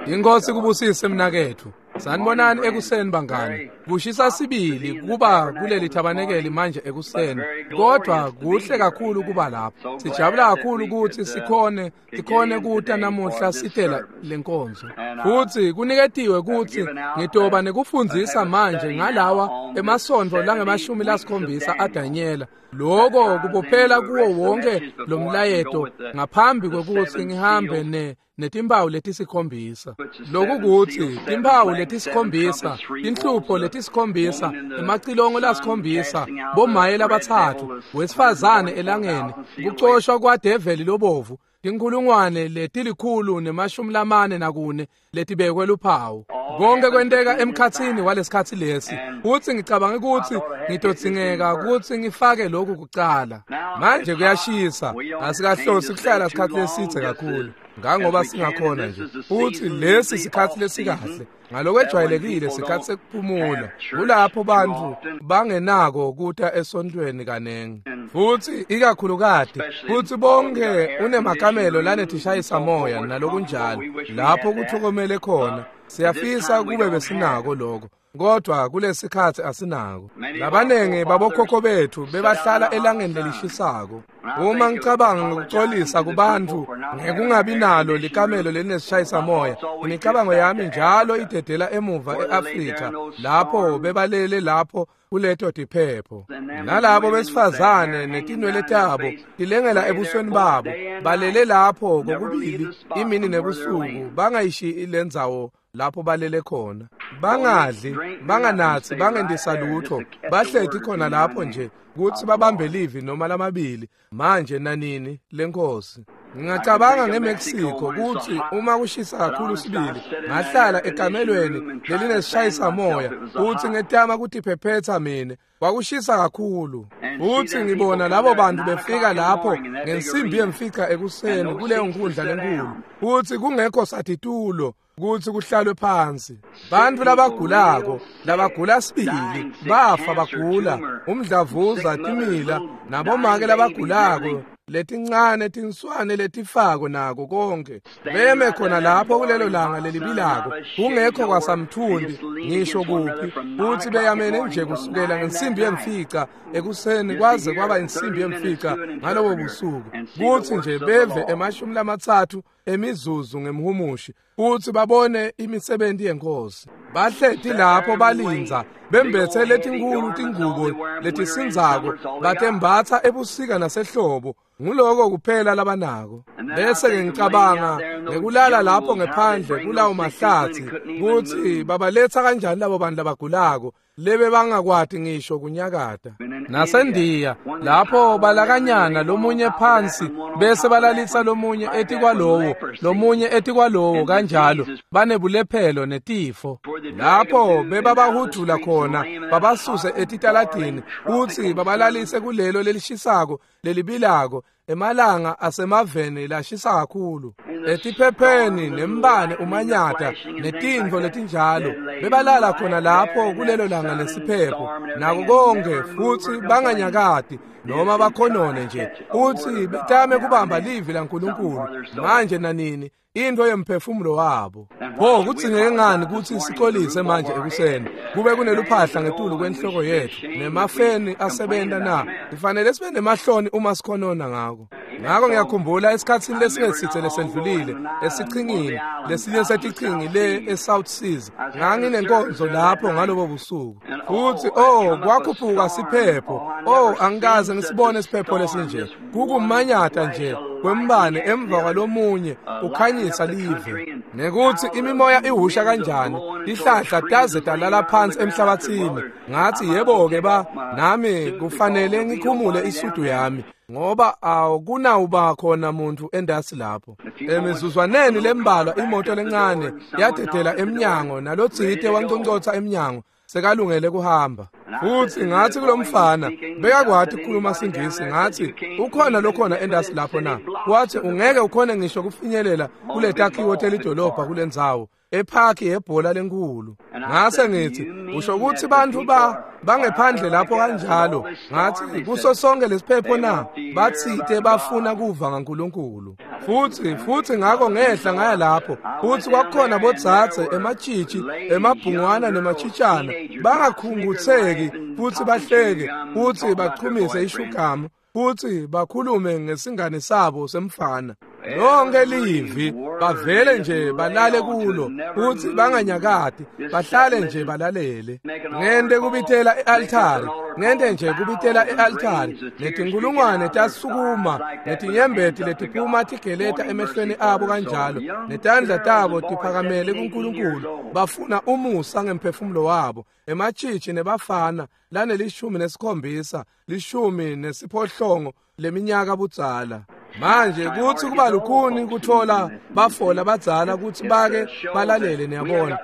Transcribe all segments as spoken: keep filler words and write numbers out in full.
Inkosi kubusise mnaketfu. Sanibonani ekuseni bangani. Kushisa sibili kuba kuleli thabanekeli manje ekuseni, kodwa kuhle kakhulu kuba lapha. Sijabula kakhulu ukuthi sikhone sikhone kuta namuhla sitela lenkonzo. Futhi kuniketiwe ukuthi ngitoba nekufundzisa manje ngalawa emasontfo langemashumi lasikhombisa aDanyela. Lokho kubophela kuwo wonke lo mlayeto ngaphambi kwekutsi ngihambe ne netimpawu letisikhombisa. Lokhu kutsi timpawu letisikhombisa, tinhlupho letisikhombisa, emacilongo lasikhombisa, bomaye labatsatfu, wesifazane elangeni, kucoshwa kwadeveli lobovu, tinkhulungwane letilikhulu nemashumi lamane nakune letibekwe luphawu. Konke kwenteka emkhatsini walesikhatsi lesi. Futsi ngicabanga ukuthi ngitodzingeka ukuthi ngifake lokhu kucala. Manje kuyashisa, asikahlosi kuhlala isikhatsi lesidze kakhulu ngangoba singakhona nje. Futhi lesi sikhatsi lesikahle ngalokwejwayelekile sikhatsi sekuphumula, kulapho bantfu bangenako kuta esontweni kanengi, futhi ikakhulukati futhi bonke unemakamelo lanetishayisa moya nalokunjalo lapho kuthokomele khona. Siyafisa kube besinako lokho, kodwa kulesikhatsi asinako. Labanengi babokhokho bethu bebahlala elangeni lelishisako. Uma ngicabanga ngokuxolisa kubantu ngekungabi nalo likamelo lelineshayisa moya, imicabango yami njalo idedela emuva e-Afrika lapho bebalele lapho kuleto tiphepho, nalabo besifazane netinwele tabo tilengela ebusweni babo, balele lapho kokubili imini nebusuku, bangayishiyi lendzawo lapho balele khona, bangadli, banganatsi, bangendisa lutho, bahleti khona lapho nje kutsi babambe livi noma lamabili manje nanini lenkosi. Ngingacabanga ngeMexico kutsi uma kushisa kakhulu sibili, ngahlala ekamelweni lelinesishayisa moya kutsi ngetama kutiphephetsa mine. Kwakushisa kakhulu, futhi ngibona labo bantu befika lapho ngensimbi yemfica ekuseni kuleyo nkundla lenkulu, futhi kungekho satitulo kutsi kuhlalwe phansi. Bantfu labagulako, labagula sibili, bafa bagula, umdlavuza, timila, nabomake labagulako, letincane tinswane letifako nako konke, beme khona lapho kulelo langa lelibilako, kungekho kwasamthundi ngisho kuphi, futhi beyamene nje kusukela ngensimbi yemfica ekuseni kwaze kwaba insimbi yemfica ngalobo busuku, kutsi nje beve emashumi lamatsatfu emizuzu ngemhumushi, futhi babone imisebenzi yenkosi. Bahleti lapho balindza, bembethe letinkulu tingubo letisindzako, batembatsa ebusika nasehlobo, nguloko kuphela labanako. Bese-ke ngicabanga ngekulala lapho ngephandle kulawo mahlatsi, kutsi babaletsa kanjani labo bantu labagulako lebe bangakwati ngisho kunyakata. Nasendiya lapho balakanyana lomunye phansi bese balalisa lomunye etikwalowo, lomunye etikwalowo, kanjalo banebulephelo netifo. Lapho bebabahudula khona babasuse etitaladini kutsi babalalise kulelo lelishisako lelibilako emalanga asemaveni lashisa kakhulu, etiphepheni nembane umanyata netintfo letinjalo. Bebalala khona lapho kulelo langa lesiphepho nako konke, futhi banganyakati noma bakhonone nje, futhi betame kubamba livi laNkulunkulu manje nanini, into yemphefumulo wabo. Pho kudzingeke ngani kutsi sixolise manje ekuseni kube kuneluphahla ngetulu kwenhloko yetfu nemafeni asebenta na? Kufanele sibe nemahloni uma sikhonona ngako. Ngako ngiyakhumbula esikhatsini lesingesitse lesendlulile esichingini lesinye setichingi le eSouth Seas, nganginenkonzo lapho ngalobo busuku, futhi oh kwakhuphuka siphepho. Oh angikaze ngisibone isiphepho lesinje, kukumanyata nje kwembane emva kwalomunye ukhanyisa live, nekuthi imimoya ihusha kanjani, tihlahla taze talala phansi emhlabathini. Ngathi yebo-ke ba nami kufanele ngikhumule isudu yami, ngoba awukunawuba khona muntu endasi lapho. Emizuzwaneni lembalwa imoto lencane yadedela emnyango, nalotsite wanconcotsa emnyango sekalungele kuhamba. Futhi ngathi kulomfana bekakwati ukukhuluma siNgisi, ngathi ukhona lokhona endasi lapho na? Wathi ungeke ukhone ngisho kufinyelela kule takhiwo telidolobha kulendzawo ephaki yebhola lenkulu. Ngase ngithi usho ukuthi bantu ba bangephandle lapho kanjalo? Ngathi kuso sonke lesiphepho na? Bathite bafuna kuva ngaNkulunkulu. Futhi futhi ngakho ngehla ngaya lapho, futhi kwakukhona bodzadze ematshitshi emabhungwana nemachitshana bangakhungutheki futhi bahleke futhi bachumise ishugamu futhi bakhulume ngesingane sabo semfana. Lonke livi bavele nje balale kulo futhi banganyakati, bahlale nje balalele. Ngente kubitela e-altari, ngente nje kubitela e-altari, netinkulungwane tasukuma, netinyembeti letiphuma tigeleta emehlweni abo kanjalo, netandla tabo tiphakamele kuNkulunkulu, bafuna umusa ngemphefumulo wabo. Ematshitshi nebafana lanelishumi nesikhombisa, lishumi nesiphohlongo leminyaka budzala. Manje kuthi kuba lukhuni kuthola bafola badzala ukuthi bake balalele, niyabona.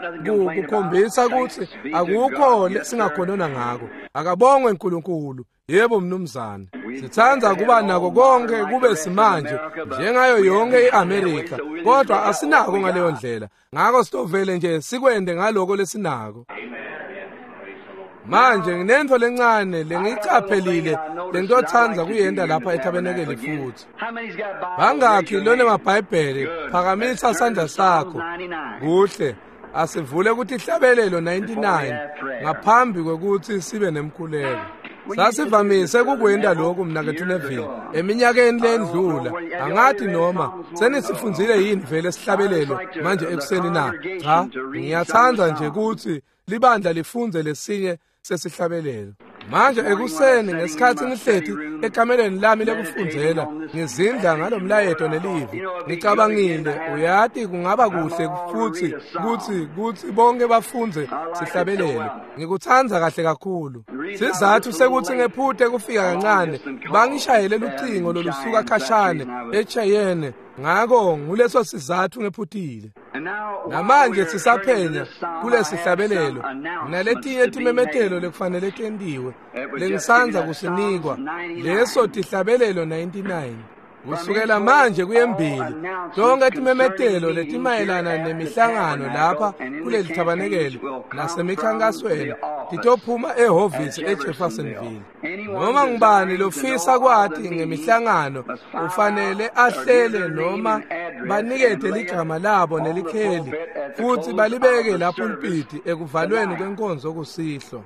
Kukhombisa ukuthi akukho lesingakhonona ngako. Akabongwe uNkulunkulu. Yebo mnumzane. Sithanda kuba nako konke kube simanje njengayo yonke iAmerica, kodwa asinako ngaleyo ndlela. Ngakho sitovele nje sikwende ngaloko lesinako. Manje nginento lencane lengiyicaphelile lengitotsandza kuyenta lapha etabenekeli futhi. Bangakhi lone mabhayibheli? Phakamisa sandla sakho. Kuhle, asivule ukuthi ihlabelelo ninety-nine ngaphambi kwekuthi sibe nemkhuleko. Sasivamise kukwenda lokhu mnakethu Neville eminyakeni lendlula. Angathi noma senisifundzile yini vele sihlabelelo manje ekuseni na? Cha, ngiyathanda nje ukuthi libandla lifunze lesinye sesihlabelelo. Manje ekuseni ngesikhathi ngihleti ekameleni lami lekufundzela ngizindla ngalomlayeto nelivi, ngicabangile uyati kungaba kuhle futhi kuthi kuthi bonke bafunze sihlabelelo. Ngikuthanda kahle kakhulu. Sizathu sekuthi ngephute kufika kancane, bangishayele lucingo lolusuka khashane eCheyenne, ngakho nguleso sizathu ngephutile. Namanje sisaphenya kulesihlabelelo naletinye timemetelo lekufanele tentiwe lengisanza kusinikwa leso tihlabelelo ninety-nine. Kusukela manje kuyembili tonke timemetelo letimayelana nemihlangano lapha kuleli thabanekeli nasemikhankasweni titophuma ehhovisi eJeffersonville. Noma ngubani lofisa kwati ngemihlangano ufanele ahlele noma banikete ligama labo nelikheli futhi balibeke lapho pulpiti ekuvalweni kwenkonzo kusihlwa.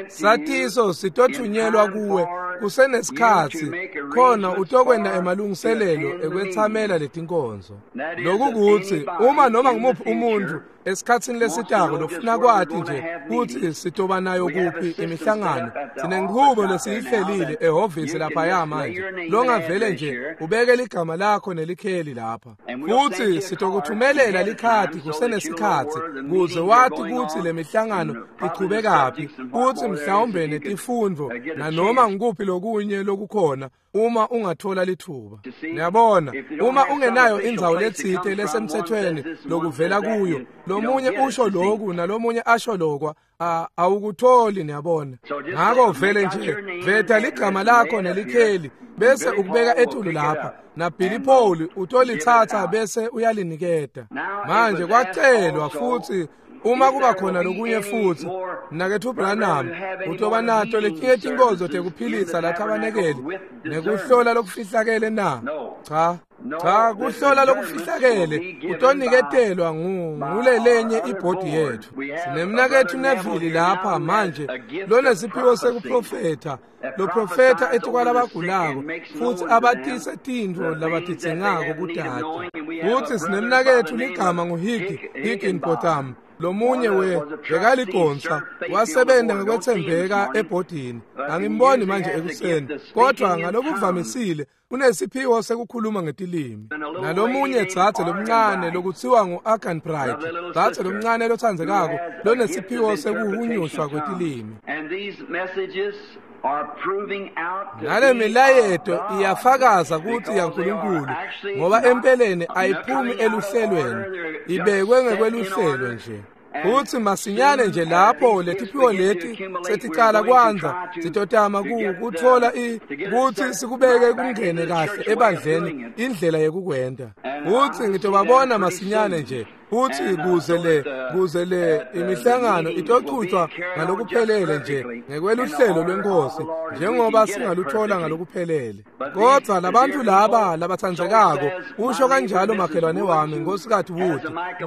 Satiso sitothunyelwa kuwe kusenesikhatsi khona utokwenda emalungiselelo ekwethamela letinkonzo. Lokhu kuthi uma noma ngumuphi umuntu esikhatsini lesitako lofuna kwati nje kuthi sitoba nayo kuphi imihlangano, sinenchubo lesiyihlelile ehhovisi laphaya manje longavele nje ubeke ligama lakho nelikheli lapha futhi sitokuthumelela likhadi kusenesikhatsi kuze wati kutsi le mihlangano ichubekaphi futhi mhlawumbe netifundvo nanoma ngikuphi lokunye lokukhona uma ungathola lithuba. Niyabona, uma ungenayo indzawo letsite lesemthethweni lokuvela kuyo, lomunye usho loku nalomunye asho lokwa, awukutholi, niyabona. Ngakho vele nje veta ligama lakho nelikheli bese ukubeka etulu lapha, na Billy Paul utolithatha bese uyaliniketa. Manje kwacelwa futhi uma kuba khona lokunye futhi mnakethu Branham utoba nato letinye tinkonzo tekuphilisa lathabanekeli nekuhlola lokufihlakele na? Cha, cha, kuhlola lokufihlakele utoniketelwa ngulelenye ibhodi yethu. Sinemnakethu Neville lapha manje lonesiphiwo sekuprofetha, loprofetha etikwalabagulako futhi abatise tintfo labatitsengako kutati. Futhi sinemnakethu ligama nguHiggy Higginbotham, lomunye we bekaligonsa wasebenza ngekwethembeka ebhodini. Angimboni manje ekuseni, kodwa ngalokuvamisile unesiphiwo sekukhuluma ngetilimi. Nalomunye dzadze lomncane lokutsiwa ngu-Agan Bright, dzadze lomncane lotsandzekako lonesiphiwo sekuhunyushwa kwetilimi. Nale milayeto iyafakaza kutsi yaNkulunkulu ngoba empeleni ayiphumi eluhlelweni, ibekwe ngekweluhlelo nje. Futsi masinyane nje lapho letiphiwo leti seticala kwandza, sitotama kutfola kutsi sikubeke kungene kahle ebandleni indlela yekukwenta. Futsi ngitobabona masinyane nje. Futsi kuze le kuze le imihlangano itochutshwa ngalokuphelele nje ngekweluhlelo lwenkosi njengoba singaluthola ngalokuphelele. Kodwa labantu laba labatsandzekako, usho kanjalo makhelwane wami Nkosikazi Wood,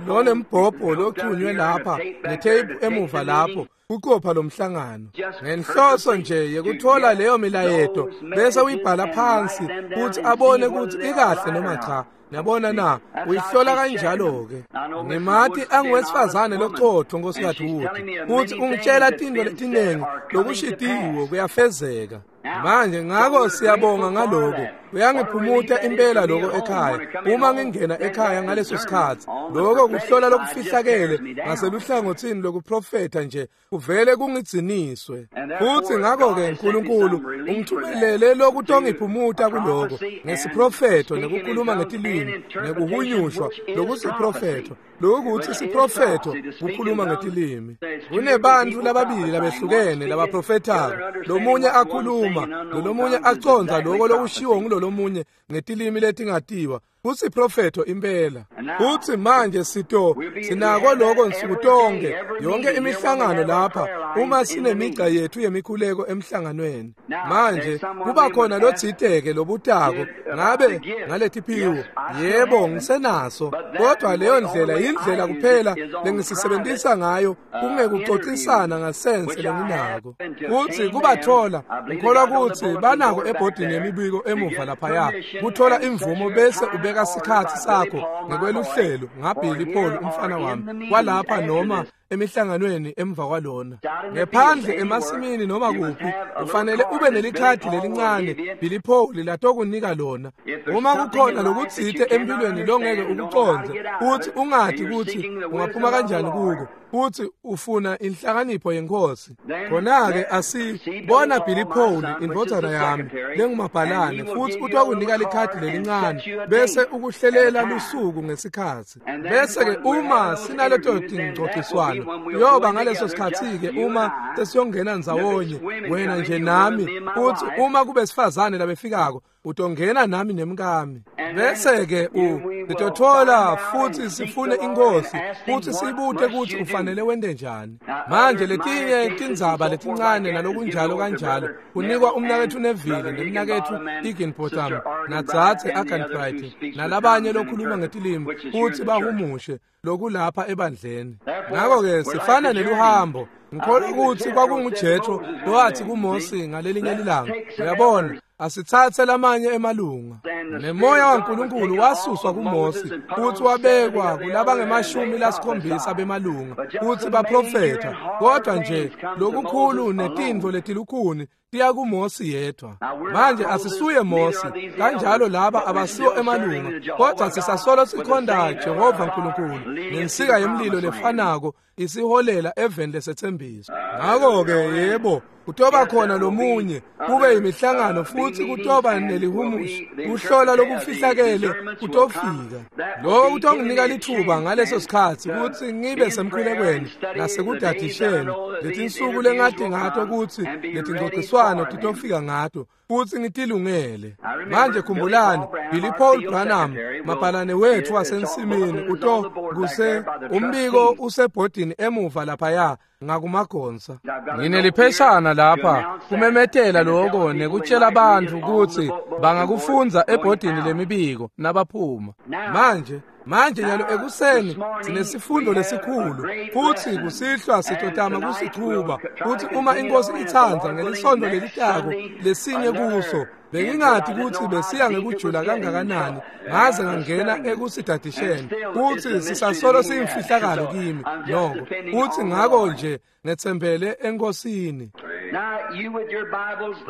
lonembhobho lochunywe lapha netape emuva lapho kuqopha lomhlangano ngenhloso nje yekuthola leyo milayeto bese uyibhala phansi kuthi abone ukuthi ikahle noma cha. Niyabona na, uyihlola kanjalo-ke. Ngimati anguwesifazane loqotho Nkosikazi Wood, futhi ungitshela tintfo letiningi lokushitiwe kuyafezeka. Manje ngako siyabonga ngaloko. Uyangiphumuta impela lokho ekhaya. Uma ngingena ekhaya ngaleso sikhathi, lokho kuhlola lokufihlakele ngaseluhlangothini lokuprofetha nje kuvele kungidziniswe. Futhi ngakho-ke uNkulunkulu ungithumelele lokutongiphumuta kuloko ngesiprofetho nekukhuluma ngetilimi nekuhunyushwa lokusiprofetho. Lokuthi siprofetho kukhuluma ngetilimi. Kunebantu lababili labehlukene labaprofethako, lomunye akhuluma lolomunye aconza lokho lokushiwo ngulolomunye ngetilimi letingatiwa. Kusiprofetho impela. Futsi manje sito sinako lokho nsuku tonke, yonke imihlangano lapha uma sinemigca yethu yemikhuleko emhlanganweni. Manje kuba khona lotsiteke lobutako ngabe ngaletiphiwo. Yebo, ngisenaso, kodwa leyo ndlela yindlela kuphela lengisisebenzisa ngayo kungekuxoxisana ngasense lenginako. Futsi kubathola ngikholwa kutsi banako ebhodini yemibiko emuva laphaya kuthola imvumo bese ubeka sikhatsi sakho ngekweluhlelo ngaBilly Paul umfana wami kwalapha noma emihlanganweni emva kwalona. Ngephandle emasimini noma kuphi ufanele ube nelikhadi lelincane Billy Paul latokunika lona. Uma kukhona lokutsite empilweni longeke ukucondze uthi ungathi kutsi ungaphuma kanjani kuko, futhi ufuna inhlakanipho yenkosi, khona-ke asibona Billy Paul indvodzana yami lengumabhalane, futhi utokunika likhadi lelincane bese ukuhlelela lusuku ngesikhatsi. Bese-ke uma sinaleto tingcociswano yoba ngaleso sikhatsi-ke uma sesiyongena ndzawonye wena nje nami, uthi uma kube sifazane labefikako utongena nami nemkami. Bese-ke u sitothola futhi sifune inkosi futhi sibute ukuthi ufanele wente njani. Manje letinye tindzaba letincane nalokunjalo kanjalo kunikwa umnaketfu Neville nemnaketfu Higginbotham nadzadze Arganbright nalabanye lokhuluma ngetilimi futhi bahumushe lokulapha ebandleni. Ngakho-ke sifana neluhambo. Ngikholwa ukuthi kwakunguJethro lowathi kuMose ngalelinye ilanga, uyabona, asitsatse lamanye emalunga. Nemoya waNkulunkulu wasuswa kuMose futhi wabekwa kulabangemashumi lasikhombisa bemalunga futhi baprofetha. Kodwa nje lokukhulu netintfo letilukhuni tiya kuMose yedwa. Manje asisuye Mose, kanjalo laba abasiwo emalunga, kodwa sisasolo sikhonda Jehova Nkulunkulu nensika yemlilo lefanako isiholela eveni lesethembiso. Ngakho-ke yebo, kutoba khona lomunye kube imihlangano futhi kutoba nelihumusho kuhlola lokufihlakele kutofika. Lokho kutonginika lithuba ngaleso sikhatsi kutsi ngibe semkhulekweni nasekudadisheni letinsuku lengati ngato kutsi letingcociswano titofika ngato futhi ngitilungele. Manje khumbulani, Billy Paul Branham mabhalane wethu wasensimini uto kuse umbiko usebhodini emuva laphaya ngakumagonsa. Nginelipheshana lapha kumemetela lokho nekutshela abantu kutsi bangakufundza ebhodini lemibiko nabaphuma. Manje manje nyalo ekuseni sinesifundo lesikhulu futhi kusihlwa sitotama kusichuba futhi uma inkosi itsandza ngelisonto lelitako lesinye kuso. Bengingathi kutsi besiya ngekujula kangakanani ngaze ngangena ekusidadisheni futhi sisasolo siyimfihlakalo kimi noko, futhi ngako nje ngetsembele enkosini.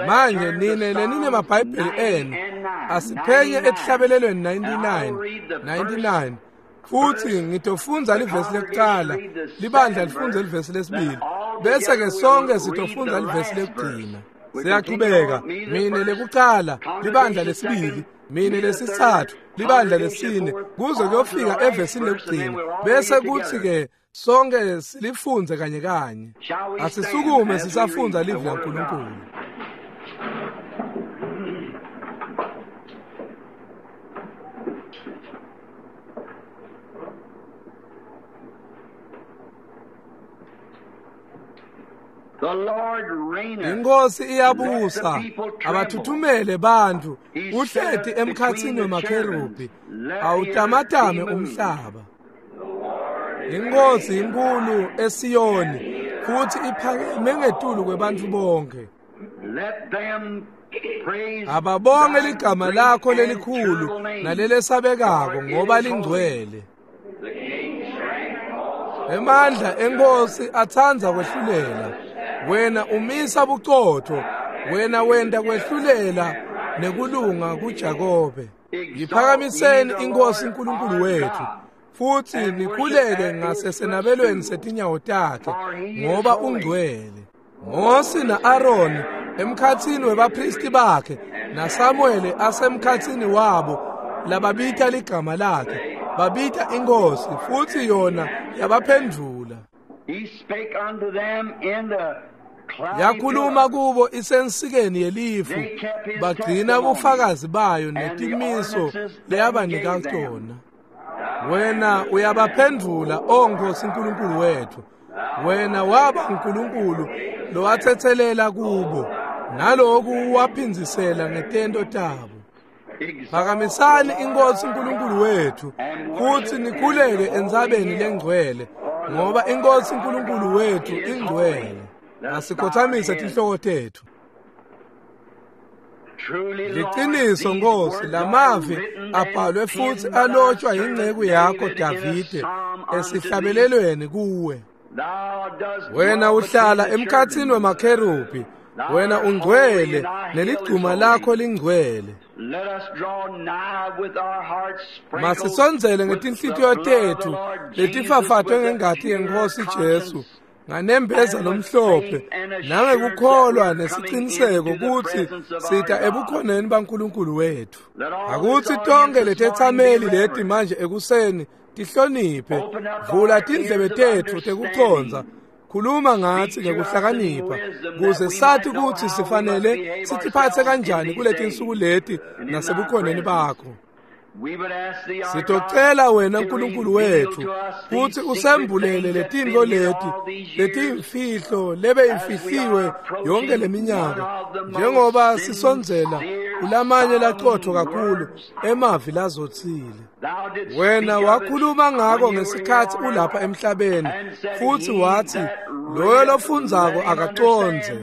Manje nine lenine mabhayibheli enu asiphenye etihlabelelweni ninety-nine ninety-nine futhi ngitofundza livesi lekuqala, libandla lifundze livesi lesibili, bese ke sonke sitofundza livesi lekugcina. Siyachubeka, mine lekuqala, libandla lesibili, mine lesitsatfu, libandla lesine, kuze kuyofika evesini lekugcina. Bese kuthi ke Sonke silifundze kanye kanye. Asisukume sisafundza livi laNkulunkulu. Inkosi iyabusa, abathuthumele bantu, uhleti emkhatsini wemakherubhi, awutamatame umhlaba. Inkosi inkulu eSiyoni, futhi iphakeme ngetulu kwebantfu bonke. Ababonge ligama lakho lelikhulu nalelesabekako ngoba lingcwele. Emandla enkosi atsandza kwehlulela. Wena umisa bucotho, wena wenta kwehlulela nekulunga kuJakobe. Yiphakamiseni inkosi uNkulunkulu wethu, futhi nikhuleke ngasesenabelweni setinyawo takhe ngoba ungcwele. Mose na-Aroni emkhatsini webaphristi bakhe naSamuwele asemkhatsini wabo lababita ligama lakhe, babita inkosi futhi yona yabaphendvula. Yakhuluma kubo isensikeni yelifu, bagcina bufakazi bayo netimiso leyabanika tona. Wena uyabaphendvula, o Nkosi uNkulunkulu wethu. Wena waba uNkulunkulu lowatsetselela kubo, naloku waphindzisela ngetento tabo. Phakamisani inkosi uNkulunkulu wethu, futhi nikhuleke entsabeni lengcwele, ngoba inkosi uNkulunkulu wethu ingcwele. Asikhothamise tinhloko tethu. Liqiniso Nkosi, lamavi abhalwe futhi alotshwa yinceku yakho Davide esihlabelelweni kuwe. Wena uhlala emkhatsini wemakherubhi, wena ungcwele neligcuma lakho lingcwele. Masisondzele ngetinhlitiyo tethu letifafatwe ngengati yenkosi Jesu, nganembeza lomhlophe nangekukholwa nesiciniseko kutsi sita ebukhoneni baNkulunkulu wethu. Akutsi tonke letetsameli leti manje ekuseni tihloniphe, vula tindlebe tetfu tekucondza, khuluma ngatsi ngekuhlakanipha, kuze sathi kutsi sifanele sitiphatse kanjani kuletinsuku leti nasebukhoneni bakho. Sitocela wena Nkulunkulu wethu kutsi usembulele letintfo leti letiyimfihlo lebeyifihliwe yonke leminyaka, njengoba sisondzela kulamanye laqotho kakhulu emavi lazotsile. Wena wakhuluma ngako ngesikhatsi ulapha emhlabeni, futhi wathi loyo lofundzako akacondze.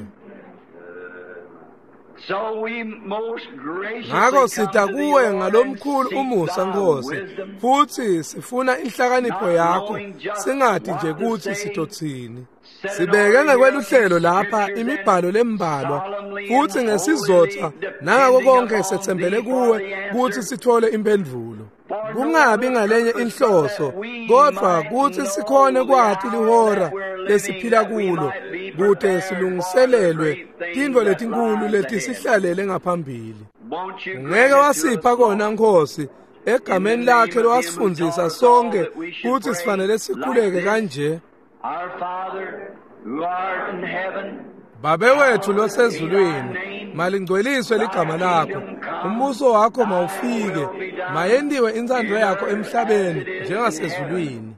Ngako sita kuwe ngalomkhulu umusa Nkosi, futhi sifuna inhlakanipho yakho, singati nje kutsi sitotsini. Sibeke ngekweluhlelo lapha imibhalo lembalwa, futhi ngesizotha nangako konke setsembele kuwe kutsi sithole impendvulo. Kungabi ngalenye inhloso, kodvwa kutsi sikhone kwati lihora lesiphila kulo, kute silungiselelwe tintfo letinkulu letisihlalele ngaphambili. Ungeke wasipha kona Nkosi, egameni lakhe lowasifundzisa sonke kutsi sifanele sikhuleke kanje. Babe wethu losezulwini, malingcweliswe ligama lakho, umbuso wakho mawufike, mayentiwe intsandvo yakho emhlabeni njengasezulwini.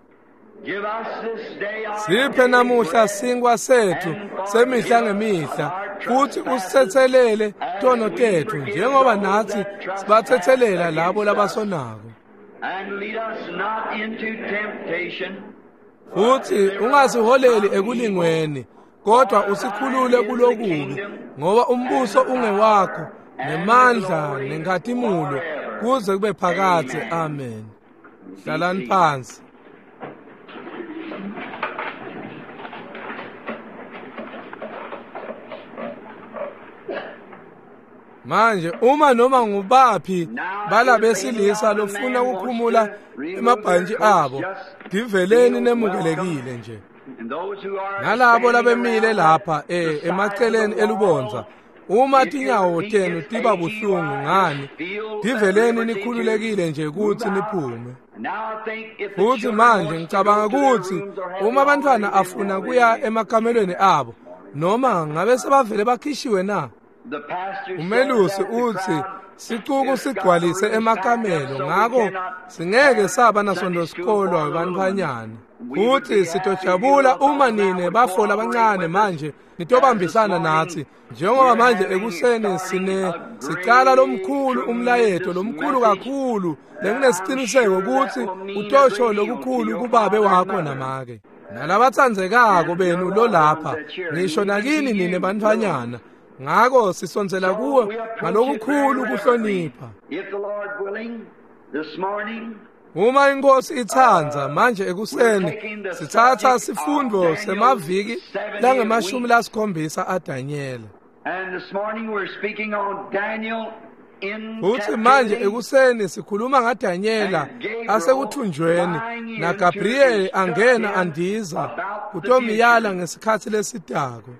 Siphe namuhla sinkwa sethu semihla ngemihla, futhi usitsetselele tono tetfu njengoba natsi sibatsetselela labo labasonako. Futhi ungasiholeli ekulingweni, kodwa usikhulule kulokubi, ngoba umbuso ungewakho nemandla nenkhatimulo kuze kube phakadze. Amen. Hlalani phansi. Manje uma noma ngubaphi balabesilisa lofuna ukukhumula emabhantshi abo, diveleni nemukelekile nje. Nalabo labemile lapha eh emaceleni elubondza, Uma tinyawo tenu tiba buhlungu ngani, tiveleni nikhululekile nje kutsi niphume. Futhi manje ngicabanga kutsi uma abantwana afuna kuya emakamelweni abo, noma ngabe sebavele bakhishiwe na? Umelusi utsi sicuku sigcwalise emakamelo, ngako singeke saba nasondosikolwa webantfwanyana. Futhi sitojabula uma nine bafo abancane manje nitobambisana natsi, njengoba manje ekuseni sine sicala lomkhulu umlayeto lomkhulu kakhulu lenginesiciniseko kutsi utosho lokukhulu kubabe wakho namake nalabatsandzekako benu lolapha, ngisho nakini nine bantfwanyana. Ngako sisondzela kuwe ngalokukhulu kuhlonipha. Uma inkosi itsandza, manje ekuseni sitsatsa sifundo semaviki langemashumi lasikhombisa aDanyela. Futhi manje ekuseni sikhuluma ngaDanyela asekuthunjweni naGabriel angena andiza kutomiyala ngesikhatsi lesitako.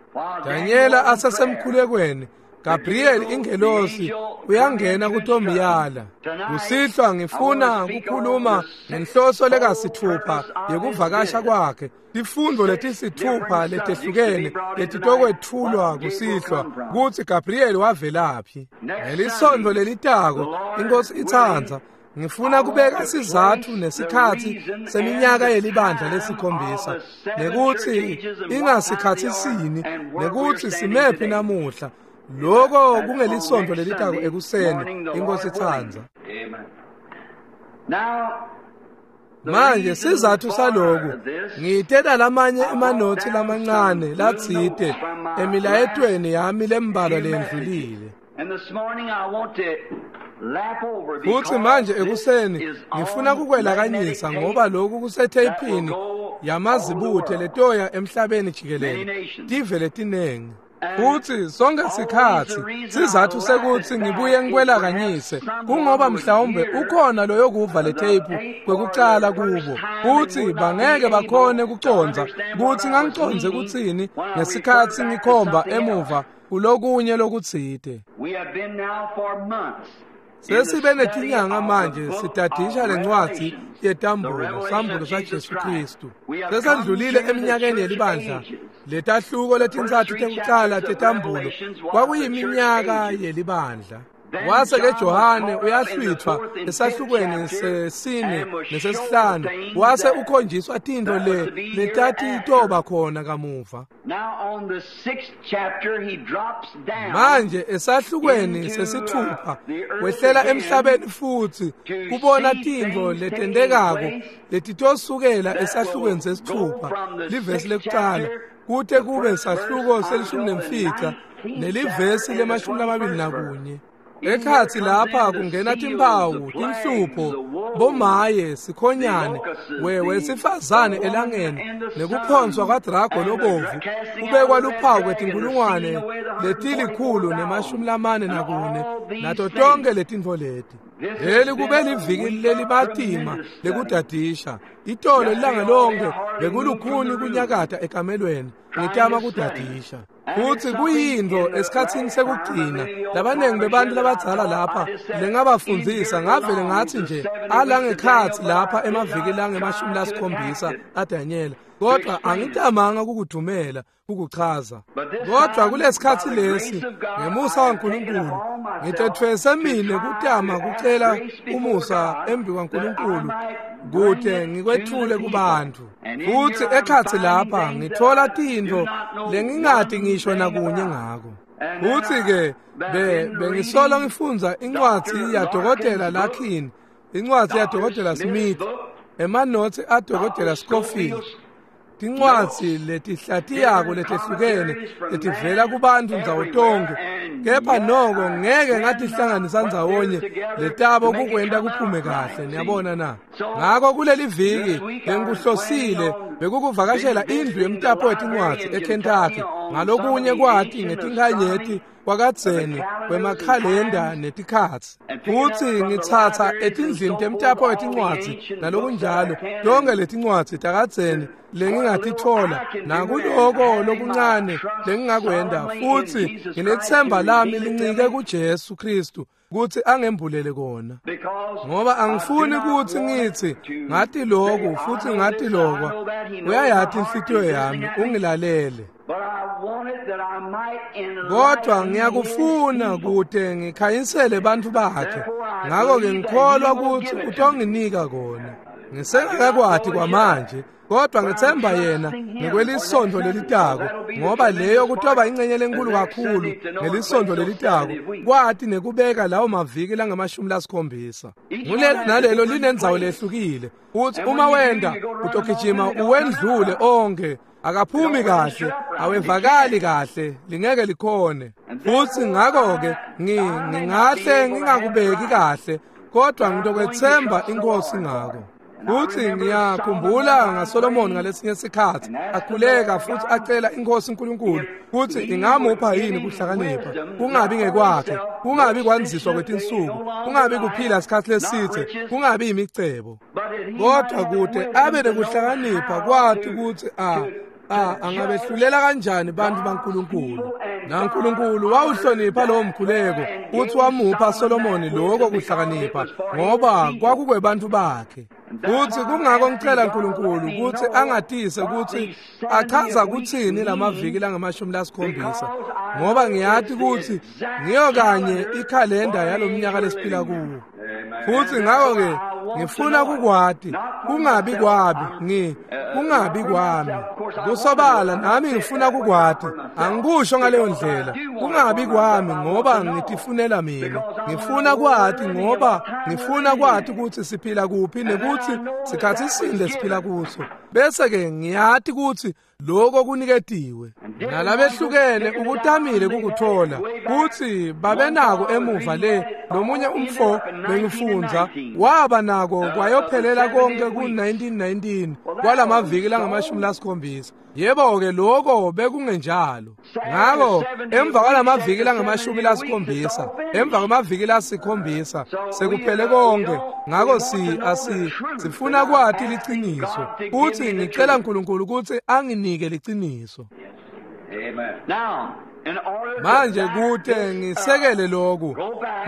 Danyela asesemkhulekweni, Gabriel ingelosi uyangena kutomiyala. Kusihlwa ngifuna kukhuluma ngenhloso lekasithupha yekuvakasha kwakhe. Tifundvo letisithupha letehlukene letitokwetfulwa kusihlwa kutsi Gabriel wavelaphi. Ngelisonto lelitako inkosi itsandza, ngifuna kubeka sizatfu nesikhatsi seminyaka yelibandla lesikhombisa, nekutsi ingasikhatsi sini, nekutsi simephi namuhla. Loko kungelisonto lelitako ekuseni inkosi itsandza. Manje sizatfu saloku, ngitela lamanye emanothi lamancane latsite emilayetweni yami lembalwa lendlulile. Futhi manje ekuseni ngifuna kukwelakanyisa ngoba lokhu kusetheyiphini yamazibuthe letoya emhlabeni jikelele, tive letinengi. Futhi sonke sikhatsi sizatfu sekutsi ngibuye ngikwelakanyise kungoba mhlawumbe ukhona loyokuva le tape kwekucala kubo, futhi bangeke bakhone kucondza kutsi ngangicondze kutsini ngesikhatsi ngikhomba emuva kulokunye lokutsite. Sesibe netinyanga manje sitadisha lencwadzi yetambulo, sambulo saJesu Kristu. Sesandlulile eminyakeni yelibandla, letahluko letintsatfu tekucala tetambulo kwakuyiminyaka yelibandla. Wase ke Johane uyahlwithwa esahlukweni sesine nesesihlanu, wase ukhonjiswa tintfo le letatitoba khona kamuva. Manje esahlukweni sesithupha wehlela emhlabeni futhi kubona tintfo letentekako letitosukela esahlukweni sesithupha, livesi lekucala kute kube sahluko selishumi nemfica nelivesi lemashumi lamabili nakunye. Ekhatsi lapha kungena timphawu, tinhlupho, bomaye, sikhonyane, wesifazane elangeni, nekuphonswa kwadrago lobovu, kubekwa luphawu kwetinkulungwane letilikhulu nemashumi lamane nakune, nato tonke letintfo leti. Leli kube liviki lelibatima lekudadisha. Itolo ilanga lonke bekulukhuni kunyakata ekamelweni ngitama kudadisha. Futhi kuyintfo esikhatsini sekugcina labanengi bebantu labadzala lapha lengabafundzisa ngavele ngathi nje alangekhatsi lapha emaviki langemashumi lasikhombisa aDanyela, kodwa angitamanga kukudumela ukuchaza. Kodwa kulesikhatsi lesi ngemusa waNkulunkulu ngitethwese mine kutama kucela umusa embi kwaNkulunkulu kute ngikwethule kubantu. Futhi ekhatsi lapha ngithola tintfo lengingati ngisho nakunye ngako. Futhi ke bengisolo ngifundza incwadzi yaDokotela Larkin, incwadzi yaDokotela Smith, emanothi aDokotela Scofield, tincwadzi letihlatiyako letehlukene letivela kubantu ndzawo tonkhe, kepha noko ngeke ngatihlanganisa ndzawonye letabo kukwenta kuphume kahle, niyabona na. Ngako kuleli viki lengikuhlosile bekukuvakashela indlu yemtapo wetincwadzi eKentucky, ngalokunye kwati ngetinkhanyeti kwakadzeni kwemakhalenda netikhatsi futsi ngitsatsa etindlini temtapo wetincwadzi nalokunjalo tonke letincwadzi takadzeni lengingatitfola nakuloko lokuncane lengingakwenta futsi nginethemba lami lincike kuJesu Kristu kutsi angembulele kona ngoba angifuni kutsi ngitsi ngati lokhu futsi ngati lokwa uyayati inhlitiyo yami ungilalele kodwa ngiyakufuna kute ngikhanyisele bantfu bakhe ngako-ke ngikholwa kutsi utonginika kona ngisengakakwati kwamanje kodwa ngithemba yena ngekwelisonto lelitako ngoba leyo kutoba ingcenye lenkulu kakhulu ngelisonto lelitako kwati nekubeka lawo maviki langamashumi lasikhombisa ngulelo nalelo linendzawo lehlukile uthi uma wenda utogijima uwendlule onke akaphumi kahle awevakali kahle lingeke likhone futsi ngako-ke ngingahle ngingakubeki kahle kodwa ngitokwethemba inkosi ngako futsi ngiyakhumbula ngaSolomon ngalesinye sikhatsi akhuleka futsi acela inkosi uNkulunkulu kutsi ingamupha yini kuhlakanipha kungabi ngekwakhe kungabi kwandziswa kwetinsuku kungabi kuphila sikhatsi lesitse kungabi imicebo kodwa kute abe nekuhlakanipha kwati kutsi a a angabehlulela kanjani bantfu baNkulunkulu naNkulunkulu wawuhlonipha lowo mkhuleko futhi wamupha Solomoni lokho kuhlakanipha ngoba kwakukwebantfu bakhe futhi kungako ngicela uNkulunkulu kutsi angatise kutsi achaza kutsini lamaviki langamashumi lasikhombisa ngoba ngiyati kutsi ngiyo kanye ikhalenda yalomnyaka lesiphila kuwo futhi ngako-ke ngifuna kukwati kungabi kwami ngi kungabi kwami kusobala nami ngifuna kukwati angikusho ngaleyo ndlela kungabi kwami ngoba ngitifunela mina ngifuna kwati ngoba ngifuna kwati kutsi siphila kuphi nekutsi sikhatsi sini lesiphila kuso bese-ke ngiyati kutsi lokho kuniketiwe nalabehlukene ukutamile kukuthola kutsi babenako emuva le lomunye umfo bengifundza waba nako kwayophelela konke ku-nineteen nineteen kwalamaviki langamashumi lasikhombisa yebo-ke lokho bekungenjalo ngako emva kwalamaviki langamashumi lasikhombisa emva kwamaviki lasikhombisa sekuphele konke ngako si asi sifuna kwati liciniso futsi ngicela uNkulunkulu kutsi anginike liciniso manje kute ngisekele lokhu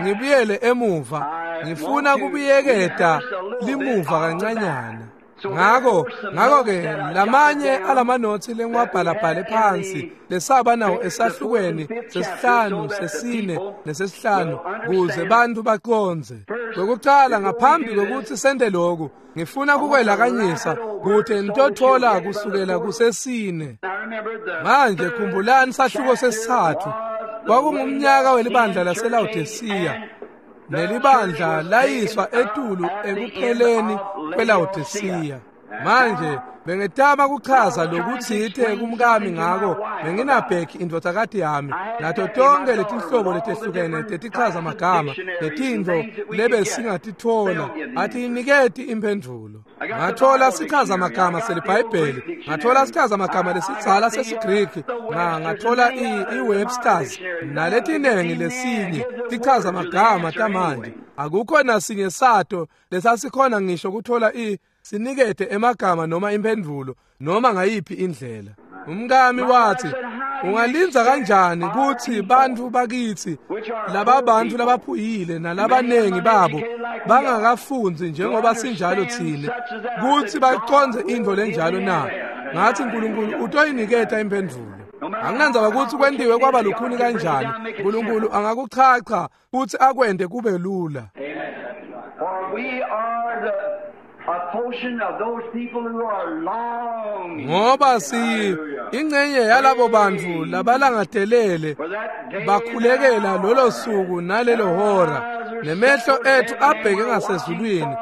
ngibuyele emuva ngifuna kubuyeketa limuva kancanyana ngako ngako-ke lamanye alamanothi lengiwabhalabhale phansi lesaba nawo esahlukweni sesihlanu sesine nesesihlanu kuze bantfu bacondze kwekucala ngaphambi kwekutsi sente lokhu ngifuna kukwelakanyisa kute nitotfola kusukela kusesine manje khumbulani sahluko sesitsatfu kwakungumnyaka welibandla laseLawodisiya nelibandla layiswa etulu ekupheleni kweLawodisiya manje bengetama kuchaza lokutsite kumkami ngako benginabheki indvodzakati yami nato tonke letinhlobo letehlukene tetichaza magama netintfo lebesingatitfola atiyiniketi imphendvulo ngathola sichaza magama selibhayibheli ngathola sichaza magama lesidzala sesigriki ngathola i-Webster's naletinengi lesinye tichaza magama tamanje akukho nasinye sato lesasikhona ngisho kuthola i sinikete emagama noma imphendvulo noma ngayiphi indlela umkami wathi ungalindza kanjani kutsi bantfu bakitsi laba bantfu labaphuyile nalabanengi babo bangakafundzi njengoba sinjalo tsine kutsi bacondze intfo lenjalo na ngathi uNkulunkulu utoyiniketa imphendvulo anginandzaba kutsi kwentiwe kwaba lukhuni kanjani uNkulunkulu angakuchacha futsi akwente kube lula ngoba si ingcenye yalabo bantfu labalangatelele bakhulekela lolo suku nalelo hora nemehlo ethu abheke ngasezulwini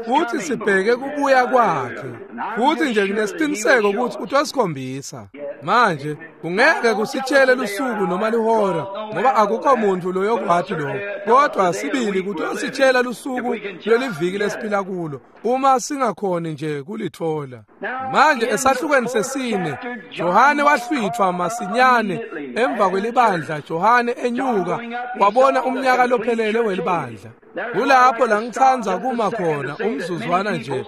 futhi sibheke kubuya kwakhe futhi nje nginesiqiniseko ukuthi utosikhombisa manje Kungeke kusitshele lusuku noma lihora, ngoba akukho muntu loyokwati lokho. Kodwa sibili kutositshela lusuku lweliviki lesiphila kulo, uma singakhoni nje kulithola. Manje esahlukweni sesine, Johane wahlwithwa masinyane emva kwelibandla. Johane enyuka wabona umnyaka lophelele welibandla. Kulapho la ngitsandza kuma khona umzuzwana nje,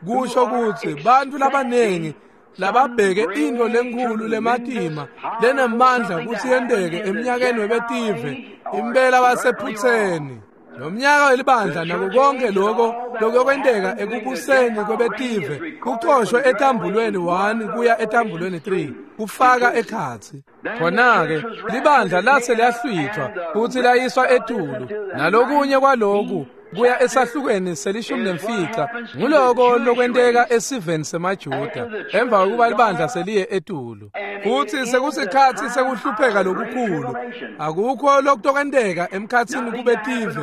kusho kutsi bantfu labanengi lababheke into lenkhulu lematima lenemandla kutsi yenteke eminyakeni webetive impela basephutseni. Lomnyaka welibandla nako konke lokho lokuyokwenteka ekubuseni kwebetive kucoshwe etambulweni one kuya etambulweni three kufaka ekhatsi. Khona-ke libandla lase liyahlwithwa futsi layiswa etulu, nalokunye kwaloku kuya esahlukweni selishumi nemfica. Nguloko lokwenteka esiveni semaJuda emva kokuba libandla seliye etulu. Futsi sekusikhatsi sekuhlupheka lokukhulu. Akukho lokutokwenteka emkhatsini kubetive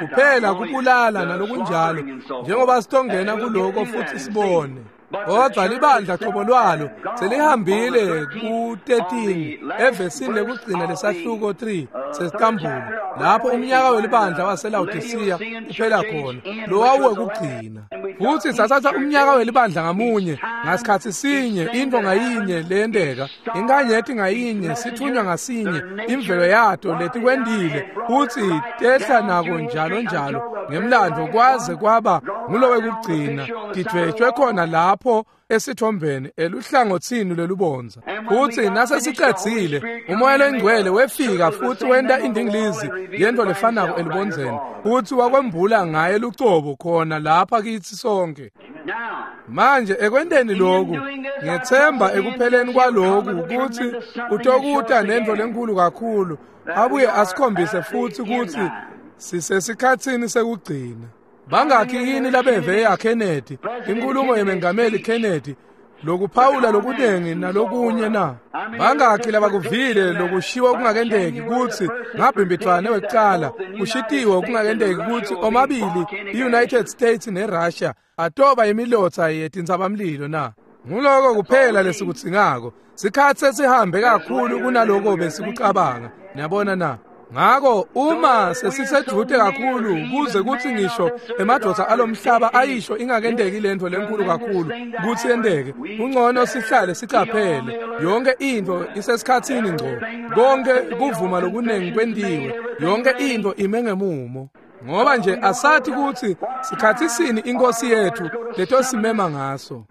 kuphela kubulala nalokunjalo, njengoba sitongena kuloko futsi sibone. Kodwa libandla qobo lwalo selihambile ku thirteen evesini lekugcina lesahluko three sesikambulo, lapho umnyaka welibandla waseLaodicea uphela khona, lowawuwekugcina. Futsi sathatha umnyaka welibandla ngamunye ngasikhatsi sinye, into ngayinye leyenteka, inkanyeti ngayinye, sithunywa ngasinye, imvelo yato letikwentile, futsi tehla nako njalo njalo ngemlandvo kwaze kwaba ngulowekugcina, tidvwetshwe khona lapho esithombeni eluhlangotsini lwelubondza. Futsi nasesicedzile, uMoya loNgcwele wefika futsi wenta indingilizi yento lefanako elubondzeni, futsi wakwembula ngaye lucobo khona lapha kitsi sonke. Manje ekwenteni lokhu, ngethemba ekupheleni kwaloku kutsi utokuta nento lenkulu kakhulu, abuye asikhombise futsi kutsi sisesikhatsini sekugcina. Bangakhi yini labeve ya Kennedy, inkulumo yemengameli Kennedy, lokuphawula lokunengi nalokunye na? Bangakhi labakuvile lokushiwo kungakenteki kutsi ngabhimbidvwane wekucala kushitiwe kungakenteki kutsi omabili i-United States neRussia atoba imilotsa yetintsabamlilo na? Nguloko kuphela lesikudzingako. Sikhatsi sesihambe kakhulu kunaloko besikucabanga. Niyabona na? Ngako uma sesisedvute kakhulu kuze kutsi ngisho emadvodza alomhlaba ayisho ingakenteki lento lenkulu kakhulu kutsi yenteke, kungcono sihlale sicaphele. Yonke into isesikhatsini ngco, konke kuvuma lokunengi kwentiwe, yonke into ime ngemumo. Ngoba nje asathi kutsi sikhatsi sini inkosi yethu letosimema ngaso.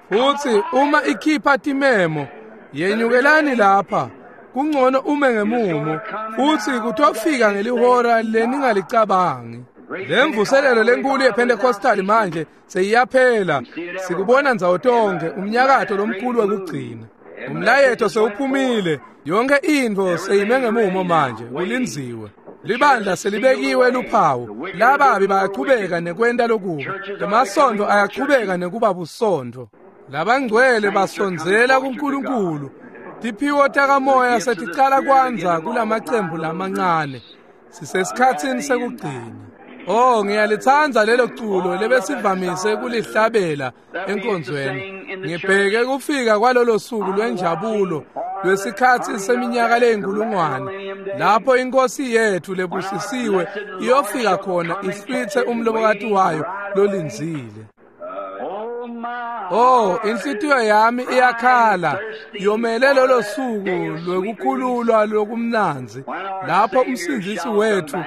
Futsi uma ikhipha timemo, yenyukelani lapha, kungcono ume ngemumo, futsi kutofika ngelihora leningalicabangi. Lemvuselelo lenkulu yePentecostal manje seyiyaphela, sikubona ndzawo tonke umnyakato lomkhulu wekugcina. Umlayeto sewuphumile, yonke intfo seyime ngemumo manje, kulindziwe. Libandla selibekiwe luphawu, lababi bayachubeka nekwenta lokubi, emasontfo ayachubeka nekuba busontfo. Labangcwele basondzela kuNkulunkulu. Tiphiwo takamoya seticala kwandza kulamacembu lamancane. Sisesikhatsini sekugcina. Oh, ngiyalitsandza lelo culo lebesivamise kulihlabela enkonzweni. Ngibheke kufika kwalolo suku lwenjabulo lwesikhatsi seminyaka leyinkulungwane, lapho inkosi yethu lebusisiwe iyofika khona ihlwithe umlobokati wayo lolindzile. Oh, inhlitiyo yami iyakhala yomele lolo suku lwekukhululwa lokumnandzi, lapho umsindzisi wethu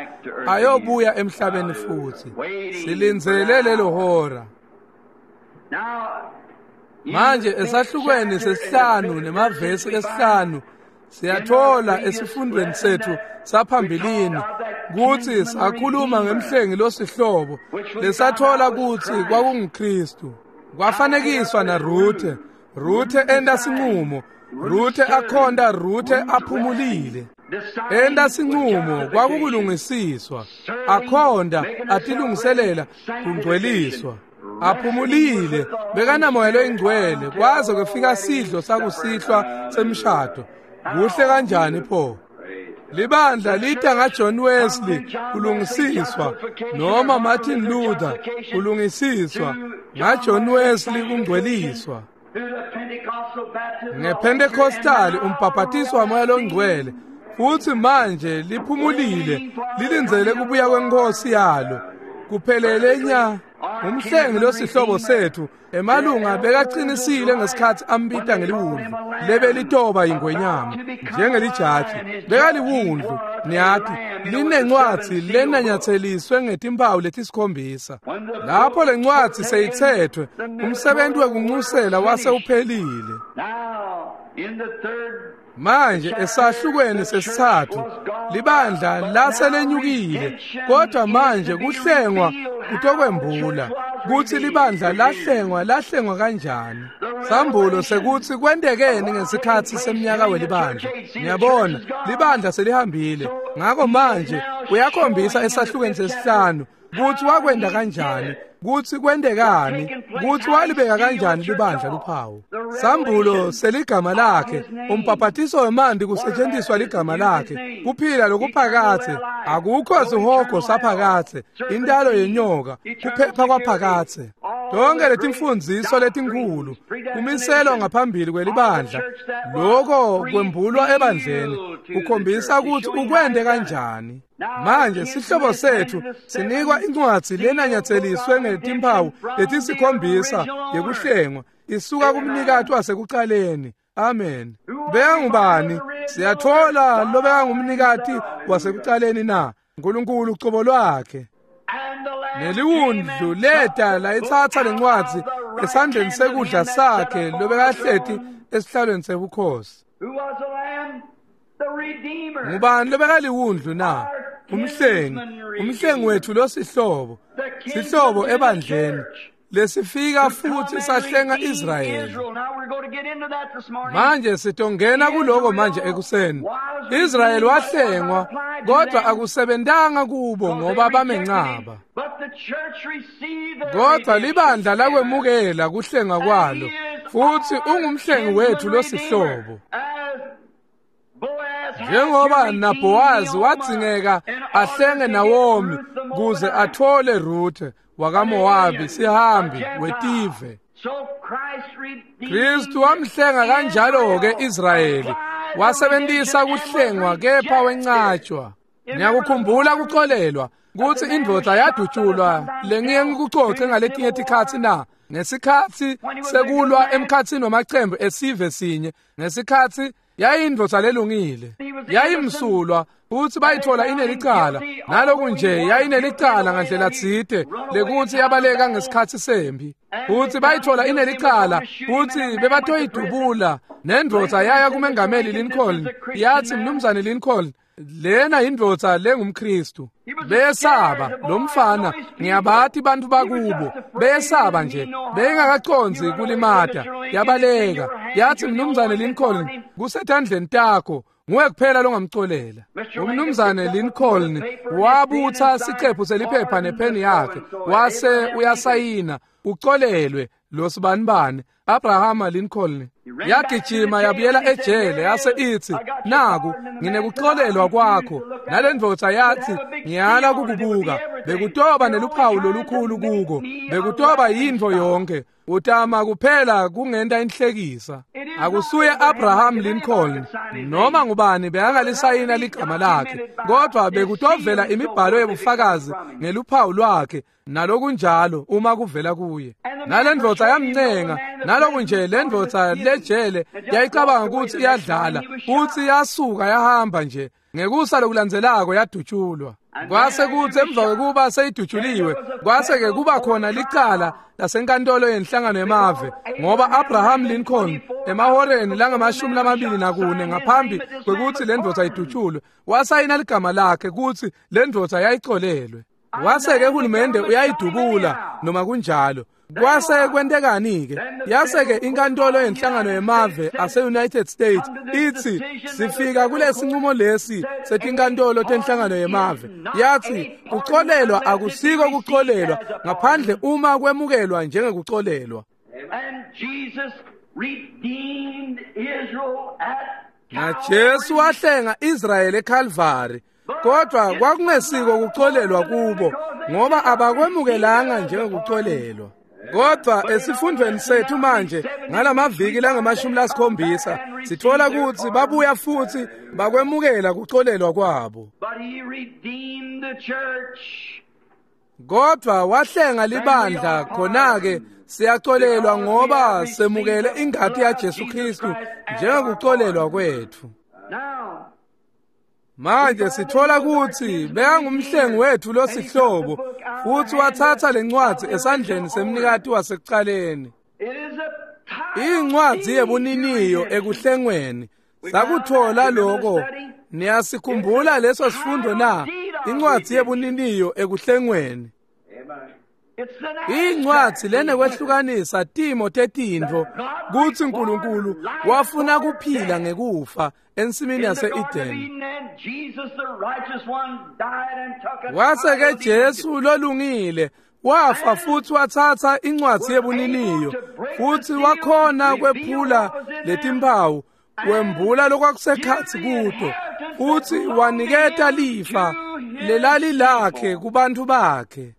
ayobuya emhlabeni futhi. Silindzele lelo hora. Manje esahlukweni sesihlanu nemavesi esihlanu siyathola esifundweni sethu saphambilini kutsi sakhuluma ngemhlengi losihlobo lesathola kutsi kwakunguKristu. Kwafanekiswa na Ruthe. Ruthe enta sinqumo, Ruthe akhonda, Ruthe aphumulile. Enta sinqumo kwakukulungisiswa, akhonda atilungiselela kungcweliswa. Aphumulile bekanamoya loyingcwele kwaze kwefika sidlo sakusihlwa semshado. Kuhle kanjani pho? Libandla lita ngaJohn Wesley kulungisiswa, noma Martin Luther kulungisiswa, ngaJohn Wesley kungcweliswa. NgePentecostal umbhaphatiso waMoya loNgcwele futhi manje liphumulile lilindzele kubuya kwenkosi yalo. Kuphelele nya umhlengi losihlobo sethu emalunga bekaqinisile ngesikhathi ambita ngeliwundlu lebelitoba ingwenyama njengelijaji bekaliwundlu niyathi linencwadi lenanyatheliswe ngetimpawu letisikhombisa. Lapho lencwadi seyithethwe umsebenzi wekunxusela wase uphelile. Manje esahlukweni sesithathu libandla laselenyukile kodwa manje kuhlengwa kutokwembula kutsi libandla lahlengwa lahlengwa kanjani. Sambulo sekutsi kwentekeni ngesikhatsi semnyaka welibandla. Niyabona libandla selihambile ngakho manje uyakhombisa esahlukweni sesihlanu kutsi wakwenda kanjani, kutsi kwentekani, kutsi walibeka kanjani libandla luphawu. Sambulo seligama lakhe, umbhaphatiso wemanti kusetshenziswa ligama lakhe, kuphila lokuphakathe, akukho sihogo saphakathe, intalo yenyoka, kuphepha kwaphakathe. Tonke letimfundziso letinkhulu kumiselwa ngaphambili kwelibandla, lokho kwembulwa ebandleni kukhombisa kutsi ukwente kanjani. Manje sihlobo sethu sinikwa incwadzi lenanyatheliswe ngetimpawu letisikhombisa yekuhlengwa isuka kumnikati wasekucaleni. Amen. Bekangubani? Siyathola lobekangumnikati wasekucaleni na? Nkulunkulu ucobo lwakhe. Neliwundlu leta layitsatsa lencwadzi esandleni sekudla sakhe lobekahleti esihlalweni sebukhosi. Ngubani lobekaliwundlu na? Umhlengi, umhlengi wethu losihlobo, sihlobo ebandleni lesifika futhi sahlenga Israyeli. Manje sitongena kuloko manje ekuseni. Israyeli wahlengwa kodwa akusebentanga kubo ngoba bamencaba. Kodwa libandla lakwemukela kuhlengwa kwalo futhi ungumhlengi wethu losihlobo. Njengoba naBhowazi wadzingeka ahlenge Nawomi kuze athole Ruthe wakaMowabi sihambi wetive, Kristu wamhlenga kanjalo-ke Israyeli, wasebentisa kuhlengwa kepha wencatshwa. Ngiyakukhumbula kuxolelwa kutsi indvodza yadutshulwa lengiye ngikucoce ngaletinye tikhatsi na ngesikhatsi sekulwa emkhatsini wamacembu esive sinye, ngesikhatsi yayindvodza lelungile, yayimsulwa futsi bayithola inelicala. Naloku nje yayinelicala ngandlela tsite lekutsi yabaleka ngesikhatsi sempi, futsi bayithola inelicala futsi bebatoyidubula. Nendvodza yaya kumengameli Lincoln yathi, Mnumzane Lincoln, lena indvodza lengumKristu. Besaba lo mfana, ngiyabati bantu bakubo, besaba nje, bengakacondzi kulimata. Yabaleka yathi, Mnumzane Lincoln, kusetandleni takho, nguwe kuphela longamcolela. Umnumzane Lincoln wabutha siqephu seliphepha nepheni yakhe wase uyasayina, ucolelwe lo sibanibani Abraham Lincoln. Yagijima yabuyela ejele yase ithi, naku nginekuxolelwa kwakho. Nalendvodza yathi, ngiyala kukubuka, bekutoba neluphawu lolukhulu kuko, bekutoba yintfo yonke, utama kuphela kungenta inhlekisa. Akusuye Abraham Lincoln noma ngubani bekangalisayina ligama lakhe, kodwa bekutovela imibhalo yebufakazi ngeluphawu lwakhe nalokunjalo uma kuvela kuye. Nalendvodza yamncenga, naloku nje lendvodza lejele yayicabanga ukuthi iyadlala, futhi yasuka yahamba nje. Ngekusa lokulandzelako yadutshulwa. Kwase kutsi emva kwekuba seyidutshuliwe, kwase-ke kuba khona licala lasenkantolo yenhlangano yemave, ngoba Abraham Lincoln emahoreni langamashumi lamabili nakune ngaphambi kwekutsi lendvodza idutshulwe wasayina ligama lakhe kutsi lendvodza yayicolelwe. Wase-ke hulumende uyayidubula noma kunjalo. Kwase kwentekani-ke? Yase-ke inkantolo yenhlangano yemave ase-United States ithi sifika kulesinqumo lesi setinkantolo tenhlangano yemave. Yathi kuxolelwa akusiko kuxolelwa ngaphandle uma kwemukelwa njengekuxolelwa. NaJesu wahlenga Israyeli eKalvari, kodwa kwakungesiko kuxolelwa kubo ngoba abakwemukelanga njengekuxolelwa. Kodwa esifundweni sethu manje ngalamaviki langamashumi lasikhombisa sithola ukuthi babuya futhi bakwemukela kuxolelwa kwabo. Kodwa wahlenga libandla khona-ke siyaxolelwa ngoba semukele ingati yaJesu Kristu njengokuxolelwa kwethu. Manje sithola ukuthi bekangumhlengi wethu losihlobo futhi wathatha lencwadi esandleni semnikati wasekuqaleni. Incwadi yebuniniyo ekuhlengweni. Sakuthola lokho. Niyasikhumbula leso sifundo na? Incwadi yebuniniyo ekuhlengweni. Incwadi lenekwehlukanisa timo tetintfo kutsi uNkulunkulu wafuna kuphila ngekufa ensimini yase-Eden. Wase-ke Jesu lolungile wafa futhi wathatha incwadi yebuniniyo futhi wakhona kwephula letimpawu wembula lokwakusekhatsi kuto futhi waniketa lifa lelali lakhe kubantu bakhe.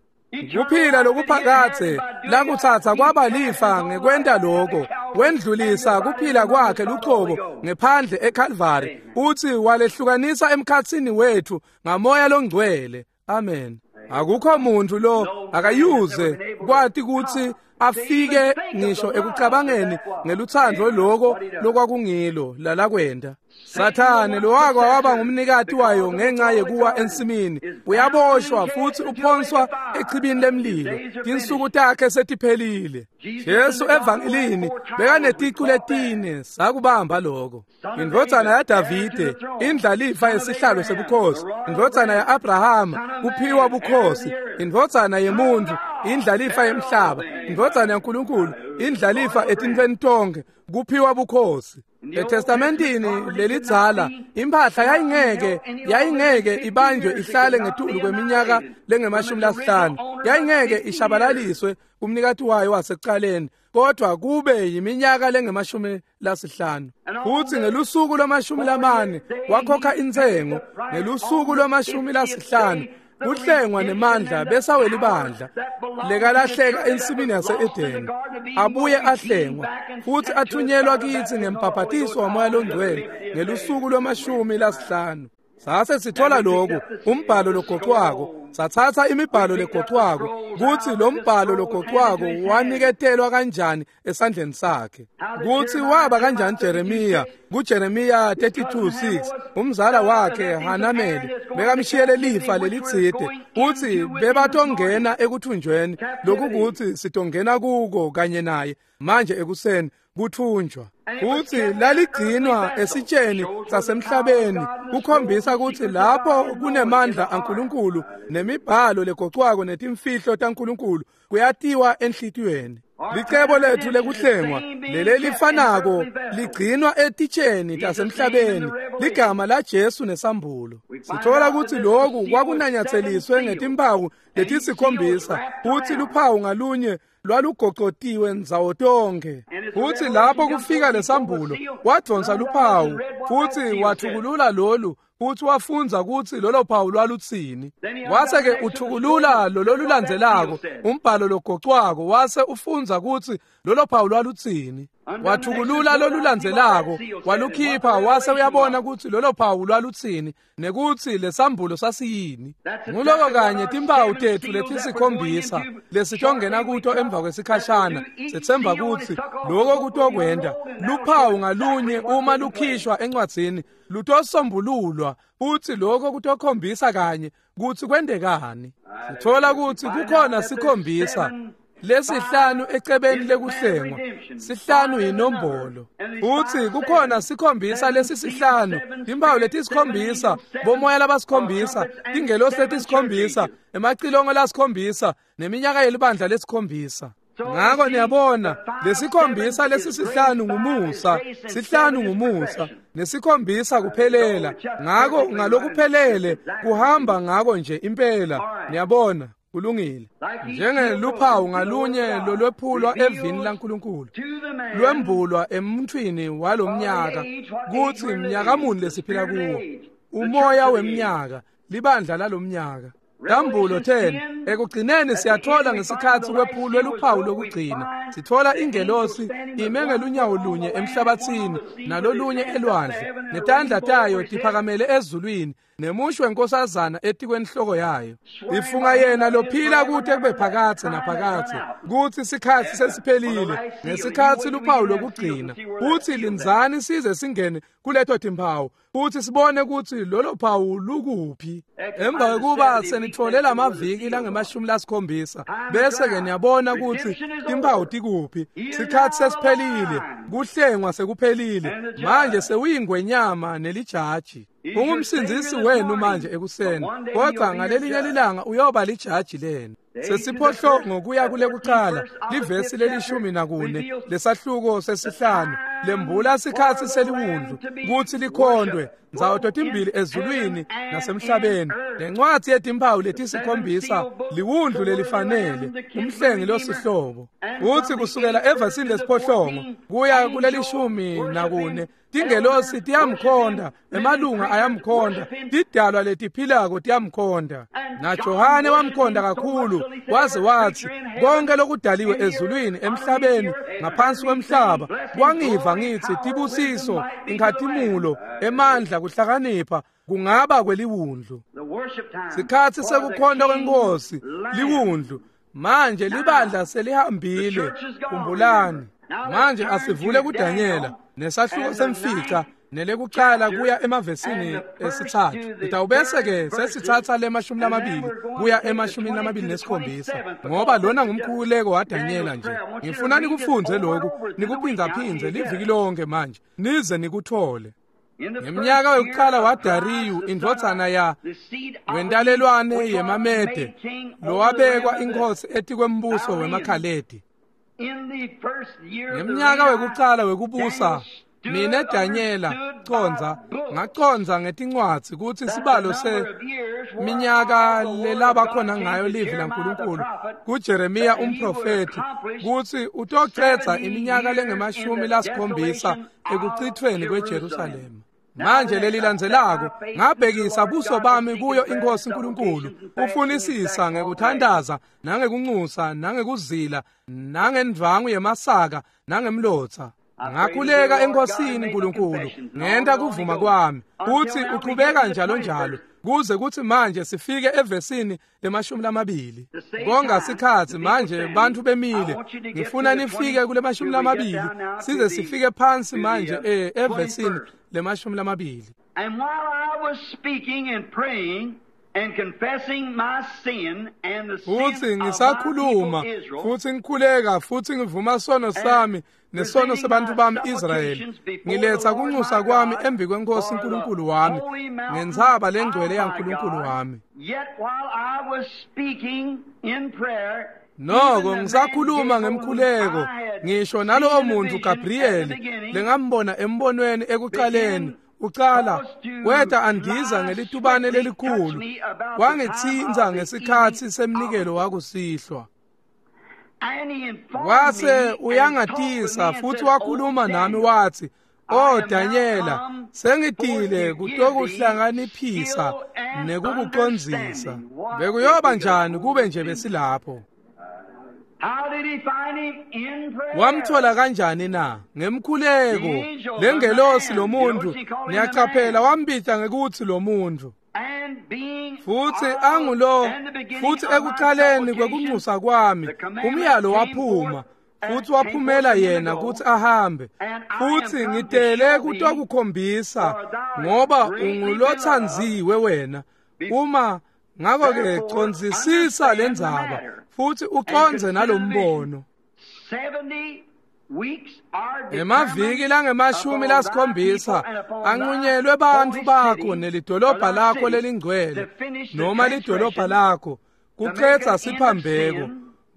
Kuphila lokuphakathe lakuthatha kwaba lifa ngekwenta lokho wendlulisa kuphila kwakhe luqobo ngephandle eCalvary uthi walehlukanisa emkhatsini wethu ngamoya longcwele. Amen. Akukho muntu lo akayuze kwati ukuthi afike ngisho ekucabangeni ngeluthando lokho lokwakungilo lalakwenda. Sathane lo wako waba ngumnikati wayo ngenxa yekuwa ensimini uyaboshwa futhi uphonswa echibini lemlilo. Tinsuku takhe setiphelile. Jesu evangelini bekaneticu letine sakubamba lokho. Indvodzana yaDavide indlalifa yesihlalo sebukhosi, indvodzana ya-Abrahama kuphiwa bukhosi, indvodzana yemuntu indlalifa yemhlaba, indvodzana yaNkulunkulu indlalifa etintfweni tonkhe kuphiwa bukhosi. ETestamentini lelidzala impahla yayingeke yayingeke ibanjwe ihlale ngetulu kweminyaka lengemashumi lasihlanu, yayingeke ishabalaliswe kumnikati wayo wasekuqaleni, kodwa kube yiminyaka lengemashumi lasihlanu. Futhi ngelusuku lwamashumi lamane wakhokha intsengo, ngelusuku lwamashumi lasihlanu kuhlengwa nemandla besawela ibandla lekalahleka ensimini yase-Edeni abuye ahlengwa futhi athunyelwa kithi ngembhaphathiso wamoya longcwele ngelusuku lwamashumi lasihlanu. Sase sithola lokhu umbhalo logoqwako, sathatha imibhalo legoqwako kuthi lo mbhalo logoqwako waniketelwa kanjani esandleni sakhe, kuthi waba kanjani Jeremiya kuJeremiya thirty-two six umzala wakhe Hanameli bekamshiyele lifa lelitsite uthi bebatongena ekuthunjweni lokukuthi sitongena kuko kanye naye manje ekuseni kuthunjwa. Kuthi laligcinwa esitsheni sasemhlabeni kukhombisa ukuthi lapho kunemandla aNkulunkulu nemibhalo legoqwako netimfihlo taNkulunkulu kuyatiwa enhlitiyweni. Licebo lethu lekuhlengwa lelelifanako ligcinwa etitsheni tasemhlabeni ligama la Jesu nesambulo. Sithola ukuthi lokhu kwakunanyatseliswe ngetimpawu letisikhombisa futhi luphawu ngalunye lwalugocotiwe ndzawo tonke. Futhi lapho kufika lesambulo wadonsa luphawu futhi wathukulula lolu futhi wafunza ukuthi lolo phawu lwalutsini. Wase ke uthukulula lolo lulandzelako umbhalo logocwako wase ufunza ukuthi lolo phawu lwalutsini. Wathukulula lolulandzelako walukhipha wase uyabona ukuthi lolo phawu lwalutsini nekuthi lesambulo sasiyini. Nguloko kanye timpawu tethu letisikhombisa lesitongena kuto emva kwesikhashana sethemba ukuthi lokho kutokwenda luphawu ngalunye uma lukhishwa encwadzini lutosombululwa futhi lokho kutokhombisa kanye kutsi kwendekani. Sithola ukuthi kukhona sikhombisa lesihlanu ecebeni lekuhlengwa, sihlanu yinombolo. Futhi kukhona sikhombisa lesisihlanu, timpawu letisikhombisa, bomoya labasikhombisa, tingelosi letisikhombisa, emacilongo lasikhombisa, neminyaka yelibandla lesikhombisa. Ngako niyabona lesikhombisa lesisihlanu ngumusa, sihlanu ngumusa, nesikhombisa kuphelela. Ngako ngalokuphelele kuhamba ngako nje impela. Niyabona kulungile. Njengeluphawu ngalunye lolwephulwa evini laNkulunkulu lwembulwa emuntwini walomnyaka kutsi mnyaka muni lesiphila kuwo, umoya wemnyaka, libandla lalomnyaka. Sambulo ten ekugcineni siyathola ngesikhatsi kwephulwe luphawu lokugcina sithola ingelosi ime ngelunyawo lunye emhlabatsini nalolunye elwandle netandla tayo tiphakamele ezulwini nemushi wenkosazana etikwenhloko yayo ifunga yena lophila kute kube phakadze naphakadze kutsi sikhatsi sesiphelile ngesikhatsi luphawu lokugcina kutsi lindzani size singene kuleto timphawu futhi sibone kutsi lolo phawu lukuphi. Emva kwekuba senitfole lamaviki langemashumi lasikhombisa bese ke niyabona kutsi timphawu tikuphi. Sikhatsi sesiphelile, kuhlengwa sekuphelile, manje sewuyingwenyama nelijaji. Ungumsindzisi wenu manje ekuseni, kodwa ngalelinye lilanga uyoba lijaji lenu. Sesiphohlongo kuya kule kucala livesi lelishumi nakune lesahluko sesihlanu lembula sikhatsi seliwundlu kutsi likhondwe ndzawo totimbili ezulwini nasemhlabeni. Lencwadzi yetimphawu letisikhombisa liwundlu lelifanele umhlengi losihlobo. Utsi kusukela evesini lesiphohlongo kuya kulelishumi nakune tingelosi tiyamkhonda, emalunga ayamkhonda, tidalwa letiphilako tiyamkhonda. NaJohane wamkhonda kakhulu waze watsi konke lokudaliwe ezulwini, emhlabeni, ngaphansi kwemhlaba kwangiva ngitsi tibusiso, inkhatimulo, emandla, kuhlakanipha kungaba kweliwundlu. Sikhatsi sekukhonta kwenkosi liwundlu. Manje libandla selihambile, khumbulani. Manje asivule kuDanyela nesahluko semfica nelekucala kuya emavesini esithathu. Ngitawubese ke sesitsatsa lemashumi lamabili kuya emashumini lamabili nesikhombisa, ngoba lona ngumkhuleko waDanyela nje. Ngifuna nikufundze lokhu nikuphindzaphindze liviki lonke manje nize nikuthole. Ngeminyaka yokuqala waDariyu indvodzana ya wentalelwane yemaMede lowabekwa inkosi etikwembuso wemaKhaledi. Ngeminyaka wekucala wekubusa mine Danyela condza ngacondza ngetincwadzi kutsi sibalo se minyaka lelaba khona ngayo livi laNkulunkulu kuJeremiya umprofeti kutsi utocedza iminyaka lengemashumi lasikhombisa ekucithweni kweJerusalema. Manje lelilandzelako ngabhekisa buso bami kuyo inkosi uNkulunkulu ufunisisa ngekuthandaza nangekunxusa nangekuzila nangendvangu yemasaka nangemlotsa. Ngakhuleka enkosini uNkulunkulu ngenta kuvuma kwami kutsi uchubeka njalo njalo kuze kuthi manje sifike evesini lemashumi lamabili. Konga sikhatsi manje bantu bemile, ngifuna nifike kule mashumi lamabili size sifike phansi manje eh evesini lemashumi lamabili. And while I was speaking and praying and confessing my sin and the sin futhi ngisakhuluma futhi ngikhuleka futhi ngivuma sono sami nesono sebantu bami Israyeli, ngiletha kunxusa kwami embi kwenkosi uNkulunkulu wami ngentsaba lengcwele yaNkulunkulu wami. Noko ngisakhuluma ngemkhuleko ngisho nalowo muntu Gabriel lengambona embonweni ekuqaleni ucala weta andiza ngelitubane lelikhulu wangitsintsa ngesikhatsi semnikelo wakusihlwa. Wase uyangatisa futhi wakhuluma nami wathi, "O Danyela, sengitile kutokuhlanganiphisa nekukucondzisa." Bekuyoba njani kube nje besilapho? Wamthola kanjani na? Ngemkhuleko. Lengelosi lomuntu niyacaphela wambita ngekuthi lomuntu. Futhi angulo futhi ekuqaleni kwekunxusa kwami umyalo waphuma futhi waphumela yena kuthi ahambe, futhi ngitele kutokukhombisa ngoba ungulothandziwe wena. Uma ngakho ke condzisisa lendzaba futhi ucondze nalombono. Emaviki langemashumi lasikhombisa anqunyelwe bantfu bakho nelidolobha lakho lelingcwele noma lidolobha lakho kucedza siphambeko,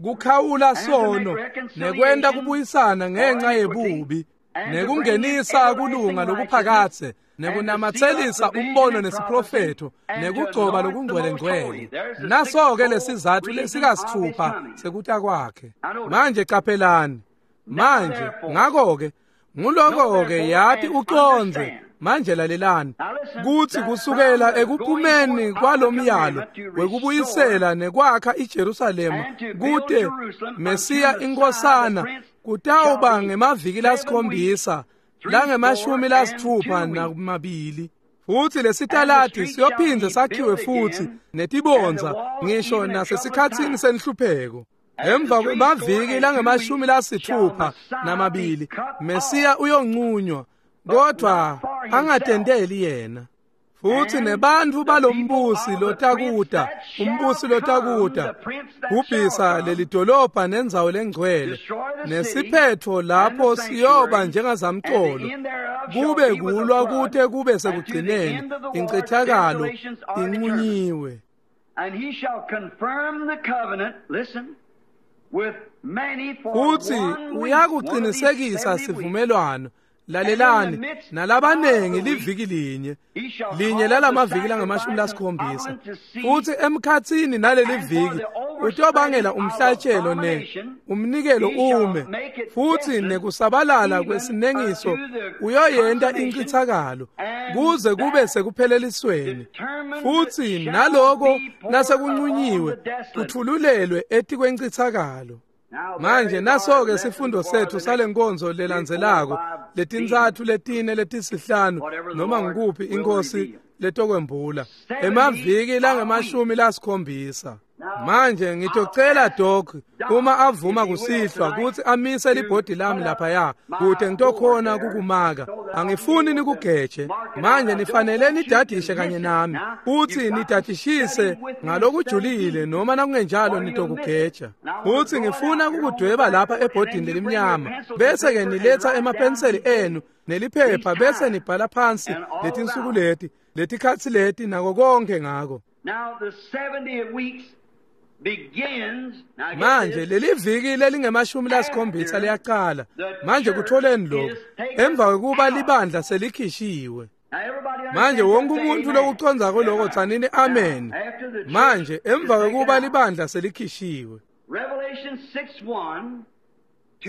kukhawula sono nekwenta kubuyisana ngenxa yebubi nekungenisa kulunga lokuphakatse nekunamatselisa umbono nesiprofetho nekugcoba lokungcwele-ngcwele. Naso-ke lesizathu lesikasithupha sekuta kwakhe. Manje qaphelani. Manje ngakho-ke nguloko-ke yati ucondze Manje lalelani kutsi kusukela ekuphumeni kwalomyalo wekubuyisela nekwakha iJerusalema kute Mesiya inkosana kutawuba ngemaviki lasikhombisa langemashumi lasitfupha namabili. Futsi lesitaladi siyophindze sakhiwe futsi netibondza ngisho nasesikhatsini senhlupheko. Emva kwemaviki langemashumi lasitfupha namabili Mesiya uyonqunywa, kodwa angatenteli yena. Futsi nebantfu balombusi lotakuta, umbusi lotakuta kubhisa lelidolobha nendzawo lengcwele, nesiphetfo lapho siyoba njengazamcolo, kube kulwa kute kube sekugcineni, incithakalo inqunyiwe. And he shall confirm the covenant, listen, with many for Futsi one week, uyakuqinisekisa sivumelwano, lalelani, nalabanengi liviki linye, linye lalamaviki langamashumi lasikhombisa. Futsi emkhatsini naleli viki utobangela umhlatshelo ne umnikelo ume, futsi nekusabalala kwesinengiso uyoyenta incithakalo kuze kube sekuphelelisweni. Futsi naloko nasekunqunyiwe kuthululelwe etikwencithakalo. Manje naso-ke sifundo sethu salenkonzo lelandzelako letintsatfu letine letisihlanu noma ngikuphi inkosi letokwembula emaviki langemashumi lasikhombisa. Manje ngitocela Doc uma avuma kusihlwa kutsi amise libhodi lami laphaya kute ngitokhona kukumaka. Angifuni nikugeje. Manje nifanele nidadishe kanye nami futsi nidadishise ngalokujulile, noma nakungenjalo nitokugeja. Futsi ngifuna kukudweba lapha ebhodini lelimnyama, bese ke niletha emapenseli enu neliphepha bese nibhala phansi letinsuku leti, letikhatsi leti nako konke ngako. Now the seventy weeks begins. Now Manje leli viki lelingemashumi lasikhombisa liyaqala. Manje kutholeni lokho emva kwekuba libandla selikhishiwe. Manje wonke umuntu lokucondzako lokho tsanini amen. Manje emva kwekuba libandla selikhishiwe. Revelation six one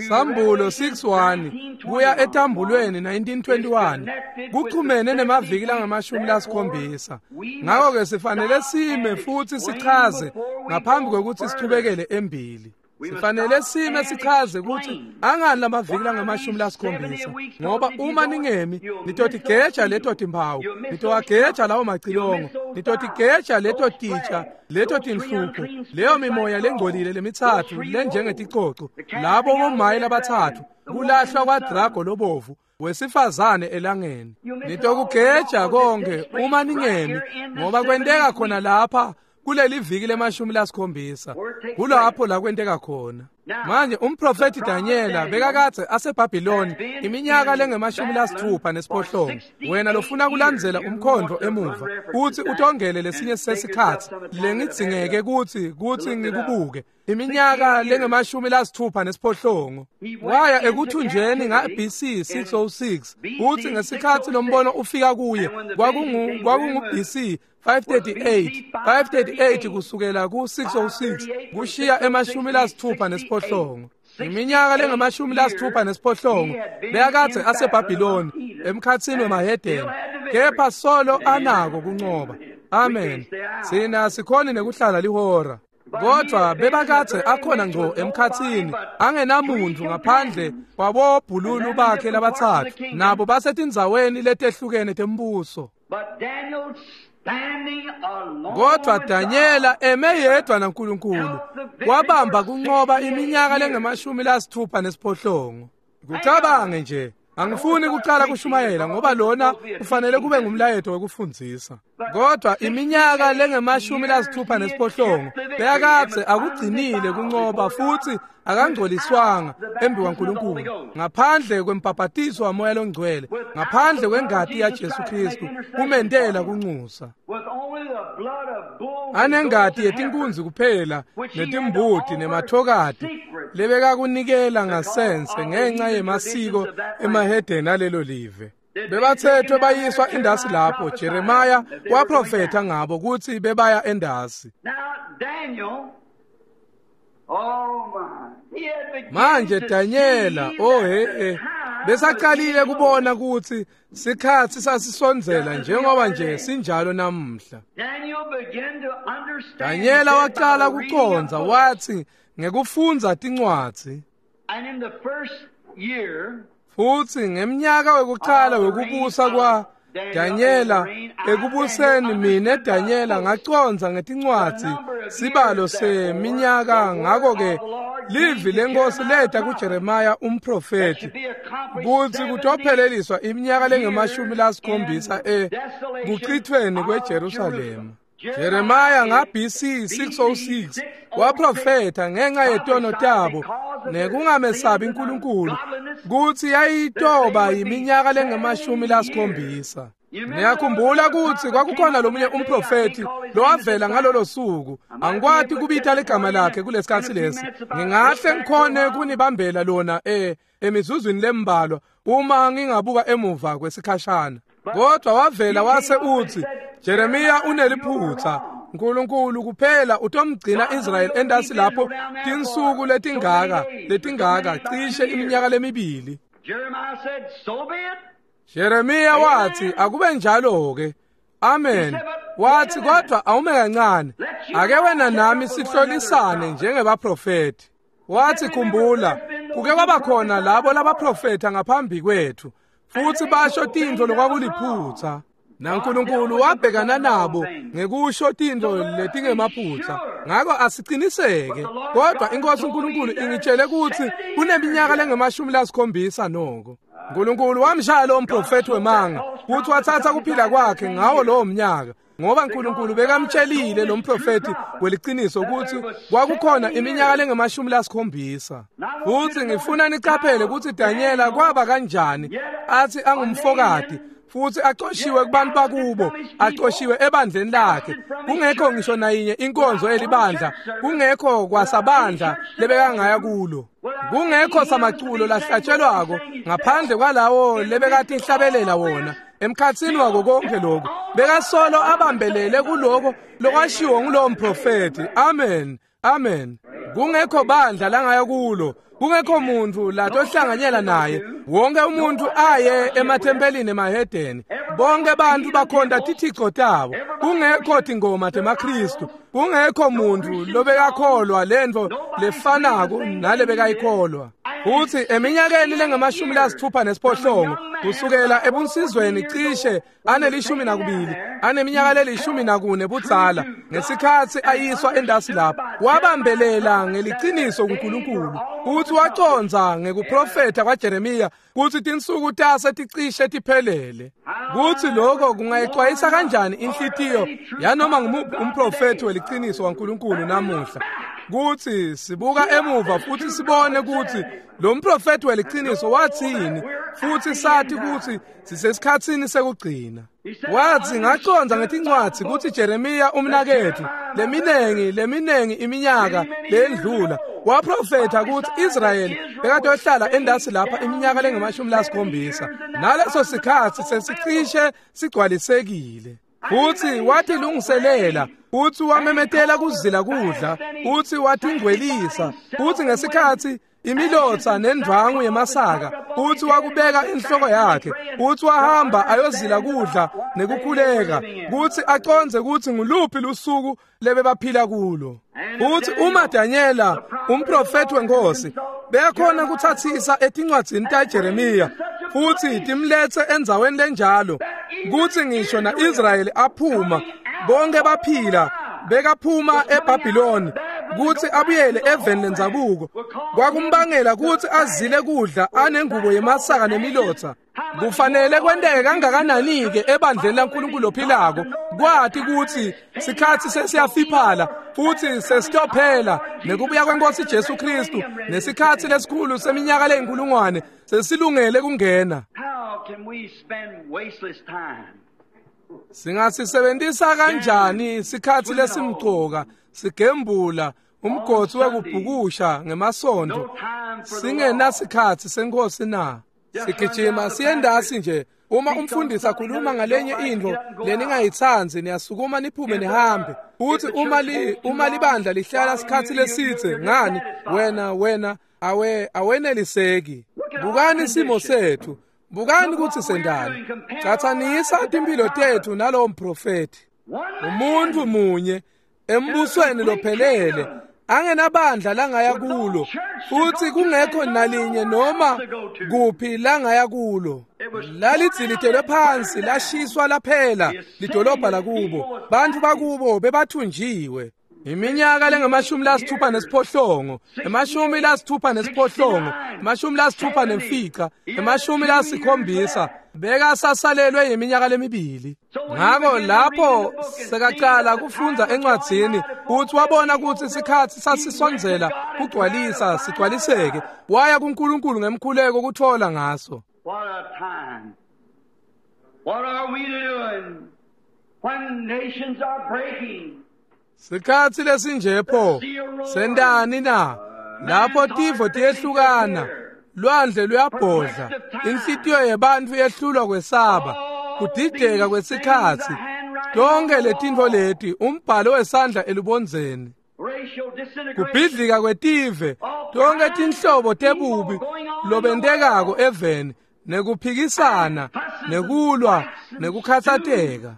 Sambulo six one kuya etambulweni nineteen twenty-one kuchumene nemaviki langamashumi lasikhombisa. Ngakho-ke sifanele sime futsi sichaze ngaphambi kwekutsi sichubekele embili. Sifanele sime sichaze kutsi angani lamaviki langamashumi lasikhombisa, ngoba uma ningemi nitotigeja leto timphawu, nitowageja lawo macilongo, nitotigeja leto titsha, leto tinhlupho, leyo mimoya lengcolile lemitsatfu lenjengeticoco, labo bomayi labatsatfu, kulahlwa kwadrago lobovu wesifazane elangeni. Nitokugeja konke uma ningemi, ngoba kwenteka khona lapha kuleli viki lemashumi lasikhombisa, kulapho la kwenteka khona. Manje umprofeti Daniela bekakadze aseBhabhiloni iminyaka lengemashumi lasitfupha nesiphohlongo. Wena lofuna kulandzela umkhondvo emuva kutsi utongele lesinye sesikhatsi lengidzingeke kutsi kutsi ngikubuke, iminyaka lengemashumi lasitfupha nesiphohlongo. Waya ekuthunjeni nga B C six oh six, kutsi ngesikhatsi lombono ufika kuye kwakungu kwakungu B C five thirty-eight, five thirty-eight kusukela ku six oh six kushiya emashumi lasitfupha nesiphohlongo. Iminyaka lengemashumi lasitfupha nesiphohlongo bekakadze aseBhabhiloni emkhatsini wemahedeni, kepha solo anako kuncoba. Amen. Sina sikhoni nekuhlala lihora. Kodwa bebakadze akhona ngco emkhatsini angenamuntu ngaphandle kwabobhululu bakhe labatsatfu, nabo basetindzaweni letehlukene tembuso. Kodwa Daniela eme yedwa naNkulunkulu wabamba kuncoba iminyaka lengemashumi lasitfupha nesiphohlongo. Kucabange nje, angifuni kucala kushumayela ngoba lona kufanele kube ngumlayeto wekufundzisa. Kodwa iminyaka lengemashumi lasitfupha nesiphohlongo bekakadze akugcinile kuncoba futsi akangcoliswanga embi kwaNkulunkulu, ngaphandle kwembhabhatiso waMoya loNgcwele, ngaphandle kwengati yaJesu Kristu kumentela kunxusa. Anengati yetinkunzi kuphela netimbuti nemathokati lebekakunikela ngasense ngenxa yemasiko emahedeni alelo live. Bebathethwe bayiswa endasi lapho Jeremiah waprofetha ngabo kutsi bebaya endasi. Manje Daniela, oh he he, Besaqalile kubona kutsi sikhatsi sasisondzela njengoba nje sinjalo namuhla. Danyela waqala kucondza wathi ngekufundza tincwadzi. Futsi ngemnyaka wekuqala wekubusa kwa Danyela ekubuseni mine Danyela ngacondza ngetincwadzi sibalo seminyaka. Ngakho-ke livi lenkosi leta kuJeremiya umprofeti kutsi kutopheleliswa iminyaka lengemashumi lasikhombisa e kuchithweni kweJerusalema. Jeremiya nga B C six oh six waprofetha ngenxa yetono tabo nekungamesabi uNkulunkulu kutsi yayitoba iminyaka lengemashumi lasikhombisa. Niyakhumbula kutsi kwakukhona lomunye umprofeti lowavela ngalolo suku. Angikwati kubita ligama lakhe kulesikhatsi lesi. Ngingahle ngikhone kunibambela lona eh emizuzwini lembalwa uma ngingabuka emuva kwesikhashana. Kodwa wavela wase utsi Jeremiya uneliphutsa. uNkulunkulu kuphela utomgcina Israel endasi lapho tinsuku letingaka letingaka cishe iminyaka lemibili. Jeremiya wathi akube njalo ke. Amen. Wathi kodwa awume kancane, ake wena nami sihlolisane njengebaprofeti. Wathi khumbula kuke kwaba khona labo labaprofetha ngaphambi kwethu futhi basho tintfo lokwakuliphutsa. NaNkulunkulu wabhekana nabo ngekusho tintfo letingemaphutsa. Ngako asiciniseke, kodwa inkosi uNkulunkulu ingitshele kutsi kuneminyaka lengemashumi lasikhombisa noko. uNkulunkulu wamshaya lo mprofeti wemanga kutsi wathatha kuphila kwakhe ngawo lowo mnyaka, ngoba uNkulunkulu bekamtshelile lo mprofeti weliciniso kutsi kwakukhona iminyaka lengemashumi lasikhombisa. Futsi ngifuna nicaphele kutsi Danyela kwaba kanjani athi angumfokati futhi axoshiwe kubantu bakubo, axoshiwe ebandleni lakhe, kungekho ngisho nayinye inkonzo elibandla, kungekho kwasabandla lebekangaya kulo, kungekho samaculo lahlatshelwako ngaphandle kwalawo lebekati hlabelela wona. Emkhatsini wako konke lokho bekasolo abambelele kuloko lokwashiwo ngulowo mprofeti. Amen, amen. Kungekho bandla langaya kulo, kungekho muntu latohlanganyela naye. Wonke umuntu aye emathempelini emahedeni, bonke bantu bakhonta tithixo tabo, kungekho tingoma temaKristu, kungekho muntu lobekakholwa lento lefanako nalebekayikholwa. Futhi eminyakeni lengamashumi lasithupha nesiphohlongo kusukela ebunsizweni cishe anelishumi nakubili aneminyaka lelishumi nakune budzala ngesikhatsi ayiswa endasi lapho, wabambelela ngeliciniso kuNkulunkulu futhi wacondza ngekuprofetha kwaJeremiya kutsi tinsuku tase ticishe tiphelele. Kutsi lokho kungayixwayisa kanjani inhlitiyo yanoma ngumuphi umprofethi weliciniso waNkulunkulu namuhla, kutsi sibuka emuva futhi sibone kutsi lo mprofethi weliciniso wathini, futhi sathi kutsi sisesikhatsini sekugcina. Wathi ngacondza ngetincwadzi kutsi Jeremiya umnaketfu leminengi leminengi iminyaka lendlula waprofetha kutsi Israyeli bekatohlala endasi lapha iminyaka lengemashumi lasikhombisa, naleso sikhatsi sesicishe sigcwalisekile. Futhi watilungiselela, futhi wamemetela kuzila kudla, futhi watingcwelisa, futhi ngesikhatsi imilotsa nendvangu yemasaka, futhi wakubeka inhloko yakhe, futhi wahamba ayozila kudla nekukhuleka kutsi acondze kutsi nguluphi lusuku lebebaphila kulo. Futhi uma Danyela umprofeti wenkosi beyakhona kuthathisa etincwadzini taJeremiya futhi timletse endzaweni lenjalo kutsi ngisho na-Israyeli aphuma bonke baphila bekaphuma eBhabhiloni kutsi abuyele eveni lendzabuko, kwakumbangela kutsi azile kudla anengubo yemasaka nemilotsa. Kufanele kwenteke kangakanani-ke ebandleni laNkulunkulu ophilako kwati kutsi sikhatsi sesiyafiphala futhi sesitophela nekubuya kwenkosi Jesu Kristu nesikhatsi lesikhulu seminyaka leyinkulungwane sesilungele kungena. Singasisebentisa kanjani sikhatsi lesimcoka sigembula umgotsi wekubhukusha ngemasondo singenasikhatsi senkosi na? Sigijima siyendasi nje. Uma umfundisi akhuluma ngalenye intfo leningayitsandzi niyasukuma niphume nihambe. Futhi uma li uma libandla lihlala sikhatsi lesidze ngani wena wena awe aweneliseki. Bukani simo sethu, bukani kutsi sendani. Catsanisa timphilo tetfu nalowo mprofethi. Umuntu munye embusweni lophelele angenabandla langaya kulo, futhi kungekho nalinye noma kuphi langaya kulo. Lalidzilitelwe phansi, lashiswa laphela lidolobha lakubo. Bantfu bakubo bebathunjiwe. Iminyaka lengamashumi lasithupha nesiphohlongo, emashumi lasithupha nesiphohlongo, emashumi lasithupha nemfica, emashumi lasikhombisa, bekasasalelwe yiminyaka lemibili. Ngako lapho sekacala kufundza encwadzini, uthi wabona kutsi isikhatsi sasisondzela kugcwalisa sigcwaliseke, waya kuNkulunkulu ngemkhuleko kutfola ngaso. What a time. What are we doing when nations are breaking? Sikhatsi lesinje pho sendani na? Lapho tifo tiyehlukana, lwandle luyabhodla, inhlitiyo yebantfu yehlulwa kwesaba, kudideka kwesikhatsi. Tonke letintfo leti umbhalo wesandla elubondzeni, kubhidlika kwetive, tonke tinhlobo tebubi lobentekako eveni, nekuphikisana, nekulwa, nekukhatsateka.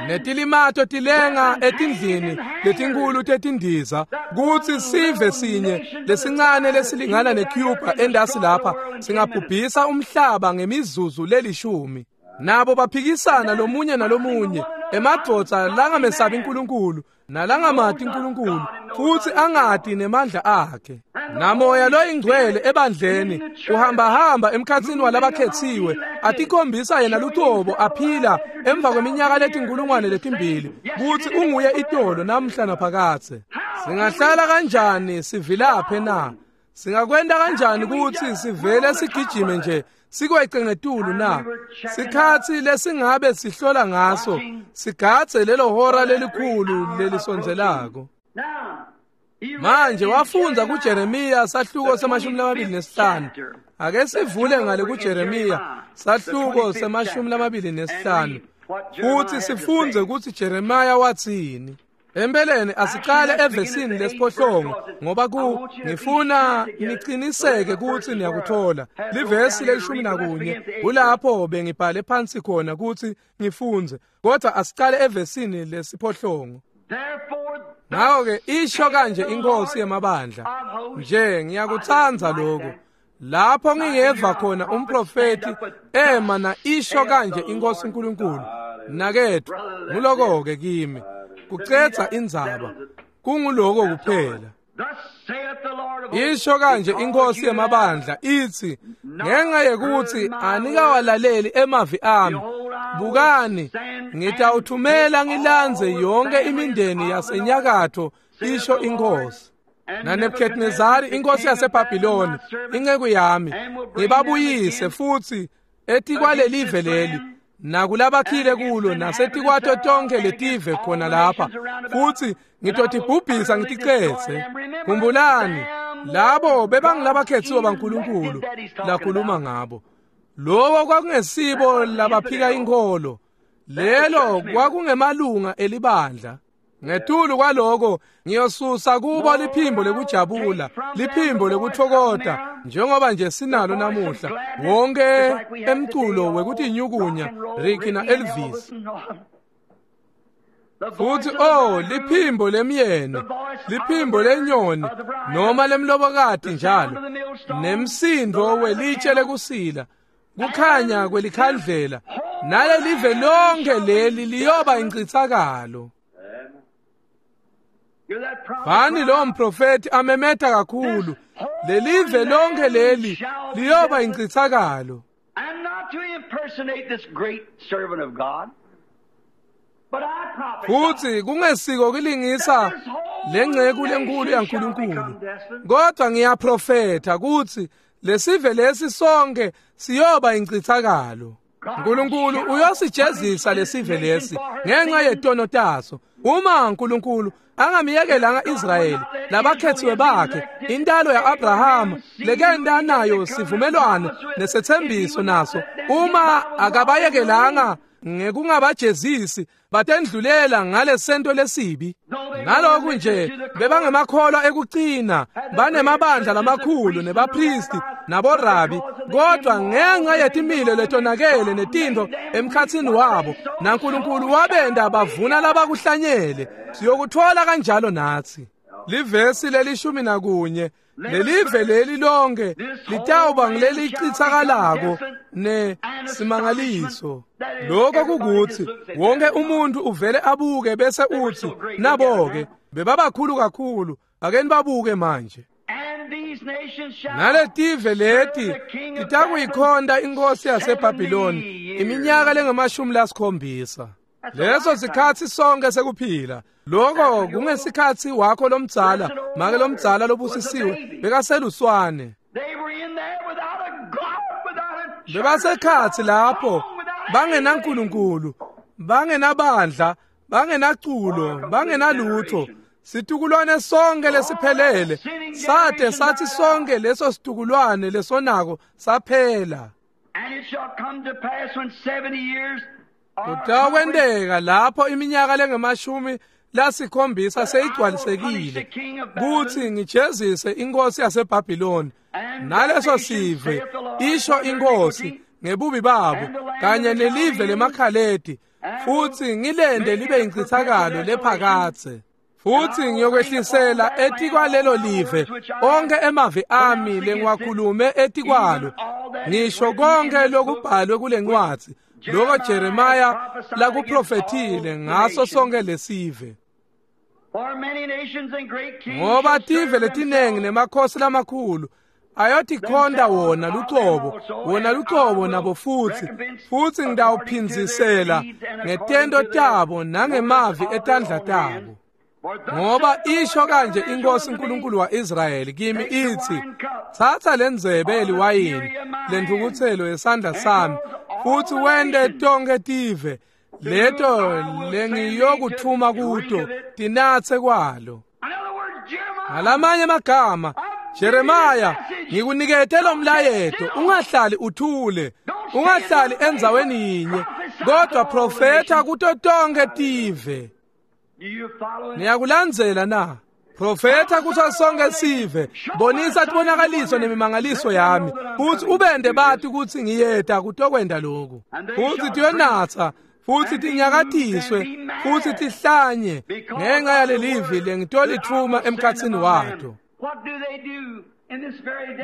Netilimato tilenga etindlini letinkulu tetindiza, kutsi sive sinye lesincane lesilingana neCuba endasi lapha singabhubhisa umhlaba ngemizuzu lelishumi. Nabo baphikisana lomunye nalomunye, emadvodza langamesabi uNkulunkulu nalangamati uNkulunkulu futsi angati nemandla akhe. Namoya loyingcwele ebandleni uhambahamba emkhatsini walabakhetsiwe, atikhombisa yena lucobo aphila emva kweminyaka letinkulungwane letimbili kutsi unguye itolo namhla naphakadze. Singahlala kanjani sivilaphe na? Singakwenta kanjani kutsi sivele sigijime nje sikwece ngetulu na? Sikhatsi lesingabe sihlola ngaso sigadze lelo hora lelikhulu lelisondzelako. Manje wafundza kuJeremiya sahluko semashumi lamabili nesihlanu. Ake sivule ngale kuJeremiya sahluko semashumi lamabili nesihlanu futhi sifundze kutsi Jeremiya watsini. Empeleni asicale evesini lesiphohlongo, ngoba ku ngifuna niciniseke kutsi niyakuthola. Livesi lelishumi nakunye kulapho bengibhale phansi khona kutsi ngifundze, kodwa asicale evesini lesiphohlongo. Ngako-ke isho kanje iNkhosi yemabandla, nje ngiyakutsandza lokhu. Lapho ngingeva khona umprofethi ema na isho kanje iNkhosi uNkulunkulu, nakethu nguloko-ke kimi kucedza indzaba, kunguloko kuphela. Isho kanje iNkhosi yemabandla itsi, ngenxa yekutsi anikawalaleli emavi ami, bukani ngitawuthumela ngilandze yonke imindeni yasenyakatho, isho iNkhosi. NaNebukadnezari inkosi yaseBhabhiloni inceku yami ngibabuyise futhi etikwalelive leli nakulabakhile kulo nasetikwato tonke letive khona lapha, futhi ngitotibhubhisa ngiticetse. Khumbulani, labo bebangilabakhetsiwe baNkulunkulu lakhuluma ngabo. Lowo kwakungesibo labaphika inkholo, lelo kwakungemalunga elibandla. Ngetulu kwaloko ngiyosusa kubo liphimbo lekujabula, liphimbo lekutfokota, njengoba nje sinalo namuhla wonke emculo wekutinyukunya Ricky na Elvis. Futhi oh, liphimbo lemyeni, liphimbo lenyoni noma lemlobokati njalo, nemsindo welitshe lekusila, kukhanya kwelikhandlela, nalelive lonke leli liyoba incitsakalo. Bani lo mprofeti amemeta kakhulu, lelive lonke leli liyoba incitsakalo. And not to impersonate this great servant of God, but I prophesy. Futhi kungesiko kulingisa lengceku lenkulu yaNkulunkulu, kodwa ngiyaprofetha kutsi lesive lesi sonke siyoba incitsakalo. uNkulunkulu uyosijezisa lesive lesi ngenxa yetono taso. Uma uNkulunkulu angamyekelanga Israyeli labakhethiwe bakhe, intalo ya-Abrahama lekenda nayo sivumelwano nesethembiso naso, uma akabayekelanga ngekungabajezisi batendlulela ngalesento lesibi. Naloku nje bebangemakholwa ekucina, banemabandla lamakhulu nebapristi naborabi, kodwa ngenxa yetimilo letonakele netintfo emkhatsini wabo, naNkulunkulu wabenda bavuna labakuhlanyele. Siyokuthola kanjalo natsi. Livesi lelishumi nakunye, lelive leli lonke litawuba ngilelichitsakalako ne simangaliso. Lokho kukuthi wonke umuntu uvele abuke bese uthi nabo-ke bebabakhulu kakhulu, ake nibabuke manje. Naletive leti titakuyikhonta inkosi yaseBhabhiloni iminyaka lengamashumi lasikhombisa. Leso sikhatsi sonke sekuphila. Lokho kungesikhatsi wakho lomdzala, make lomdzala lobusisiwe bekaseluswane. Bebasekhatsi lapho bangenaNkulunkulu, bangenabandla, bangenaculo, bangenalutho. Situkulwane sonke lesiphelele sate sathi sonke leso situkulwane lesonako saphela. Kutawenteka lapho iminyaka lengemashumi lasikhombisa seyigcwalisekile kutsi ngijezise inkosi yaseBhabhiloni naleso sive, isho inkosi, ngebubi babo kanye nelive lemakhaledi, futsi ngilende libe incithakalo lephakadze. Futsi ngiyokwehlisela etikwalelo live onke emavi ami lengiwakhulume etikwalo, ngisho konke lokubhalwe kule ncwadzi lokho Jeremiah lakuprofethile ngaso sonke lesive. Ngoba tive letinengi nemakhosi lamakhulu ayotikhonta wona lucobo, wona lucobo nabo futsi, futsi ngitawuphindzisela ngetento tabo nangemavi etandla tabo. Ngoba isho kanje inkosi uNkulunkulu wa-Israyeli kimi ithi, tsatsa lendzebe yeliwayini lentfukutselo yesandla sami, futsi wente tonkhe tive leto lengiyokuthuma kuto tinatse kwalo. Ngalamanye amagama, Jeremiah, ngikunikete lo mlayeto, ungahlali uthule, ungahlali endzaweni yinye, kodwa profetha kuto tonkhe tive. Niyakulandzela na? Profetha kuso sonke sive, bonisa tibonakaliso nemimangaliso yami, futsi ubende bati kutsi ngiyeta kutokwenta lokhu. Futsi tiyonatsa, futsi tinyakatiswe, futsi tihlanye ngenxa yalelivi lengitolitfuma emkhatsini wato.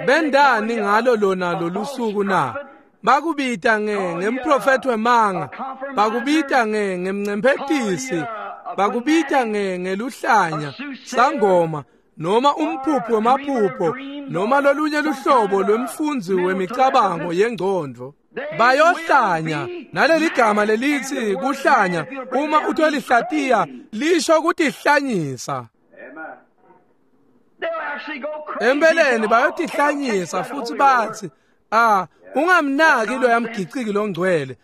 Bendani ngalo lona lolusuku na? Bakubita nge ngemprofethi wemanga, bakubita nge ngemncemphetisi, bakubita nge ngeluhlanya, sangoma, noma umphupho wemaphupho, noma lolunye luhlobo lwemfundzi wemicabango yengcondvo. Bayohlanya, naleli gama lelithi kuhlanya, uma utolihlatiya lisho kutihlanyisa. Empeleni bayotihlanyisa futsi batsi, ah, ungamnaki loya mgiciki longcwele,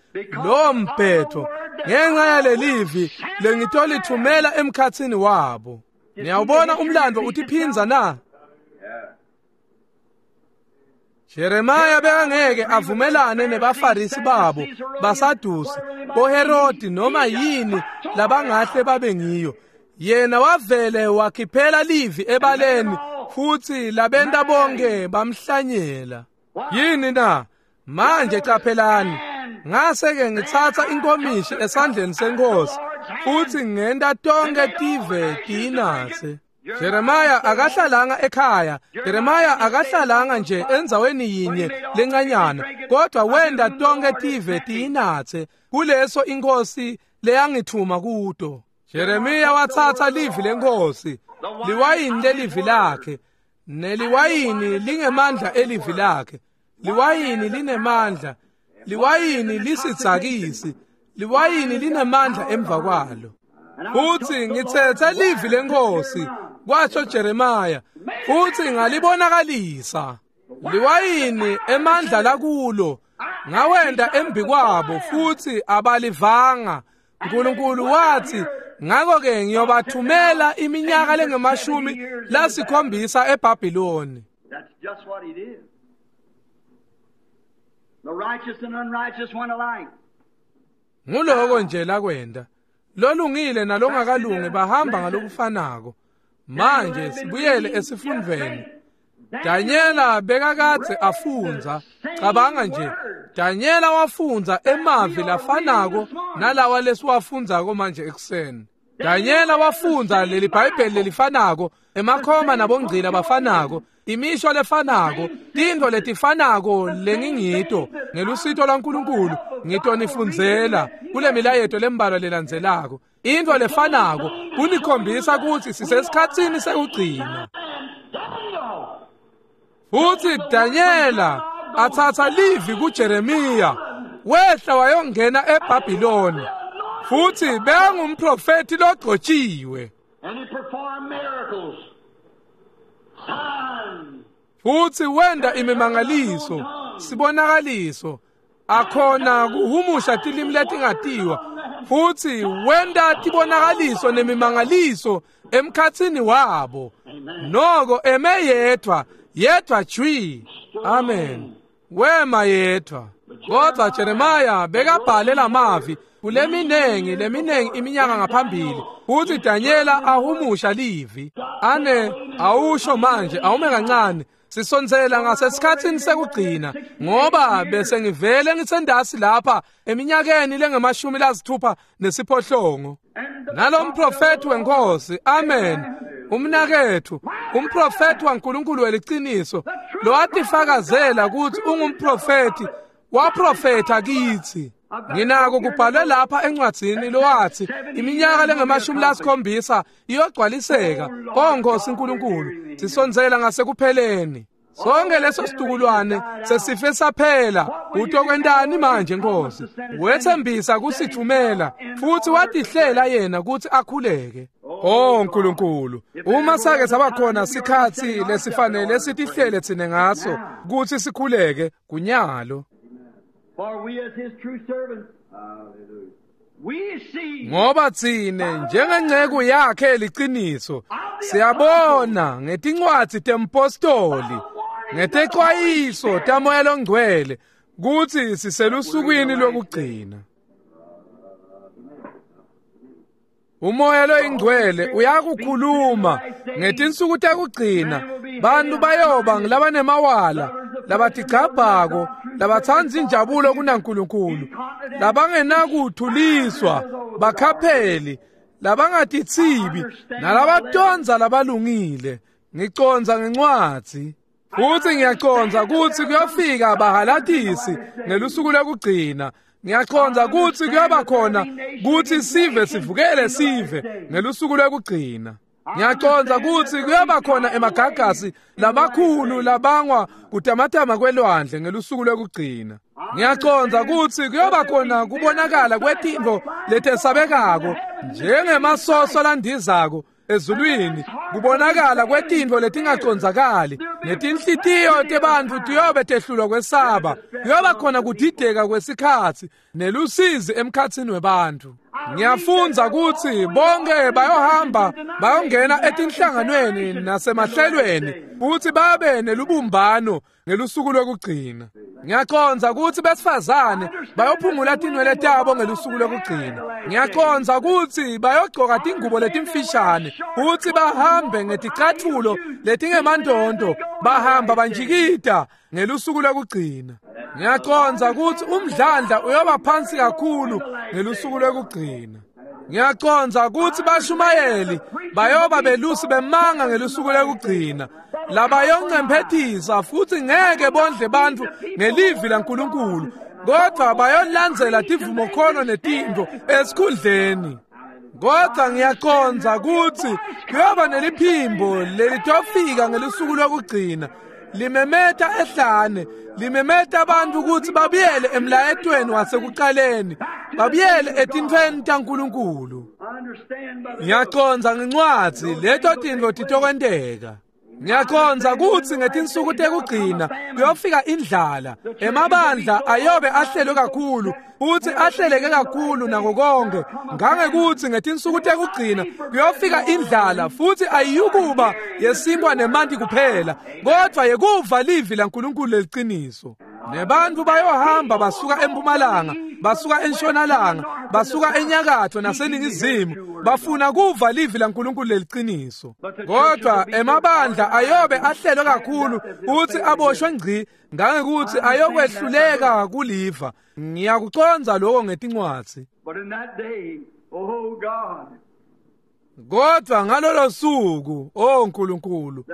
lowo mbhetho, ngenxa yalelivi lengitolithumela emkhatsini wabo. Niyawubona umlando utiphindza na? Jeremiah bekangeke avumelane nebafarisi babo, baSadusi, boHerodi noma yini labangahle babe ngiyo. Yena wavele wakhiphela livi ebaleni futsi labenta bonke bamhlanyela. Yini na? Manje qaphelani, ngase-ke ngitsatsa inkomishi esandleni senkosi futsi ngenta tonkhe tive tiyinatse. Jeremiah akahlalanga ekhaya, Jeremiah akahlalanga nje endzaweni yinye lencanyana, kodwa wenta tonkhe tive tiyinatse kuleso inkosi leyangithuma kuto. Jeremiah watsatsa livi lenkosi, liwayini lelivi lakhe, neliwayini lingemandla elivi lakhe. Liwayini linemandla, liwayini lisidzakisi, liwayini linemandla emva kwalo. Futsi ngitsetse livi lenkosi, kwasho Jeremiah, futsi ngalibonakalisa. Liwayini emandla lakulo, ngawenda embikwabo futsi abalivanga. Nkulunkulu wathi, ngakho-ke ngiyobathumela iminyaka lengemashumi lasikhombisa eBhabhiloni. The righteous and unrighteous one alike. Nguloko nje lakwenda. Lolungile nalongakalungi bahamba ngalokufanako. Manje sibuyele esifundweni. Danyela bekakadze afundza. Cabanga nje, Danyela wafundza emavi lafanako nalawa lesiwafundzako manje ekuseni. Danyela wafundza leli Bhayibheli lelifanako, emakhoma nabongcila bafanako, imisho lefanako, tintfo letifanako lengingito ngelusito lwaNkulunkulu ngitonifundzela kule milayeto lembalwa lelandzelako. Intfo lefanako kunikhombisa kutsi sisesikhatsini sekugcina. Futsi Danyela atsatsa livi kuJeremiya, wehla wayongena eBhabhiloni. Futsi bekangumprofeti logcotshiwe. And he performed miracles. Signs. Futsi wenda imimangaliso, sibonakaliso, akhona kuhumusha tilimi letingatiwa. Futsi wenda tibonakaliso nemimangaliso emkhatsini wabo. Noko eme yedvwa, yedvwa jwi. Amen. Wema yedvwa. Kodwa Jeremiah bekabhale lamavi kuleminengi leminengi iminyaka ngaphambili. Futsi Danyela ahumusha livi. Ane awusho manje awume kancane. Sisondzela ngasesikhatsini sekugcina ngoba bese ngivele ngisendasi lapha eminyakeni lengemashumi lasithupha nesiphohlongo. Nalomprofeti wenkosi, amen, umnakethu, umprofeti waNkulunkulu weliciniso, lowatifakazela kutsi ungumprofeti, waprofetha kitsi. Nginako kubhalwe lapha encwadzini lowathi iminyaka lengemashumi lasikhombisa iyogcwaliseka. O Nkosi Nkulunkulu, sisondzela ngasekupheleni. Sonke leso situkulwane sesife saphela. Utokwentani manje Nkosi? Wethembisa kusithumela futhi watihlela yena kutsi akhuleke. Oh Nkulunkulu, uma sake saba khona sikhatsi lesifanele sitihlele tsine ngaso kutsi sikhuleke kunyalo. For we as his true servants, we see Ngoba tsine njengenceku yakhe liciniso siyabona ngetincwadzi tempostoli ngetexwayiso taMoya Longcwele kutsi siselusukwini lokugcina. Umoya loyingcwele uyakukhuluma ngetinsuku tekugcina. Bantu bayoba ngulabanemawala, labatigcabhako, labatsandza injabulo kunaNkulunkulu, labangenakuthuliswa, bakhapheli, labangatithibi, nalabatondza labalungile. Ngicondza ngencwadzi. Futsi ngiyacondza kutsi kuyofika bahalatisi ngelusuku lokugcina. Ngiyacondza kutsi kuyoba khona kutsi sive sivukele sive ngelusuku lokugcina. Ngiyacondza kutsi kuyoba khona emagagasi labakhulu labangwa kutamatama kwelwandle ngelusuku lokugcina. Ngiyacondza kutsi kuyoba khona kubonakala kwetintfo letesabekako njengemasoso landizako ezulwini, kubonakala kwetintfo letingacondzakali, netinhlitiyo tebantfu tiyobe tehlulwa kwesaba. Kuyoba khona kudideka kwesikhatsi nelusizi emkhatsini webantfu. Ngiyafundza kutsi bonke bayohamba bayongena etinhlanganweni nasemahlelweni futsi babe nelubumbano ngelusuku lokugcina. Ngiyacondza kutsi besifazane bayophungula tinwele tabo ngelusuku lokugcina. Ngiyacondza kutsi bayogcoka tingubo letimfishane futsi bahambe ngeticatfulo letingemandonto, bahamba banjikita ngelusuku lokugcina. Ngiyacondza kutsi umdlandla uyoba phansi kakhulu ngelusuku lokugcina. Ngiyacondza kutsi bashumayeli bayoba belusi bemanga ngelusuku lokugcina, labayoncemphetisa futsi ngeke bondle bantfu ngelivi laNkulunkulu, kodvwa bayolandzela tivumokholo netintfo esikhundleni. Kodvwa ngiyacondza kutsi kuyoba neliphimbo lelitofika ngelusuku lokugcina, limemeta ehlane, limemeta abantu kutsi babuyele emlayetweni wasekuqaleni, babuyele etintfweni taNkulunkulu. Ngiyacondza ngencwadzi leto tintfo titokwenteka. Ngiyacondza kutsi ngetinsuku tekugcina kuyofika indlala. Emabandla ayobe ahlelwe kakhulu futsi ahleleke kakhulu nako konke, ngangekutsi ngetinsuku tekugcina kuyofika indlala futsi ayiyukuba yesinkwa nemanti kuphela, kodvwa yekuva livi laNkulunkulu leliciniso. Nebantu bayohamba basuka empumalanga, basuka entshonalanga, basuka enyakatho naseningizimu, bafuna kuva livi laNkulunkulu leliqiniso. Kodwa emabandla ayobe ahlelwe kakhulu uthi aboshwe ngci ngangekuthi ayokwehluleka kuliva. Ngiyakucondza lokho ngetincwadzi. But in that day, oh God, Kodwa ngalolo suku, oh Nkulunkulu,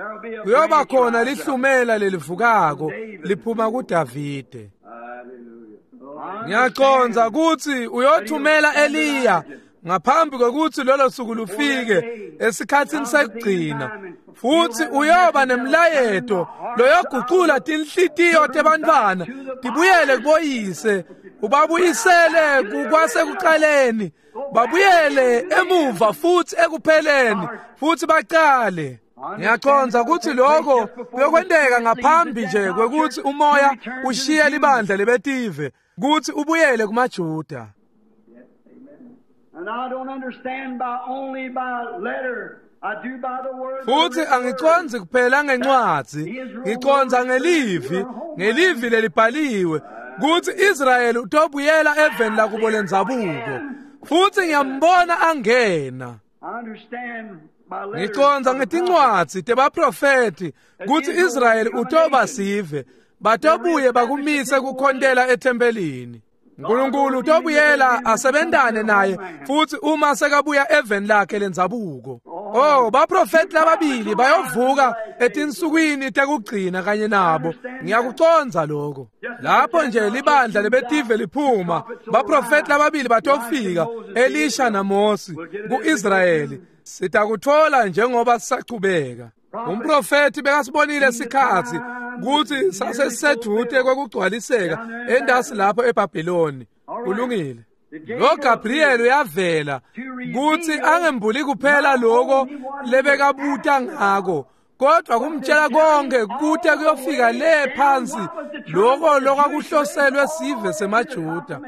kuyoba khona lihlumela lelivukako liphuma kuDavide. hallelujah. Ngiyacondza kutsi uyothumela Eliya ngaphambi kwekutsi lolo suku lufike esikhatsini sekugcina, futsi uyoba nemlayeto loyogucula tinhlitiyo tebantfwana tibuyele kuboyise, ubabuyisele kukwasekuqaleni, babuyele emuva futsi ekupheleni, futsi bacale. Ngiyacondza kutsi lokho kuyokwenteka ngaphambi nje kwekutsi umoya ushiye libandla lebetive kutsi ubuyele kumaJuda. And I don't understand by only by letter. I do by the word. Futsi angicondzi kuphela ngencwadzi, ngicondza ngelivi, ngelivi lelibhaliwe kutsi Israyeli utobuyela eveni lakubo lendzabuko. Futsi ngiyambona angena. I understand by letter. Ngicondza ngetincwadzi tebaprofeti kutsi Israyeli utoba sive, batobuye bakumise kukhontela ethempelini. Nkulunkulu utobuyela asebentane naye futsi uma sekabuya eveni lakhe lendzabuko. Oh, baprofeti lababili bayovuka etinsukwini tekugcina kanye nabo. Ngiyakucondza lokho. Lapho nje libandla lebetive liphuma, baprofeti lababili batofika, Elisha naMosi, kuIsrayeli. Sitakuthola njengoba sisachubeka. Umprofeti bekasibonile sikhatsi kutsi sasesisedvute kwekugcwaliseka endasi lapho eBhabhiloni. Kulungile. Lo Gabriel uyavela kutsi angembuli kuphela lokho lebekabuta ngako, kodwa kumtshela konke kute kuyofika le phansi lokho lokwakuhloselwe sive semaJuda,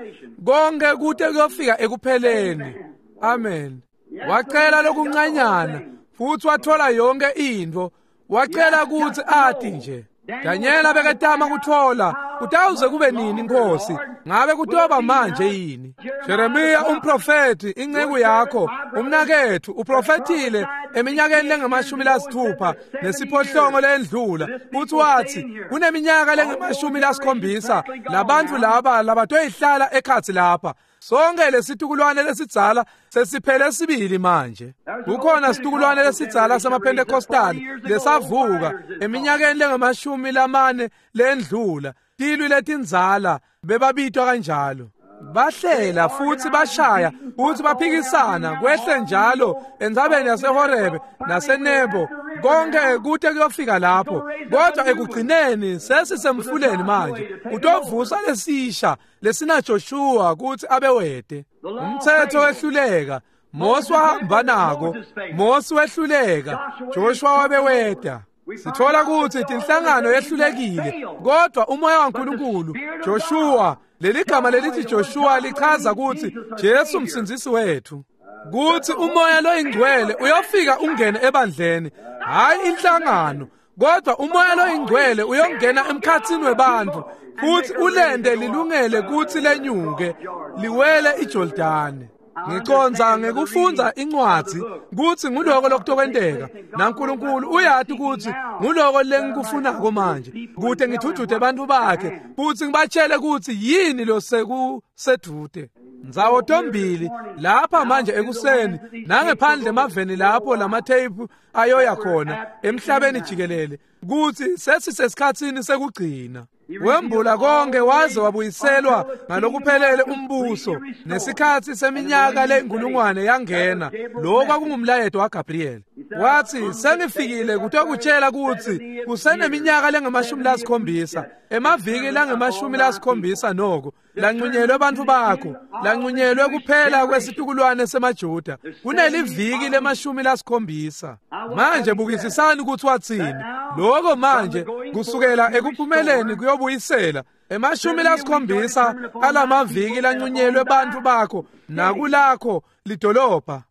konke kute kuyofika ekupheleni. Amen. Wacela lokuncanyana futsi wathola yonke intfo. Wacela kutsi ati nje. Danyela beketama kuthola kutawuze kube nini Nkosi, ngabe kutoba manje yini? Jeremiya umprofeti, inceku yakho, umnakethu, uprofethile eminyakeni lengamashumi lasithupha nesiphohlongo lendlula, futhi wathi kuneminyaka lengamashumi lasikhombisa labantu laba labatoyihlala ekhatsi lapha. Sonke lesitukulwane lesidzala sesiphele sibili manje. Kukhona situkulwane lesidzala samaPentecostal lesavuka eminyakeni lengamashumi lamane lendlula, tilwi letindzala bebabitwa kanjalo. Bahlela futsi bashaya futsi baphikisana kwehle njalo entsabeni yaseHorebe naseNebo, konke kute kuyofika lapho. Kodwa ekugcineni sesisemfuleni manje, utovusa lesisha lesina Joshua kutsi abewede. Umthetho wehluleka, Mose wahamba nako, Mose wehluleka, Joshua wabeweda. Sithola kutsi tinhlangano yehlulekile, kodwa umoya waNkulunkulu, Joshua, leli gama lelithi Joshua lichaza kutsi Jesu msindzisi wethu, kutsi umoya loyingcwele uyofika ungene ebandleni, hayi inhlangano, kodwa umoya loyingcwele uyongena emkhatsini webantfu futsi ulende lilungele kutsi lenyuke liwele iJordani. Ngicondza ngekufundza incwadzi kutsi nguloko lokutokwenteka, naNkulunkulu uyati kutsi nguloko lengikufunako manje, kute ngidvudvute bantfu bakhe futsi ngibatshele kutsi yini losekusedvute. Ndzawo tombili lapha manje ekuseni nangephandle emaveni lapho lamatheyiphu ayoya khona emhlabeni jikelele, kutsi sesisesikhatsini sekugcina. Wembula konke waze wabuyiselwa ngalokuphelele umbuso, nesikhatsi seminyaka leyinkulungwane yangena. Lokho kwakungumlayeto waGabriel. Wathi sengifikile kutokutshela kutsi kuseneminyaka lengamashumi lasikhombisa, emaviki langamashumi lasikhombisa noko lanqunyelwe bantfu bakho, lanqunyelwe kuphela kwesitukulwane semaJuda, kuneliviki lemashumi lasikhombisa. Manje bukisisani kutsi watsini lokho manje, kusukela ekuphumeleni kuyobuyisela emashumi lasikhombisa alamaviki lanqunyelwe bantfu bakho nakulakho lidolobha,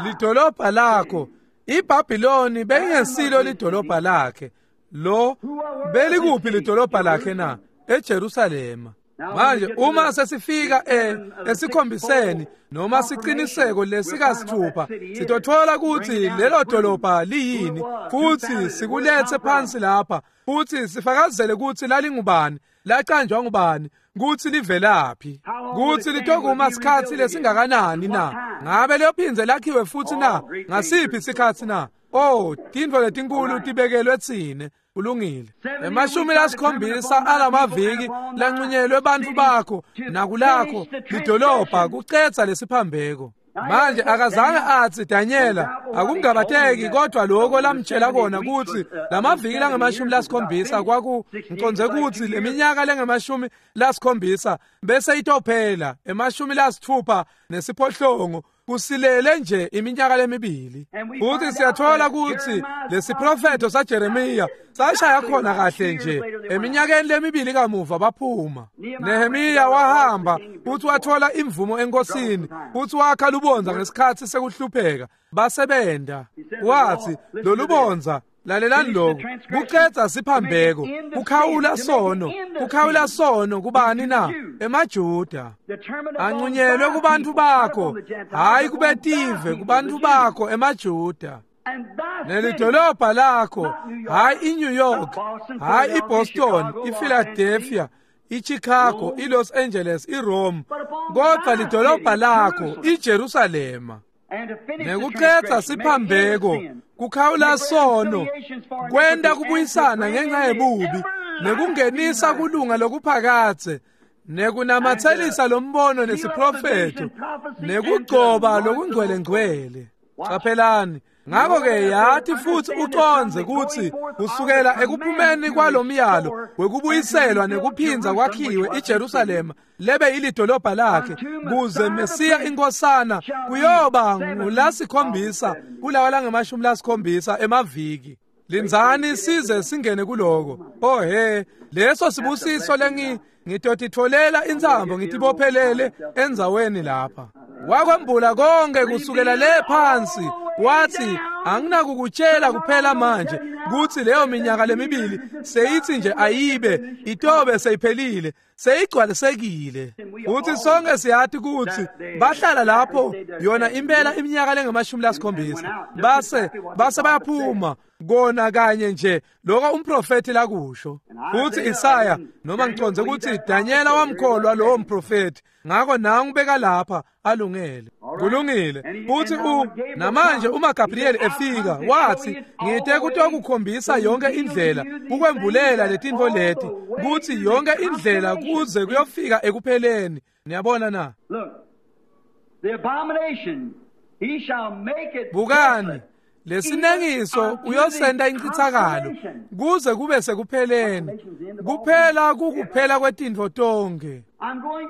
lidolobha lakho. IBhabhiloni beyingesilo lidolobha lakhe. Lo belikuphi lidolobha lakhe na? eJerusalema. Manje uma sesifika e esikhombiseni noma siqiniseko lesikasithupha sitothola ukuthi lelo dolobha liyini futhi sikulethe phansi lapha futhi sifakazele ukuthi lalingubani, lacanjwa ngubani, kuthi livelaphi, kuthi litokuma sikhatsi lesingakanani na, ngabe liyophindze lakhiwe futhi na, ngasiphi isikhatsi na. Oh, tintfo letinkulu tibekelwe tsine. Kulungile. Emashumi lasikhombisa alamaviki lanqunyelwe bantfu bakho nakulakho lidolobha kucedza lesiphambeko. Manje akazange atsi Danyela akungabateki, kodwa lokho lamtshela kona kutsi lamaviki langemashumi lasikhombisa kwaku ngicondze kutsi leminyaka lengemashumi lasikhombisa bese itophela emashumi lasithupha nesiphohlongo kusilele nje iminyaka lemibili. Futhi siyathola kutsi lesiprofetho saJeremiya sashaya khona kahle nje eminyakeni lemibili kamuva baphuma. Nehemiya wahamba futhi wathola imvumo enkosini futhi wakha lubondza ngesikhatsi sekuhlupheka basebenta. Wathi lolubondza, lalelani lokhu, kucedza siphambeko, kukhawula sono, kukhawula sono kubani na? EmaJuda. Anqunyelwe kubantu bakho, hayi kubetive, kubantu bakho emaJuda. Nelidolobha lakho, hayi iNew York, hayi iBoston, iPhiladelphia, iChicago, iLos Angeles, iRome, kodwa lidolobha lakho iJerusalema. Nekucedza siphambeko, kukhawula sono, kwenta kubuyisana ngenxa yebubi, nekungenisa kulunga lokuphakadze, nekunamatselisa lombono nesiprofetho, nekugcoba lokungcwelengcwele. Caphelani. Ngakho-ke yathi futhi ucondze kutsi kusukela ekuphumeni kwalomyalo wekubuyiselwa nekuphindza kwakhiwe iJerusalema lebe ilidolobha lakhe kuze Mesiya inkosana kuyoba ngulasikhombisa kulawa langemashumi lasikhombisa emaviki. Lindzani size singene kuloko. Oh he, leso sibusiso lengi ngitotitfolela intsambo ngitibophelele endzaweni lapha. Wakwembula konke kusukela le phansi. Wathi anginakukutshela kuphela manje kutsi leyo minyaka lemibili seyithi nje ayibe itobe seyiphelile seyigcwalisekile. Uthi sonke siyathi kutsi bahlala lapho yona impela iminyaka lengamashumi lasikhombisa base base bayaphuma kona kanye nje lokho umprofeti lakusho. Futhi Isaya noma ngicondze kutsi Danyela wamkholwa lowo mprofeti, ngakho nangu beka lapha alungele. Kulungile. Futhi u namanje uma Gabriel efika wathi ngite kutokukhombisa yonke indlela kukwembulela letintfo leti kutsi yonke indlela kuze kuyofika ekupheleni. Niyabona na? The abomination he shall make it. Bukani lesinengiso uyosenda incithakalo kuze kube sekupheleni. Kuphela kukuphela kwetintfo tonke.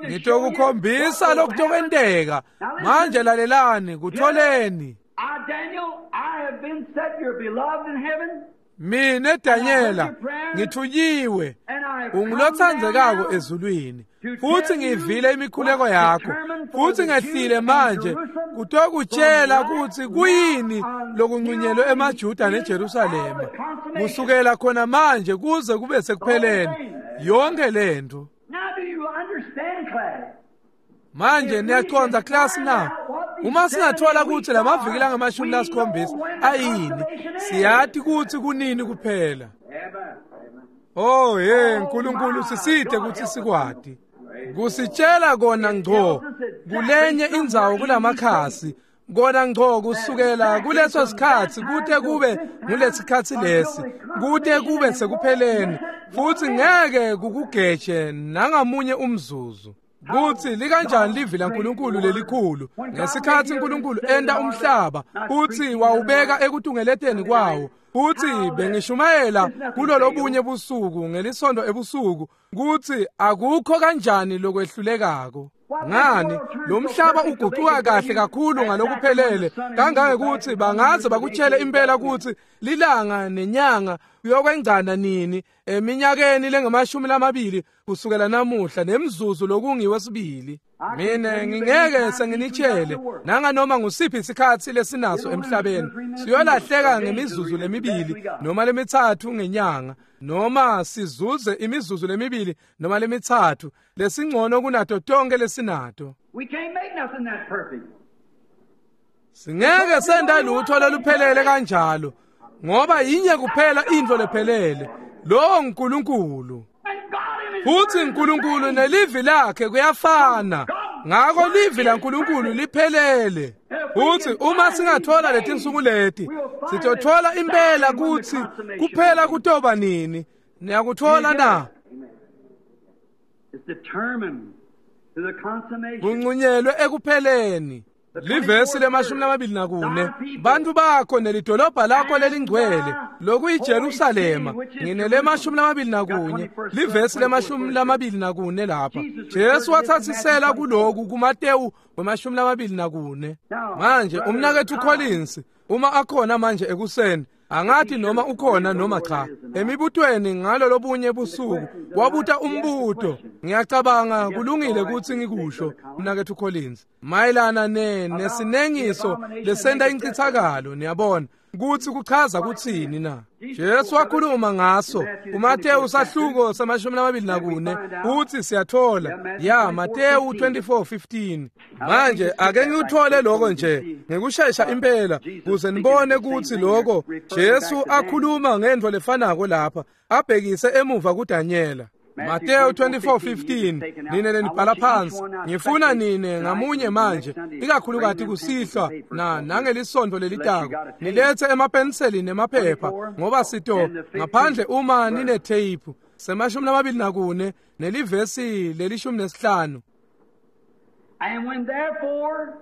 Ngitokukhombisa lokutokwenteka. Manje lalelani, kutholeni. Mine Danyela ngithunyiwe, ungulotsandzekako ezulwini, futhi ngivile imikhuleko yakho, futhi ngehlile manje kutokutshela kutsi kuyini lokunqunyelwe emaJuda neJerusalema kusukela khona manje kuze kube sekupheleni yonke lento. Manje niyacondza class na? Uma singathola kutsi lamaviki langamashumi lasikhombisa ayini, siyathi kutsi kunini kuphela. Oh hey, Nkulunkulu sisite kutsi sikwati kusitshela kona ngco kulenye indzawo kulamakhasi, kona ngco kusukela kuleso sikhatsi kute kube ngulesikhatsi lesi, kute kube sekupheleni, futhi ngeke kukugeje nangamunye umzuzu. Kutsi likanjani livi laNkulunkulu lelikhulu ngesikhatsi uNkulunkulu enta umhlaba futhi wawubeka ekutungeleteni kwawo. Futhi bengishumayela kulolobunye busuku ngelisonto ebusuku kutsi akukho kanjani lokwehlulekako. Ngani lo mhlaba uguquka kahle kakhulu ngalokuphelele kangangekuthi bangaze bakutshele impela kutsi lilanga nenyanga kuyokwengcana nini eminyakeni lengamashumi lamabili kusukela namuhla nemzuzu lokungiwesibili. Mina ngingeke senginitshele nanganoma ngusiphi isikhatsi lesinaso emhlabeni siyolahleka ngemizuzu lemibili noma lemithathu ngenyanga noma sizuze imizuzu lemibili noma lemithathu lesingcono kunato tonke lesinato. We can't make nothing that perfect. Singeke senda lutho loluphelele kanjalo ngoba yinye kuphela into lephelele lo uNkulunkulu. Futhi uNkulunkulu nelivi lakhe kuyafana ngakho livi laNkulunkulu liphelele. Futhi uma singathola letinsuku leti sitothola impela kutsi kuphela kutoba nini. Niyakuthola na? It's determined to the consummation. Kunqunyelwe ekupheleni. Livesi lemashumi lamabili nakune bantu bakho nelidolobha lakho lelingcwele lokuyiJerusalema nginelemashumi lamabili nakunye livesi lemashumi lamabili nakune lapha Jesu wathatsisela kuloku kuMatewu wemashumi lamabili nakune. Manje umnakethu Collins uma akhona manje ekuseni angathi noma ukhona noma cha emibutweni ngalo lobunye busuku wabuta umbuto. Ngiyacabanga kulungile ukuthi ngikusho mnakethu Collins mayelana ne nesinengiso lesenda incithakalo. Niyabona kuthi kuchaza kuthini na? Jesu wakhuluma ngaso kuMatewu sahluko samashumi lamabili nakune uthi siyathola ya Matewu twenty-four fifteen. Manje ake ngikuthole lokho nje ngikushesha impela kuze nibone ukuthi lokho Jesu akhuluma ngento lefanako lapha abhekise emuva kuDanyela. Matthew twenty-four fifteen nine lenibhala phansi. Ngifuna nine ngamunye manje ikakhulukati kusihlwa na nangelisonto lelitako nilethe emapenseli nemaphepha ngoba sito ngaphandle uma nine tape semashumi lamabili nakune nelivesi lelishumi nesihlanu. And when therefore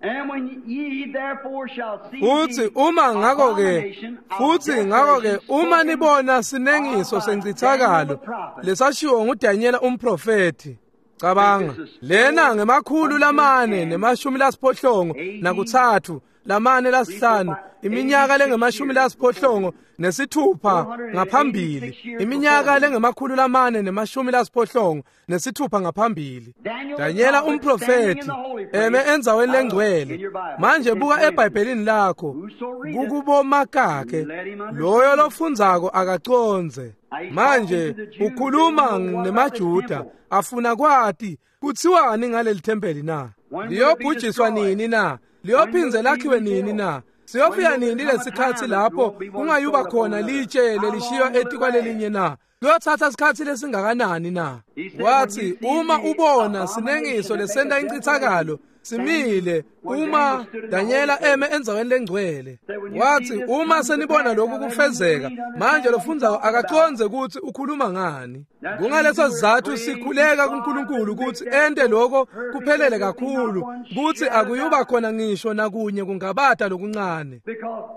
and when ye therefore shall see futhi uma ngakho ke futhi ngakho ke uma nibona sinengiso sencithakalo lesashiwo nguDanyela umprofeti. Cabanga lena ngemakhulu lamane nemashumi lasiphohlongo nakuthathu lamane lasihlanu iminyaka lengemashumi lasiphohlongo nesithupha ngaphambili iminyaka lengemakhulu lamane nemashumi lasiphohlongo nesithupha ngaphambili. Danyela umprofeti eme endzaweni lengcwele. Manje buka eBhayibhelini lakho kukubomakakhe loyo lofundzako akacondze. Manje ukhuluma nemaJuda afuna kwati kutsiwani ngaleli thempeli na? Liyobhujiswa nini na? Liyophindze lakhiwe nini na? Siyofika nini lesikhatsi lapho kungayuba khona litshe lelishiywa etikwalelinye na? Kuyothatha isikhatsi lesingakanani na? Wathi uma ubona sinengiso lesenta incithakalo simile uma Danyela eme endzaweni lengcwele. Wathi uma senibona lokhu kufezeka manje lofundzako akacondze ukuthi ukhuluma ngani. Kungaleso sizathu sikhuleka kuNkulunkulu ukuthi ente lokho kuphelele kakhulu ukuthi akuyuba khona ngisho nakunye kungabata lokuncane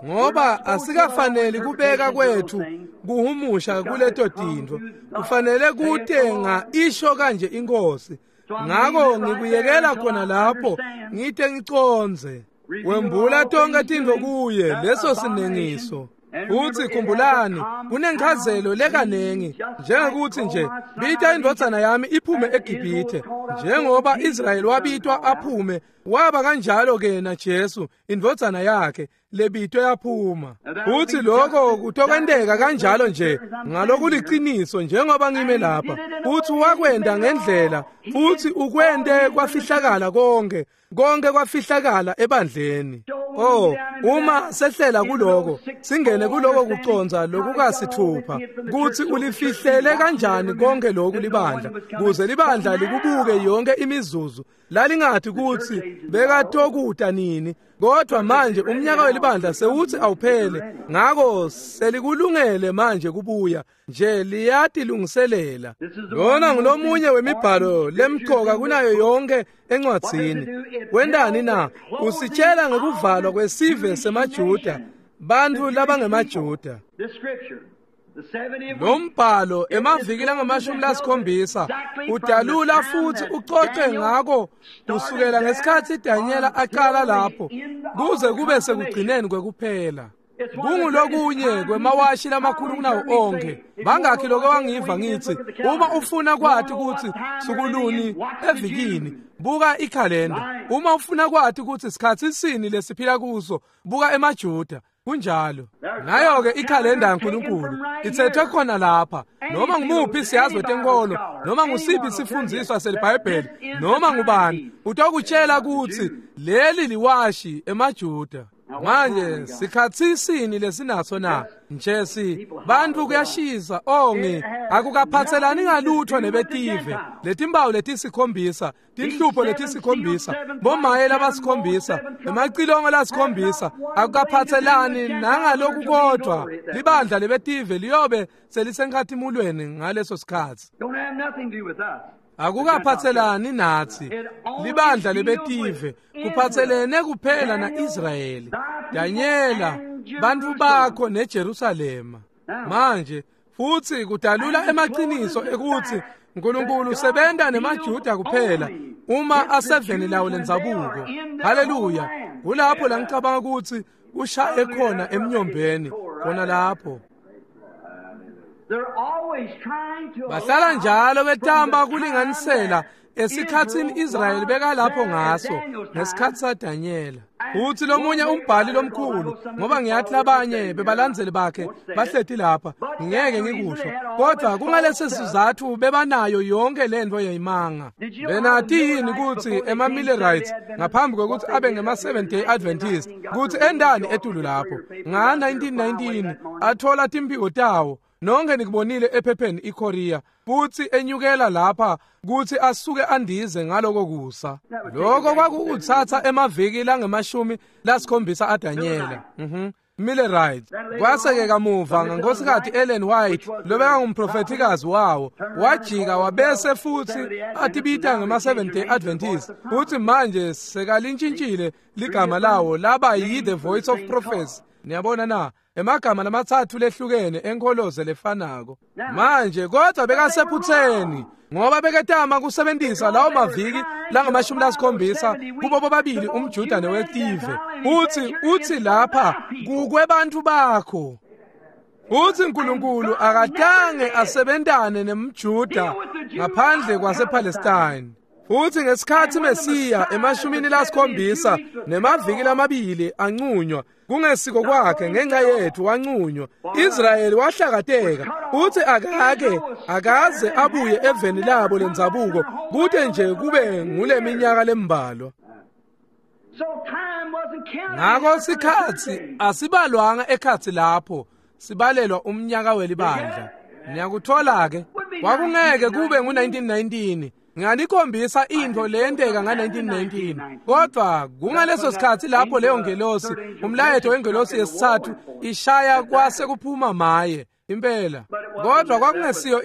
ngoba asikafaneli kubeka kwethu kuhumusha kuleto tintfo kufanele kutenga isho kanje inkosi. Ngako ngikuyekela khona lapho ngite ngicondze. Wembula tonke tintfo kuye leso sinengiso. Futhi khumbulani kunenchazelo lekanengi njengokuthi nje bita indvodzana yami iphume eGibhithe njengoba Israyeli wabitwa aphume waba kanjalo ke na Jesu indvodzana yakhe lebitwe yaphuma. Futhi lokho kutokwenteka kanjalo nje ngalokuliqiniso njengoba ngime lapha. Futhi wakwenda ngendlela futhi ukwente kwafihlakala konke konke kwafihlakala ebandleni. Oh uma sehlela kuloko singene kuloko kuconza lokukasithupha kuthi ulifihlele kanjani konke lokhu libandla kuze libandla likubuke yonke imizuzu lalingathi kuthi bekatokuta nini kodwa manje umnyaka welibandla sewuthi awuphele ngako selikulungele manje kubuya nje liyatilungiselela. Lona ngulomunye wemibhalo lemqoka kunayo yonke encwadzini. Wendani na? Usitshela ngekuvalwa kwesive semaJuda bantu labangemaJuda. Lo mbhalo emaviki langamashumi lasikhombisa udalula futhi ucoce ngako kusukela ngesikhatsi Danyela aqala lapho kuze kube sekugcineni kwekuphela. Kungulokunye kwemawashi lamakhulu kunawo onke. Bangakhi lokho wangiva ngithi uma ufuna kwati ukuthi sukuluni evikini, buka ikhalenda. Uma ufuna kwati ukuthi sikhathi sini lesiphila kuso, buka emaJuda. Kunjalo. Nayo ke ikhalenda yaNkulunkulu ithethwe khona lapha. Noma ngumuphi siyazi wetenkolo, noma ngusiphi isifundziswa seliBhayibheli, noma ngubani utokutshela ukuthi leli liwashi emaJuda. Manje sikhathi sini lesinaso na? Nje si bantu kuyashisa ongi akukaphathelani ngalutho nebetive. Letimbawu letisikhombisa, tinhlupho letisikhombisa, bomaye labasikhombisa, emacilongo lasikhombisa, akukaphathelani nangaloku kodwa libandla lebetive liyobe selisenkhatimulweni ngaleso sikhathi. Akukaphathelani nathi libandla lebetive, kuphathelene kuphela na-Israyeli, Danyela, bantu bakho neJerusalema. Manje futhi kudalula emaqiniso ekuthi uNkulunkulu usebenta nemaJuda kuphela uma aseveni lawo lendzabuko. Haleluya! Kulapho la ngicabanga ukuthi ushaye khona emnyombeni khona lapho. Bahlala njalo betamba kulinganisela esikhatsini Israyeli bekalapho ngaso ngesikhathi saDanyela. Uthi lomunye umbhali lomkhulu, ngoba ngiyathi labanye bebalandzeli bakhe bahleti lapha, ngeke ngikusho, kodwa kungalesi sizathu bebanayo yonke lento yayimanga. Benati yini ukuthi ema-Millerites ngaphambi kokuthi abe ngema-Seventh Day Adventist, kuthi endani etulu lapho nga nineteen nineteen athola timphiko tawo. Nonke nikubonile ephepheni iKorea, futhi enyukela lapha kuthi asuke andize ngaloko kusa. Lokho kwakuthatha emaviki langemashumi lasikhombisa aDanyela. Mhm. Millerites. Kwase-ke kamuva ngenkosikazi Ellen White lobeka ngumprofethikazi wawo, wajika wabese futhi atibita ngema-Seventh Day Adventist. Futhi manje sekalintshintshile ligama lawo laba yi-The Voice of Prophecy. Niyabona na? Emagama lamatsatfu lehlukene enkholoze lefanako. Manje kodwa bekasephutheni ngoba beketama kusebenzisa lawo maviki langamashumi lasikhombisa kubo bobabili umJuda newetive. Uthi uthi lapha kukwebantu bakho. Uthi uNkulunkulu akatange asebentane nemJuda ngaphandle kwasePalestine. Uthi ngesikhathi Mesiya emashumini lasikhombisa nemaviki lamabili anqunywa kungesiko kwakhe ngenxa yethu wanqunywa. Israyeli wahlakateka. Uthi akake akaze abuye eveni labo lendzabuko kute nje kube ngule minyaka lembalwa. Ngakho sikhathi asibalwanga ekhathi lapho sibalelwa umnyaka welibandla. Niyakuthola ke kwakungeke kube ngu nineteen nineteen. Ngiyanikhombisa into leyenteka nga nineteen nineteen, kodwa kungaleso sikhathi lapho leyo ngelosi, umlayeto wengelosi yesithathu ishaya kwase kuphuma maye impela. Kodwa kwakungesiyo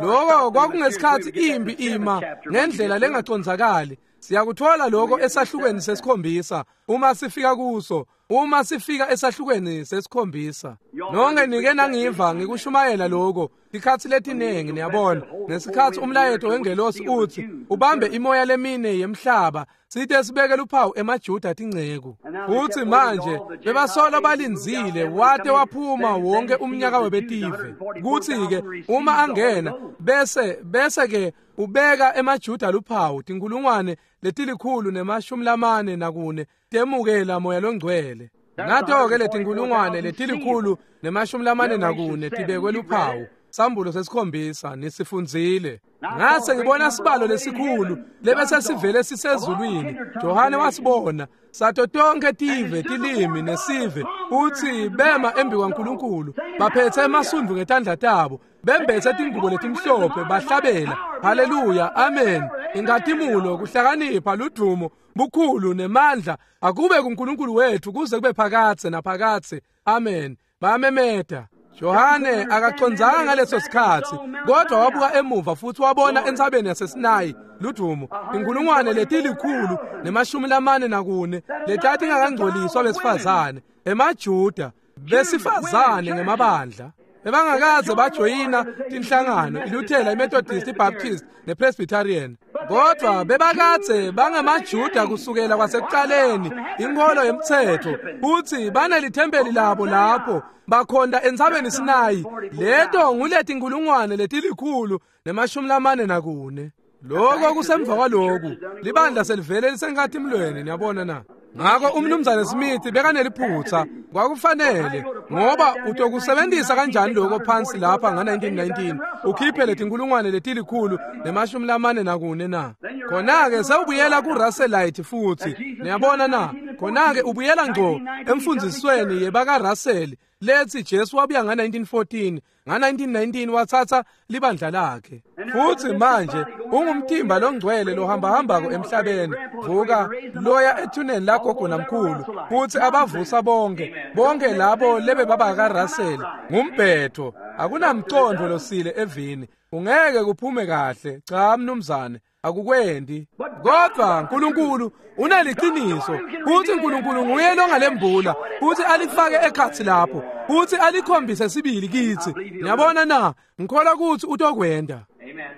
lokho, kwakungesikhathi imbi ima ngendlela lengacondzakali. Siyakuthola lokho esahlukweni sesikhombisa uma sifika kuso, uma sifika esahlukweni sesikhombisa. Nonke nike nangiva ngikushumayela lokho ikhathi letinengi, niyabona. Ngesikhathi umlayeto wengelosi uthi ubambe imoya lemine yemhlaba sithe sibeke luphawu emaJuda tinceku. Uthi manje bebasola balinzile wate waphuma wonke umnyaka webetive. Kuthi ke uma angena bese bese ke ubeka emaJuda luphawu tinkulungwane letilikhulu nemashumi lamane nakune temukela moya longcwele. Nato-ke letinkulungwane letilikhulu nemashumi lamane nakune tibekwe luphawu. Sambulo sesikhombisa nisifundzile. Ngase ngibona sibalo lesikhulu lebese sivele sisezulwini. Johane wasibona sato tonke tive tilimi nesive uthi bema embi kwaNkulunkulu baphethe emasundvu ngetandla tabo bembethe tingubo letimhlophe bahlabela haleluya amen inkatimulo kuhlakanipha ludumo bukhulu nemandla akube kuNkulunkulu wethu kuze kube phakathe naphakathe amen. Bayamemeta. Johane akacondzanga ngaleso sikhathi kodwa wabuka emuva futhi wabona entsabeni yaseSinayi ludumo inkulungwane letilikhulu nemashumi lamane nakune letati ingakangcoliswa besifazane emaJuda besifazane ngemabandla bebangakaze bajoyina tinhlangano iLuthela, iMethodist, iBaptist nePresbyterian, Kodwa bebakadze bangemaJuda kusukela kwasekuqaleni, inkholo yemtsetfo, futsi banelithempeli labo lapho bakhonta entsabeni Sinayi. Leto nguletinkhulungwane letilikhulu nemashumi lamane nakune. Lokho kusemva kwaloku libandla selivele lisenkatimlweni, niyabona na. Ngako umnumzane Smith bekaneliphutsa, kwakufanele, ngoba utokusebentisa kanjani lokho phansi lapha nga nineteen nineteen ukhiphe letinkulungwane letilikhulu nemashumi lamane nakune na? Khona-ke sewubuyela ku-Russellite futhi, niyabona na. Khona-ke ubuyela ngco emfundzisweni yebaka-Russell lethi Jesu wabuya nga nineteen fourteen, nga nineteen nineteen watsatsa libandla lakhe. Futhi manje ungumtimba longcwele lohambahambako emhlabeni, vuka loya ethuneni lagogo namkhulu, futhi abavusa bonke bonke labo lebe baba kaRussell. Ngumbhetho, akunamcondo losile evini, ungeke kuphume kahle. Cha mnumzane, akukwendi. Kodwa uNkulunkulu uneliqiniso, futhi uNkulunkulu nguye longalembula futhi alifake ekhatsi lapho futhi alikhombise sibili kithi. Niyabona na, ngikholwa ukuthi utokwenda.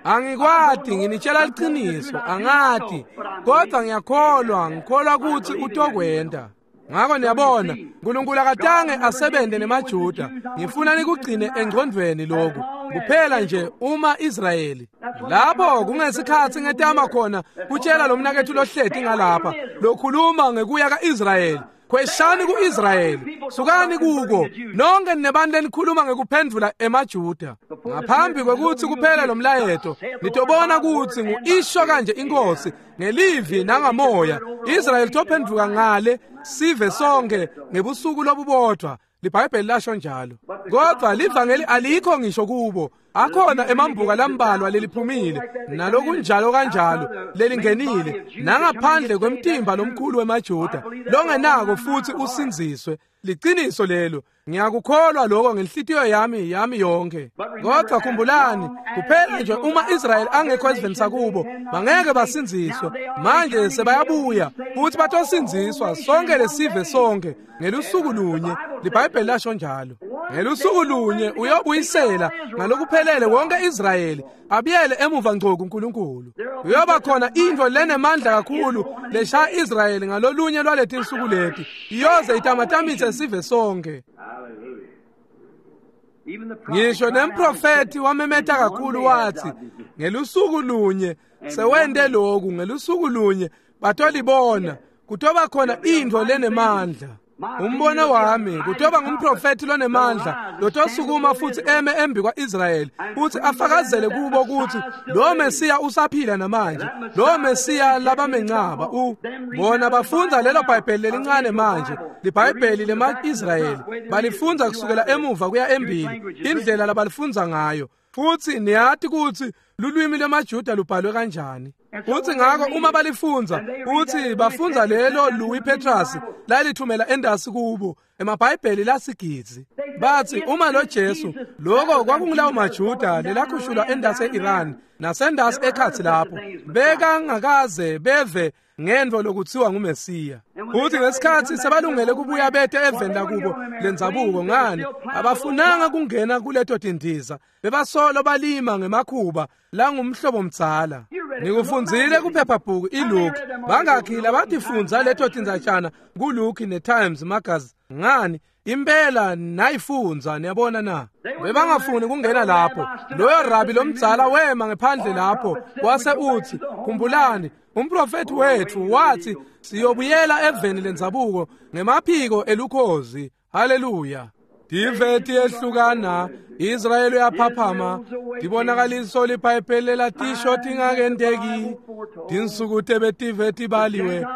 Angikwati, nginitshela liqiniso, angati, kodwa ngiyakholwa, ngikholwa ukuthi utokwenda. Ngako niyabona, uNkulunkulu akatange asebente nemaJuda. Ngifuna nikugcine engqondweni lokhu. Kuphela nje uma Israyeli. Lapho kungesikhathi ngetama khona kutshela lo mnakethu lohleti ngalapha, lokhuluma ngekuya kaIsrayeli. Khweshani kuIsrayeli, sukani kuko. Nonke ninebantu lenikhuluma ngekuphendvula emaJuda. Ngaphambi kwekuthi kuphele lo mlayeto, nitobona ukuthi ngu-isho kanje inkosi ngelivi nangamoya. Israyeli tophendvuka ngale sive sonke ngebusuku lobubodwa. LiBhayibheli lasho njalo. Kodwa livangeli alikho ngisho kubo. Akhona emambuka lambalwa leliphumile nalokunjalo kanjalo lelingenile nangaphandle kwemtimba lomkhulu wemaJuda longenako futhi usinziswe. Liqiniso lelo, ngiyakukholwa lokho ngenhlitiyo yami yami yonke. Kodwa khumbulani, kuphela nje uma Israyeli angekho esiveni sakubo, bangeke basinziswe. Manje sebayabuya futhi batosinziswa sonke lesive sonke ngelusuku lunye. LiBhayibheli lasho njalo. Ngelusuku lunye uyobuyisela ngalokuphelele wonke Israyeli abuyele emuva ngco kuNkulunkulu. Uyoba khona into lenemandla kakhulu leshaya Israyeli ngalolunye lwaletinsuku leti, iyoze itamatamise sive sonke. Ngisho nemprofethi wamemeta kakhulu wathi, ngelusuku lunye sewente lokhu, ngelusuku lunye batolibona, kutoba khona into lenemandla. Umbono wami kutoba ngumprofethi lonemandla lotosukuma futhi eme embi kwa-Israyeli futhi afakazele kubo ukuthi lo Mesiya usaphila namanje, lo Mesiya labamencaba. U bona bafundza lelo Bhayibheli lelincane manje, liBhayibheli lema-Israyeli balifundza kusukela emuva kuya embili, indlela labalifundza ngayo. Futhi niyati ukuthi lulwimi lwemaJuda lubhalwe kanjani. Futhi ngako uma balifundza, futhi bafundza lelo Louis Petrus lalithumela endasi kubo emaBhayibheli lasigidzi. Bathi uma lo Jesu, lokho kwakungulawo maJuda lelakhushulwa endasi e-Iran nasendasi ekhatsi lapho, bekangakaze beve ngento lokuthiwa nguMesiya. Futhi ngesikhathi sebalungele kubuya bete eveni lakubo lendzabuko, ngani abafunanga kungena kuleto tindiza, bebasolo balima ngemakhuba langumhlobo mdzala. Nikufundzile kuphephabhuku iLuke, bangakhi labatifundza leto tindzatshana kuLuke neTimes Magazine? Ngani impela nayifundza, niyabona na. Bebangafuni kungena lapho. Loyo rabi lomdzala wema ngephandle lapho wase uthi, khumbulani umprofethi wethu wathi siyobuyela eveni lendzabuko ngemaphiko elukhozi. Haleluya. Tive tiyehlukana, Israyeli uyaphaphama, tibonakaliso liBhayibheli latisho tingakenteki. Tinsuku tebetive tibaliwe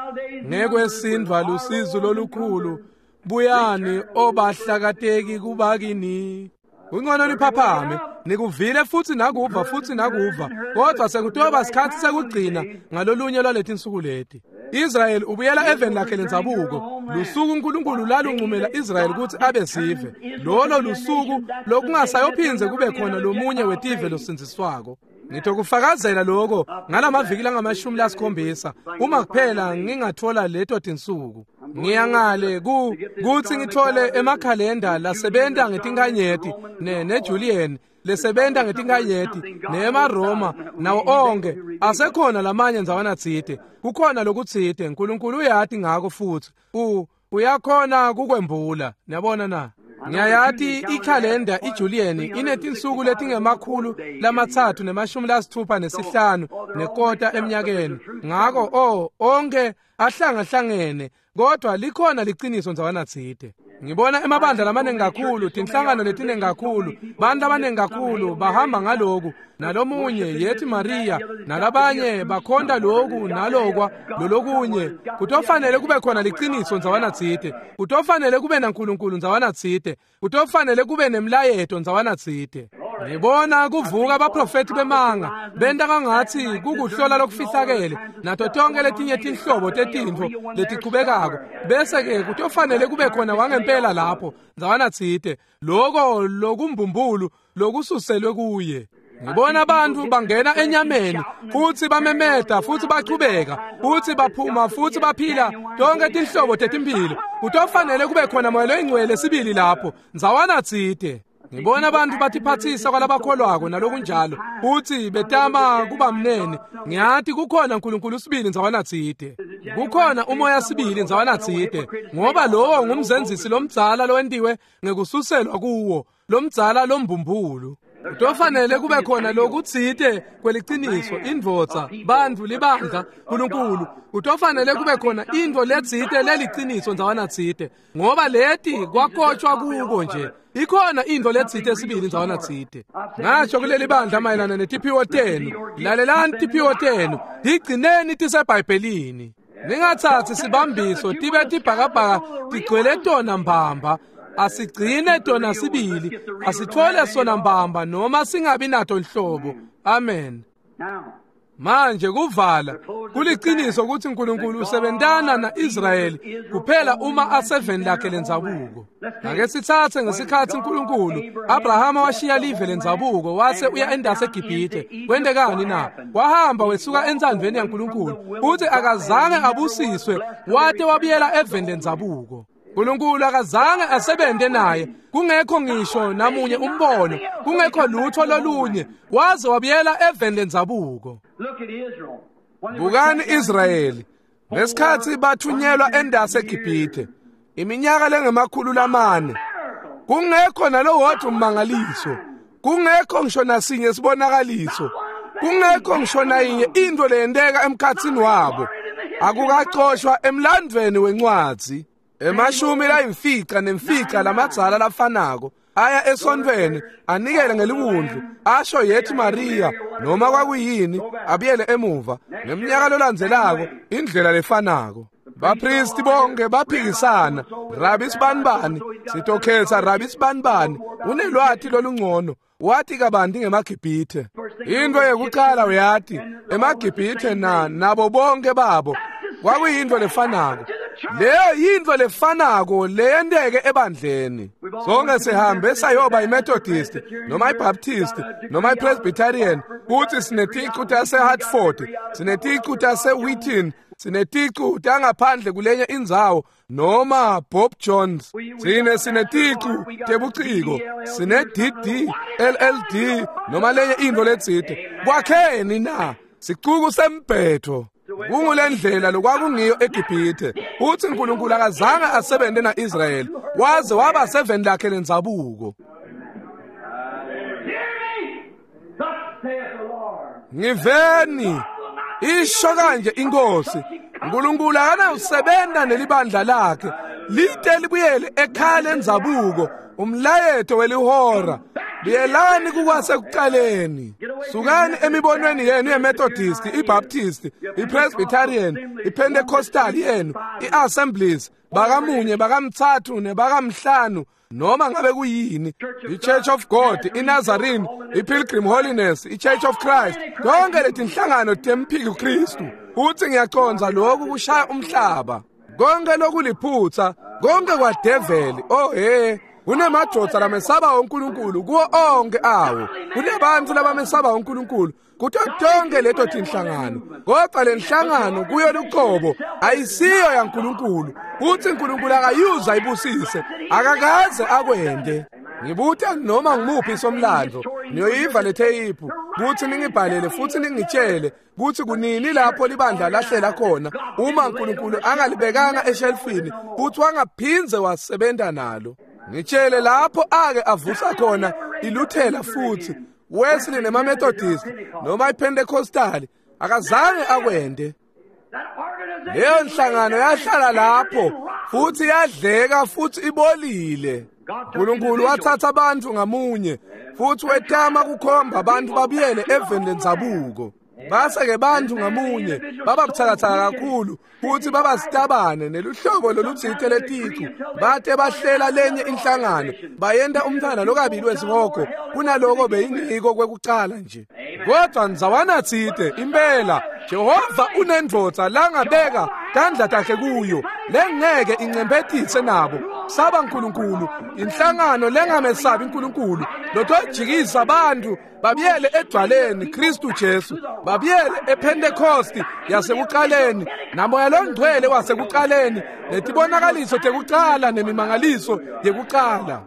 ngekwesindvwa lusizo lolukhulu. Buyani obahlakateki kubakini. Kungcono niphaphame, nikuvile futhi nakuva futhi nakuva, kodwa sekutoba sikhathi sekugcina ngalolunye lwaletinsuku leti. Israyeli ubuyela eveni lakhe lendzabuko. Lusuku uNkulunkulu lalunqumela Israyeli ukuthi abe sive. Lolo lusuku lokungasayophindze kube khona lomunye wetive losindziswako. Ngitokufakazela lokho ngalamaviki langamashumi lasikhombisa uma kuphela ngingathola leto tinsuku. Ngiyangale ku kuthi ngithole emakhalenda lasebenta ngetinkanyeti ne neJulian lesebenta ngetinkanyeti nemaRoma nawo onke asekhona lamanye ndzawana tsite. Kukhona lokutsite Nkulunkulu uyati ngako futsi u uyakhona kukwembula. Niyabona na? Ngiyayati ikhalenda iJulian inetinsuku letingemakhulu lamatsatfu nemashumi lasitfupha nesihlanu nekota eminyakeni. Ngako oh onke ahlangahlangene kodwa likhona liciniso ndzawana tsite. Ngibona emabandla lamaningi kakhulu, tinhlangano letiningi kakhulu, bantu abaningi kakhulu bahamba ngaloku nalomunye yethi Maria nalabanye bakhonta loku nalokwa lolokunye. Kutofanele kube khona liciniso ndzawana tsite, kutofanele kube naNkulunkulu ndzawana tsite, kutofanele kube nemlayeto ndzawana tsite. Ngibona kuvuka abaprofeti bemanga benta kwangatsi kukuhlola lokufihlakele nato tonke letinye tinhlobo tetintfo letichubekako, bese-ke kutofanele kube khona wangempela lapho ndzawana tsite, loko lokumbumbulu lokususelwe kuye. Ngibona abantu bangena enyameni futsi bamemeta futsi bachubeka futsi baphuma futsi baphila tonke tinhlobo tetimphilo. Kutofanele kube khona moya loyingcwele sibili lapho ndzawana tsite. Ngibona abantu batiphatsisa kwalabakholwako nalokunjalo futsi betama kuba mnene. Ngiyati kukhona uNkulunkulu sibili ndzawana tsite, kukhona umoya sibili ndzawana tsite, ngoba lowo ngumzenzisi lomdzala lowentiwe ngekususelwa kuwo lomdzala lombumbulu. Kutofanele kube khona lokutsite kweliciniso, indvodza, bantfu, libandla, Nkulunkulu. Kutofanele kube khona intfo letsite leliciniso ndzawana tsite, ngoba leti kwakotshwa kuko nje. Ikhona intfo letsite sibili ndzawana tsite. Ngasho kuleli bandla mayelana netiphiwo tenu, lalelani tiphiwo tenu, tigcineni tiseBhayibhelini. Ningatsatsi sibambiso tibe tibhakabhaka tigcwele tona mbamba. Asigcine tona sibili, asithole sona mbamba noma singabi nato nhlobo. Amen. Manje kuvala kuliciniso ukuthi uNkulunkulu usebentana na-Israyeli kuphela uma aseveni lakhe lendzabuko. Ake sitsatse ngesikhatsi uNkulunkulu Abrahama washiya live lendzabuko wase uya endase eGibhithe. Kwentekani na? Wahamba wesuka entsandvweni yaNkulunkulu futhi akazange abusiswe wate wabuyela eveni lendzabuko. uNkulunkulu akazange asebente naye, kungekho ngisho namunye umbono, kungekho lutho lolunye, waze wabuyela eveni lendzabuko. Bukani Israyeli ngesikhatsi bathunyelwa endase eGibhithe iminyaka lengemakhulu lamane, kungekho nalowodwa ummangaliso, kungekho ngisho nasinye sibonakaliso, kungekho ngisho nayinye intfo leyenteka emkhatsini wabo. Akukacoshwa emlandvweni wencwadzi. Emashumi layimfica nemfica lamadzala lafanako aya esontfweni anikele ngeliwundlu asho yethi Maria noma kwakuyini, abuyele emuva ngemnyaka lolandzelako indlela lefanako. Bapristi bonke baphikisana, Rabi sibanibani sitokhetsa Rabi sibanibani unelwati lolungcono, wathi kabanti ngemaGibhithe. Into yekuqala uyati emaGibhithe na nabo bonke babo kwakuyintfo lefanako. Leyo yintfo lefanako leyenteke ebandleni. Sonke sihambe sayoba iMethodist noma iBaptist noma iPresbyterian, kuthi sineticu taseHartford, sineticu taseWheaton, sineticu tangaphandle kulenye indzawo noma Bob Jones, sine sineticu tebuciko, sine D D L L D noma lenye intfo letsite. Kwakheni na sicuku sembhetho. Kungulendlela lokwakungiyo eGibhithe. Uthi uNkulunkulu akazange asebente na-Israyeli waze waba seveni lakhe lendzabuko. Ngiveni isho kanje inkosi, uNkulunkulu akanawusebenta nelibandla lakhe lite libuyele ekhaya lendzabuko, umlayeto welihora. Buyelani kukwasekuqaleni. Sukani emibonweni yenu yeMethodist, iBaptist, iPresbyterian, iPentecostal yenu, iAssemblies, bakamunye, bakamthathu nebakamhlanu, noma ngabe kuyini, iChurch of God, iNazarene, iPilgrim Holiness, iChurch of Christ, konke letinhlangano temphiki Kristu. Uthi ngiyacondza lokhu kushaya umhlaba. Konke lokuliphutha, konke kwadeveli. Oh he, kunemadvodza lamesaba uNkulunkulu kuwo onke awo. Kunebantu labamesaba uNkulunkulu kuto tonke leto tinhlangano. Kodwa lenhlangano kuyo luqobo ayisiyo yaNkulunkulu. Uthi uNkulunkulu akayuza ibusise, akakaze akwende. Ngibuta noma ngimuphi somlando niyoyiva letheyiphu kuthi ningibhalele futhi ningitshele kuthi kunini lapho libandla lahlela khona uma uNkulunkulu angalibekanga eshelfini futhi wangaphinze wasebenza nalo. Ngitshele lapho ake avusa khona iLuthela futhi Wesley noma Methodist noma iPentecostal akazange akwende. Leyo nhlangano yahlala lapho futhi yadleka futhi ibolile. uNkulunkulu wathatha abantu ngamunye futhi wetama kukhomba abantu babuyele eveni lendzabuko. Base-ke bantu ngamunye baba buthakathaka kakhulu futhi baba sitabane neluhlobo lolutsite leticu bate bahlela lenye inhlangano bayenta umntwana lokabili wesihogo kunaloko beyingiko kwekucala nje. Kodwa ndzawana tsite impela Jehova unendvodza langabeka tandla takhe kuyo lengeke incemphetise nabo saba uNkulunkulu inhlangano lengamesabi uNkulunkulu lotojikisa abantu babuyele edwaleni Kristu Jesu babuyele ePentecost yasekuqaleni namoya longcwele wasekuqaleni netibonakaliso tekuqala nemimangaliso yekuqala.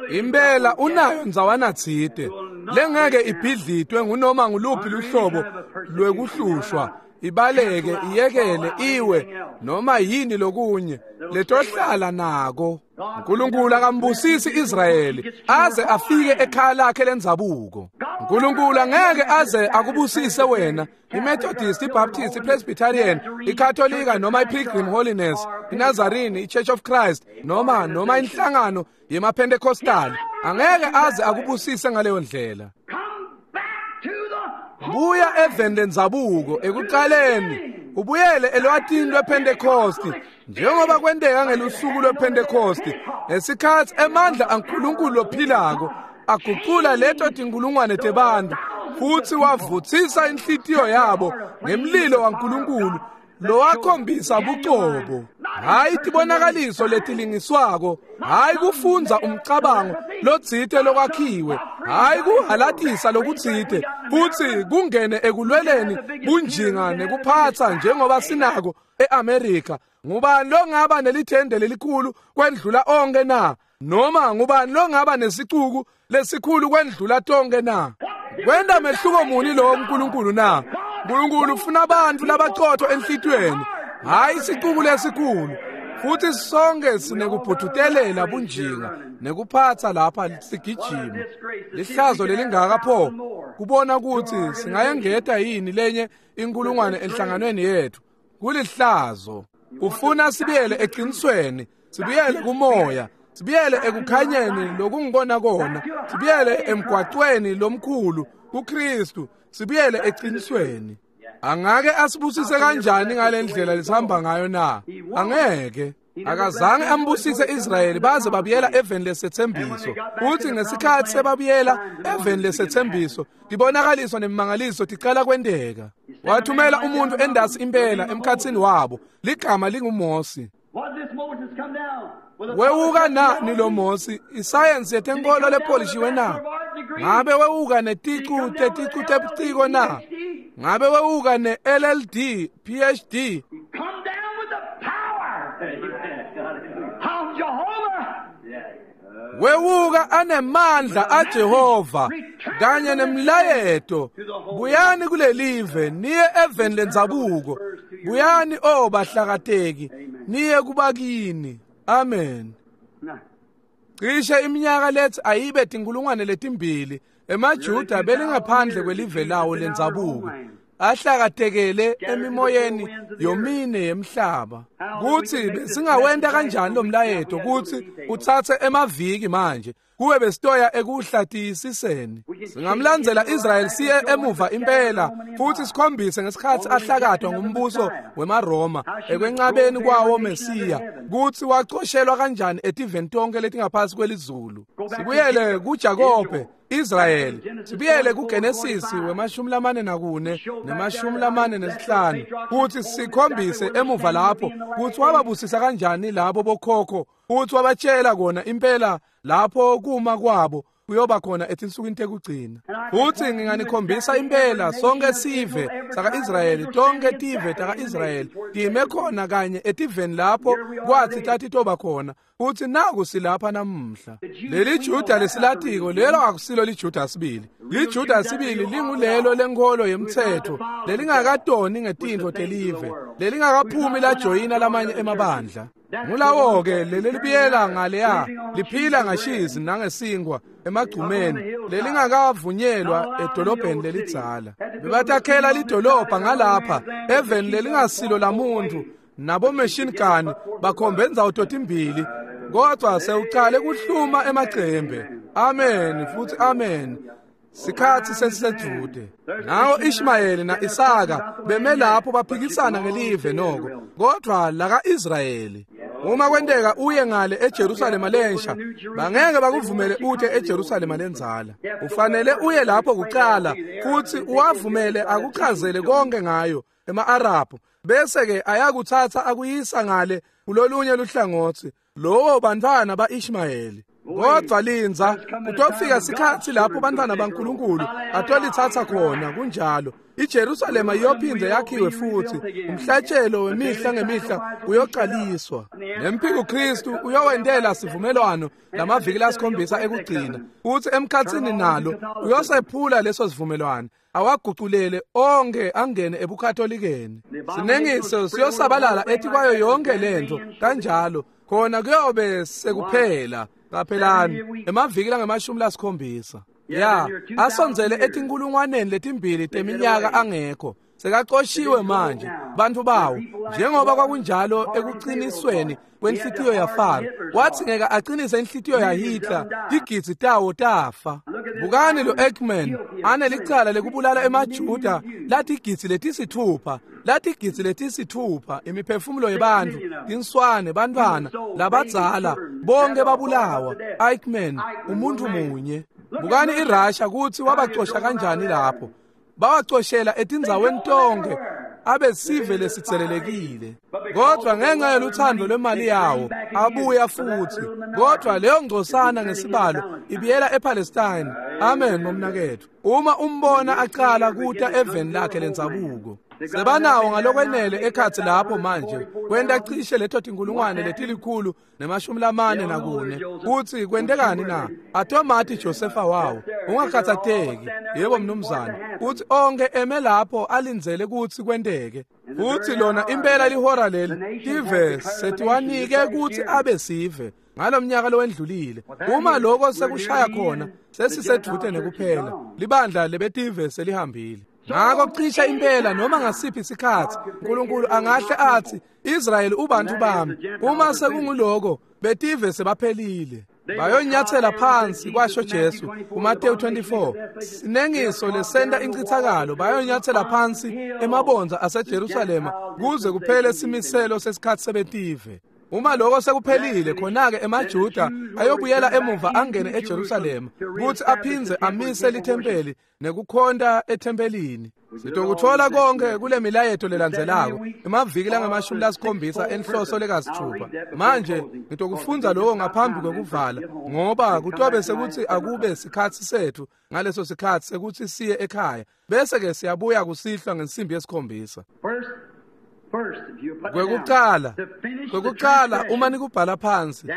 Impela unayo ndzawana tsite lengeke ibhidlitwe ngunoma nguluphi luhlobo lwekuhlushwa ibaleke iyekele iwe noma yini lokunye letohlala nako. uNkulunkulu akambusisi Israyeli aze afike ekhaya lakhe lendzabuko. uNkulunkulu angeke aze akubusise wena iMethodist, iBaptist, iPresbyterian, iKatolika noma iPilgrim Holiness, iNazarene, iChurch of Christ noma noma inhlangano yemaPentecostal angeke aze akubusise ngaleyo ndlela. Buya eveni lendzabuko ekuqaleni ubuyele elwatini lwePentecost njengoba kwenteka ngelusuku lwePentecost ngesikhathi emandla aNkulunkulu lophilako agucula leto tinkulungwane tebantu futhi wavuthisa inhlitiyo yabo ngemlilo waNkulunkulu lowakhombisa bucobo. Hayi tibonakaliso letilingiswako, hayi kufundza umcabango lotsite lokwakhiwe, hayi kuhalatisa lokutsite futhi kungene ekulweleni bunjinga nekuphatsa njengoba sinako eAmerica. Ngubani longaba nelithende lelikhulu kwendlula onke na? Noma ngubani longaba nesicuku lesikhulu kwendlula tonke na? Kwenta mehluko muni lo uNkulunkulu na? uNkulunkulu ufuna abantu labaqotho enhlitiyweni, hayi isicuku lesikhulu. Futhi sonke sinekubhudutelela bunjinga nekuphatsa lapha sigijima. Lihlazo lelingaka pho kubona ukuthi singayengeta yini lenye inkulungwane enhlanganweni yethu. Kulihlazo. Ufuna sibuyele eqinisweni, sibuyele kumoya, sibuyele ekukhanyeni lokungibona kona, sibuyele emgwaqweni lomkhulu kuKristu, sibuyele eqinisweni. Angake asibusise kanjani ngalendlela lesihamba ngayo na? Angeke. Akazange ambusise Israyeli baze babuyela eveni lesethembiso. Uthi ngesikhathi sebabuyela eveni lesethembiso tibonakaliso nemimangaliso tiqala kwenteka. Wathumela umuntu endasi impela emkhathini wabo ligama linguMosi. Wewuka nani lo Mosi? Isayensi yetenkolo lepolishiwe na? Ngabe wewuka neticu teticu tebuciko na? Ngabe wewuka ne-L L D, P H D? Wewuka anemandla aJehova kanye nemlayeto. Buyani kulelive niye eveni lendzabuko. Buyani o bahlakateki niye kubakini. Amen. Cishe iminyaka lethi ayibe tinkulungwane letimbili emaJuda belingaphandle kwelive lawo lendzabuko ahlakatekele emimoyeni yomine yemhlaba. Kuthi besingawenta kanjani lo mlayeto kuthi uthathe emaviki manje kuwe besitoya ekuhlatisiseni. Singamlandzela Israel siye emuva impela futhi sikhombise ngesikhathi ahlakadwa ngumbuso wemaRoma ekwenqabeni kwawo Mesiya kuthi wacoshelwa kanjani etiveni tonke letingaphasi kwelizulu. Sibuyele kuJakobe Israel, sibuyele kuGenesis wemashumi lamane nakune nemashumi lamane nesihlanu kuthi sikhombise emuva lapho kuthi wababusisa kanjani labo bokhokho futhi wabatshela kona impela lapho kuma kwabo kuyoba khona etinsukwini tekugcina. Futsi nginganikhombisa impela sonke sive saka-Israyeli, tonke tive taka-Israyeli time khona kanye etiveni lapho kwathi tatitoba khona, futsi naku silapha namuhla. Leli Juda lesilatiko lelo akusilo liJuda sibili. LiJuda sibili lingulelo lenkholo yemtsetfo lelingakatoni ngetintfo telive, lelingakaphumi lajoyina lamanye emabandla. Ngulawo-ke lelibiyela ngaleya liphila ngashizi nangesingwa emagcumeni, lelingakavunyelwa edolobheni lelidzala. Bebatakhela lidolobha ngalapha eveni lelingasilo lamuntu, nabo machine gun bakhombe indzawo totimbili, kodwa sewucale kuhluma emacembe. Amen futhi amen. Sikhatsi sesisedude. Nawo Ishmayeli na-Isaka beme lapho baphikisana ngelive noko, kodwa laka-Israyeli. Uma kwenteka uye ngale eJerusalema lensha, bangeke bakuvumele ute eJerusalema lendzala. Ufanele uye lapho kucala futsi uwavumele akuchazele konke ngayo ema-Arabhu, bese-ke ayakutsatsa akuyisa ngale kulolunye luhlangotsi, lowo bantfwana ba-Ishmayeli. Kodwa lindza, kutofika sikhatsi lapho bantfwana baNkulunkulu atolitsatsa khona. Kunjalo. IJerusalema iyophindze yakhiwe futsi, umhlatshelo wemihla ngemihla uyoqaliswa. Nemphiko Kristu uyowentela sivumelwano lamaviki lasikhombisa ekugcina, futsi emkhatsini nalo uyosephula leso sivumelwano, awaguculele onke angene ebukatholikeni. Sinengiso siyosabalala etikwayo yonke lento kanjalo, khona kuyobe sekuphela. Qaphelani, emaviki langemashumi lasikhombisa ya asondzele etinkulungwaneni letimbili teminyaka angekho, sekacoshiwe manje bantfu bawo, njengoba kwakunjalo ekuqinisweni kwenhlitiyo yaFaro. Wathi ngeke aqinise inhlitiyo yaHitler, tigidzi tawo tafa. Bukani lo Eichmann anelicala lekubulala emaJuda latigidzi letisithupha, latigidzi letisithupha, imiphefumulo yebantfu, tinswane, bantfwana labadzala, bonke babulawa. Eichmann umuntu munye. Bukani iRussia kutsi wabacosha kanjani lapho, bawacoshela etindzaweni tonke, abe sive lesitselelekile. Kodwa ngenxa yeluthando lwemali yawo abuya futhi. Kodwa leyo ngcosana ngesibalo ibiyela ePalestine. Amen momnaketfu. Uma umbona acala kuta eveni lakhe lendzabuko, sebanawo ngalokwenele ekhatsi lapho manje kwenta cishe leto tinkulungwane letilikhulu nemashumi lamane nakune. Kutsi kwentekani na? Atomati Josefa wawo. Ungakhatsateki. Yebo mnumzane. Utsi onke eme lapho alindzele kutsi kwenteke. Futsi lona impela lihora leli tive setiwanike kutsi abe sive ngalomnyaka lowendlulile. Uma lokho sekushaya khona, sesisedvute nekuphela. Libandla lebetive selihambile. Ngakho cisha impela noma ngasiphi isikhatsi uNkulunkulu angahle athi Israyeli ubantu bami. Uma sekunguloko betive sebaphelile, bayonyathela phansi, kwasho Jesu kuMateyu twenty-four. Sinengiso lesenta incithakalo, bayonyathela phansi emabondza aseJerusalema kuze kuphele simiselo sesikhatsi sebetive. Uma lokho sekuphelile, khona-ke emaJuda ayobuyela emuva angene eJerusalema kutsi aphindze amise lithempeli nekukhonta ethempelini. Sitokutfola konke kule milayeto lelandzelako emaviki langamashumi lasikhombisa enhloso lekasithupha. Manje ngitokufundza lokho ngaphambi kwekuvala, ngoba kutobe sekutsi akube sikhatsi setfu ngaleso sikhatsi sekutsi siye ekhaya, bese-ke siyabuya kusihlwa ngensimbi yesikhombisa. Kwekucala, kwekucala uma nikubhala phansi,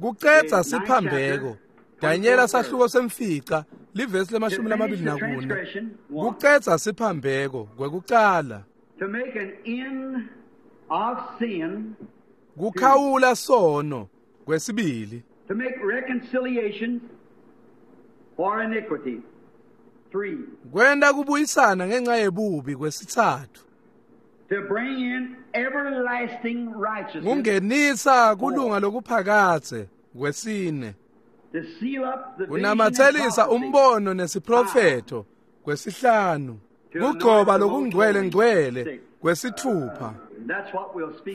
kucedza siphambeko. Danyela sahluko semfica, livesi lemashumi lamabili nakune. Kucedza siphambeko kwekucala. Kukhawula sono kwesibili. To make reconciliation for iniquity. Three. Kwenta kubuyisana ngenxa yebubi kwesitsatfu. To bring in everlasting righteousness. Kungenisa kulunga lokuphakadze kwesine. To seal up the Kunamathelisa umbono nesiprofetho kwesihlanu. Kugcoba lokungcwele ngcwele kwesithupha.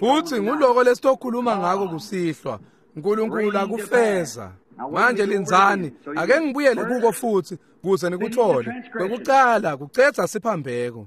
Futsi nguloko lesitokhuluma ngako kusihlwa. uNkulunkulu akufeza. Manje lindzani, ake ngibuyele kuko futsi kuze nikuthole. Kwekucala kucedza siphambeko.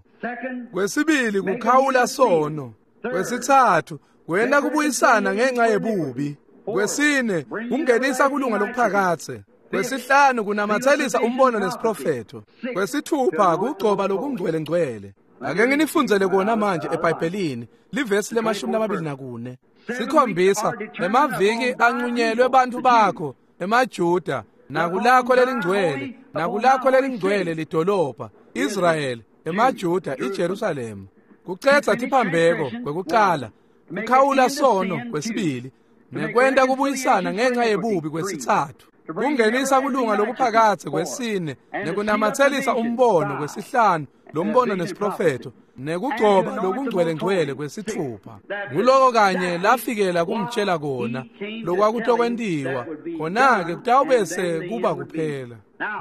Kwesibili kukhawula sono. Kwesitsatfu kwenta kubuyisana ngenxa yebubi. Kwesine kungenisa kulunga lokuphakadze. Kwesihlanu kunamathelisa umbono nesiprofetho. Kwesithupha kugcoba lokungcwele-ngcwele. Ake nginifundzele kona manje eBhayibhelini, livesi lemashumi lamabili nakune. Sikhombisa emaviki anqunyelwe bantfu bakho, emaJuda, nakulakho lelingcwele, nakulakho lelingcwele lidolobha, Israyeli, emaJuda, iJerusalema. Kucedza tiphambeko kwekucala, kukhawula sono kwesibili, nekwenta kubuyisana ngenxa yebubi kwesitsatfu. Kungenisa kulunga lokuphakatse kwesine, nekunamathelisa umbono kwesihlanu, lombono nesiprofetho, nekugcoba lokungcwele-ngcwele kwesithupha. Nguloko kanye lafikela kumtshela kona lokwakutokwentiwa, khona-ke kutawubese kuba kuphela.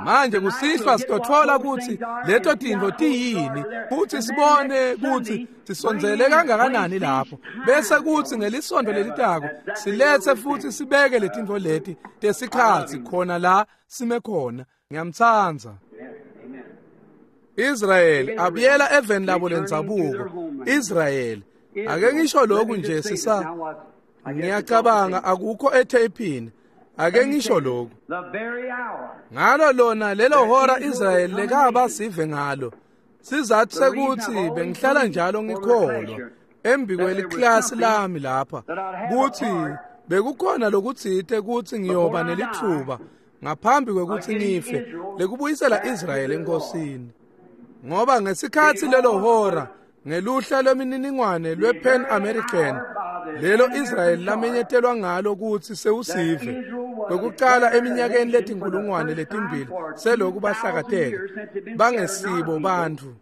Manje kusihlwa sitotfola kutsi leto tintfo tiyini, futsi sibone kutsi sisondzele kangakanani lapho, bese kutsi ngelisontfo lelitako siletse futsi sibeke letintfo leti tesikhatsi khona la sime khona. Ngiyamtsandza. Israyeli abuyela eveni labo lendzabuko. Israyeli, ake ngisho lokhu nje sisa, ngiyacabanga akukho etheyphini. Ake ngisho lokhu. Ngalo lona lelo hora Israyeli lekaba sive ngalo, sizathu sekuthi bengihlala njalo ngikholwa embi kweliklasi lami lapha kutsi bekukhona lokutsite kutsi ngiyoba nelithuba ngaphambi kwekutsi ngife lekubuyisela Israyeli enkosini. Ngoba ngesikhatsi lelo hora ngeluhla lwemininingwane lwe-Pan American lelo Israyeli lamenyetelwa ngalo kutsi sewusive kwekucala eminyakeni letinkulungwane letimbili seloku bahlakateka bangesibo bantfu.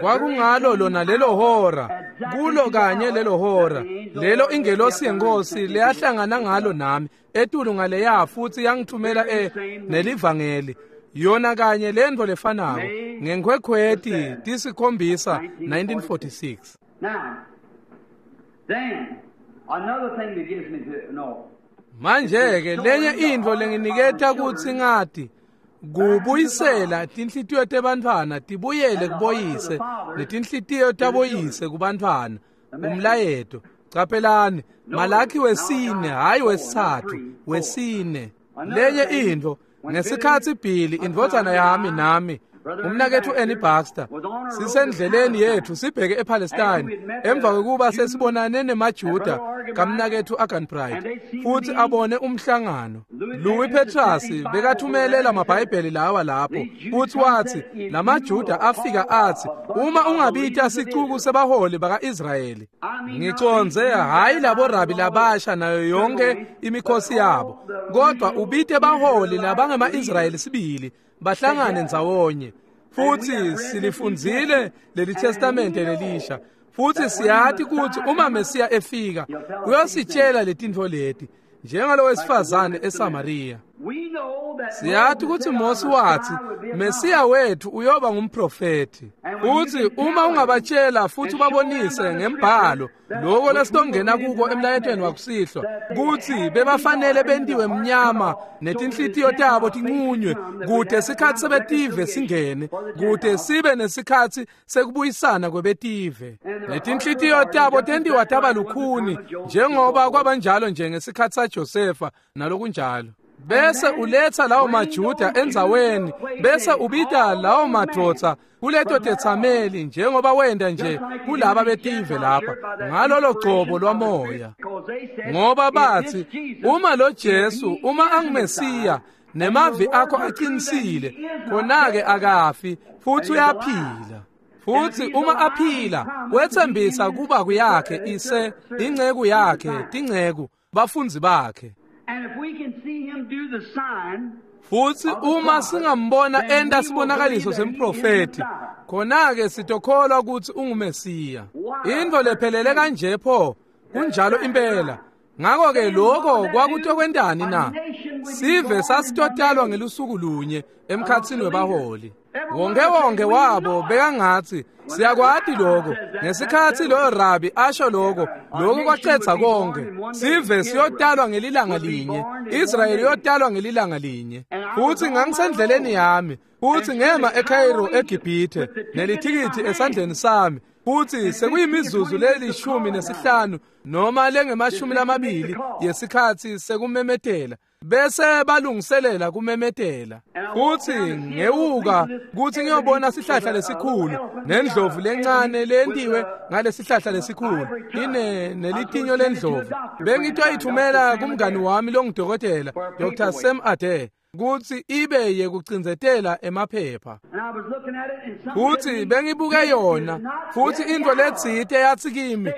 Kwakungalo lona lelo hora, kulo kanye lelo hora lelo ingelosi yenkosi leyahlangana ngalo nami etulu ngaleya futsi yangithumela e nelivangeli, yona kanye lentfo lefanako ngenkhwekhweti tisikhombisa nineteen forty-six. Manje-ke lenye intfo lenginiketa kutsi ngati kubuyisela tinhlitiyo tebantfwana tibuyele kuboyise netinhlitiyo taboyise kubantfwana. Umlayeto, caphelani, Malakhi wesine, hhayi wesitsatfu, wesine. Lenye intfo, ngesikhatsi Billy indvodzana yami nami umnaketfu Annie Baxter sisendleleni yethu sibheke ePalestine emva kwekuba sesibonane nemaJuda kamnaketfu Aganbright futsi abone umhlangano. Louis Petrus bekathumele lamabhayibheli lawa lapho futsi watsi lamaJuda afika atsi uma ungabita sicuku sebaholi baka-Israyeli, ngicondze hhayi labo rabi labasha nayo yonke imikhosi yabo, kodwa ubite baholi labangema-Israyeli sibili bahlangane ndzawonye. Futsi silifundzile leli testamente lelisha, futsi siyati kutsi uma Mesiya efika uyositshela letintfo leti njengalowesifazane eSamariya. Siyati kutsi Mosi watsi Mesiya wethu uyoba ngumprofethi. Futsi uma ungabatshela futsi ubabonise ngembhalo loko lesitongena kuko emlayetweni wakusihlwa kutsi bebafanele bentiwe mnyama netinhlitiyo tabo tinqunywe kute sikhatsi sebetive singene, kute sibe nesikhatsi sekubuyisana kwebetive. Netinhlitiyo tabo tentiwa taba lukhuni njengoba kwabanjalo nje ngesikhatsi saJosefa nalokunjalo. Bese uletha lawo maJuda endzaweni, bese ubita lawo madvodza kuleto tetsameli njengoba wenda nje kulaba betive lapha ngalolo gcobo lwamoya. Ngoba bathi uma lo Jesu uma anguMesiya nemavi akho aqinisile, khona-ke akafi futhi uyaphila. Futsi uma aphila wetsembisa kuba kuyakhe ise inceku yakhe tinceku bafundzi bakhe. Futsi uma singambona enta sibonakaliso semprofethi, khona-ke sitokholwa kutsi unguMesiya. Intfo lephelele kanje pho, kunjalo impela. Ngako-ke lokho kwakutokwentani na? Sive sasitotalwa ngelusuku lunye emkhatsini webaholi. Wonke wonke wabo bekangatsi siyakwati lokho. Ngesikhatsi loyo rabi asho lokho, lokho kwacetsa konke. Sive siyotalwa ngelilanga linye, Israyeli iyotalwa ngelilanga linye. Futsi ngangisendleleni yami, futsi ngema eCairo eGibhithe nelithikithi esandleni sami. Futsi sekuyimizuzu lelishumi nesihlanu noma lengemashumi lamabili yesikhatsi sekumemetela. Bese balungiselela kumemetela. Futhi ngewuka kuthi ngiyobona sihlahla lesikhulu nendlovu lencane lentiwe ngalesihlahla lesikhulu ine nelitinyo lendlovu. Bengitoyithumela kumngani wami longudokotela Doctor Sam Ade kutsi ibe yekucindzetela emaphepha. Futhi bengibuke yona futhi into letsite yathi kimi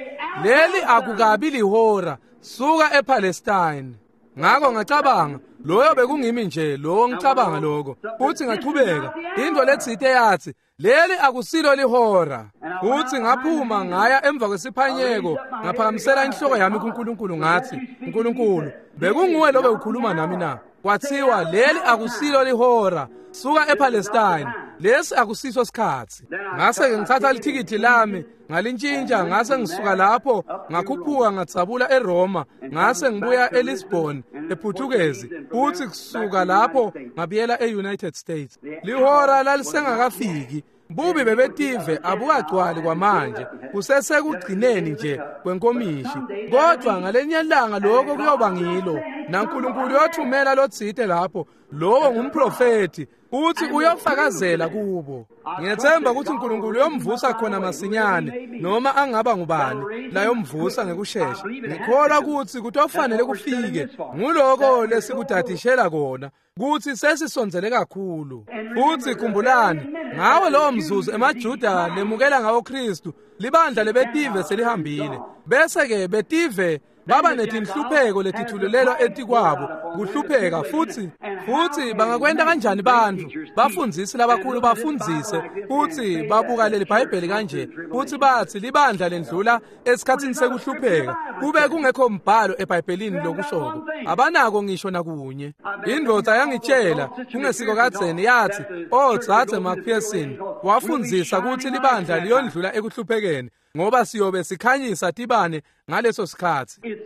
leli akukabi lihora suka ePalestine. Ngakho ngacabanga loyo bekungimi nje lo ngicabanga lokho futhi ngachubeka into letsite yathi leli akusilo lihora. Futhi ngaphuma ngaya emva kwesiphanyeko ngaphakamisela inhloko yami kuNkulunkulu ngathi Nkulunkulu bekunguwe lobe ukhuluma nami na? Kwathiwa leli akusilo lihora suka ePalestine lesi akusiso sikhathi. Ngase ke ngithatha lithikithi lami ngalintshintsha ngase ngisuka lapho ngakhuphuka ngadzabula eRoma ngase ngibuya eLisbon ePortuguese futhi kusuka lapho ngabuyela eUnited States. Lihora lalisengakafiki. Bubi bebetive abukagcwali kwamanje kusesekugcineni nje kwenkomishi kodwa ngalenye ilanga lokho kuyoba ngilo naNkulunkulu uyothumela lotsite lapho lowo ngumprofeti uthi uyofakazela kubo. Ngiyethemba ukuthi uNkulunkulu uyomvusa khona masinyane noma angaba ngubani layomvusa ngekushesha. Ngikholwa ukuthi kutofanele kufike nguloko lesikudadishela kona kuthi sesisondzele kakhulu. Futhi khumbulani ngawo lowo mzuzu emaJuda lemukela ngawo Kristu libandla lebetive selihambile bese ke betive baba netinhlupheko letithululelwa etikwabo kuhlupheka futhi futhi bangakwenta kanjani bantfu bafundzisi labakhulu bafundzise futhi babuka leli Bhayibheli kanje futhi bathi libandla lendlula esikhatsini sekuhlupheka kube kungekho mbhalo eBhayibhelini lokushoko abanako ngisho nakunye. Indvodza yangitshela kungesiko kadzeni yathi oh dzadze McPherson wafundzisa ukuthi libandla liyondlula ekuhluphekeni ngoba siyobe sikhanyisa tibane ngaleso sikhathi.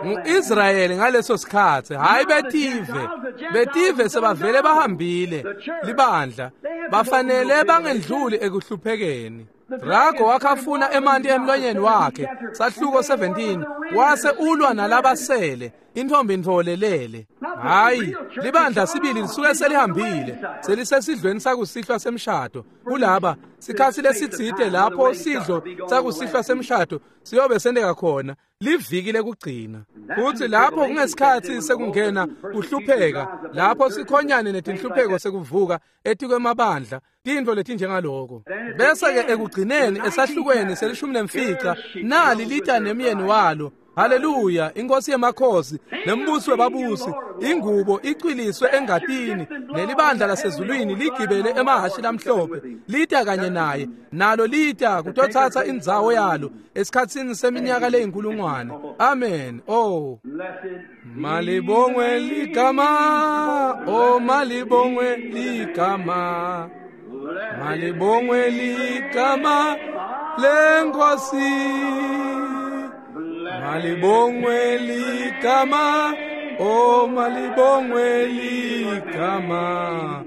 Ngu-Israyeli ngaleso sikhathi hayi betive. Betive sebavele bahambile libandla bafanele bangendluli ekuhluphekeni. Drago wakhafuna emanti emlonyeni wakhe sahluko seventeen wase ulwa nalabasele intombi ntfolelele. Hayi libandla sibili lisuke selihambile selisesidlweni sakusihlwa semshado kulaba sikhathi lesitsite lapho sidlo sakusihlwa semshado siyobe sendeka khona liviki lekugcina. Futhi lapho kungesikhathi sekungena kuhlupheka lapho sikhonyane netinhlupheko sekuvuka etikwemabandla tintfo letinjengaloko. Bese ke ekugcineni esahlukweni selishumi nemfica nali lita nemyeni walo. Haleluya inkosi yemakhosi nembusi webabusi ingubo icwiliswe engatini nelibandla lasezulwini ligibele emahashi lamhlophe lita kanye naye nalo lita kutothatha indzawo yalo esikhatsini seminyaka leyinkulungwane. Amen. Oh malibongwe ligama oh malibongwe ligama malibongwe ligama lenkosi malibongwe ligama oh malibongwe ligama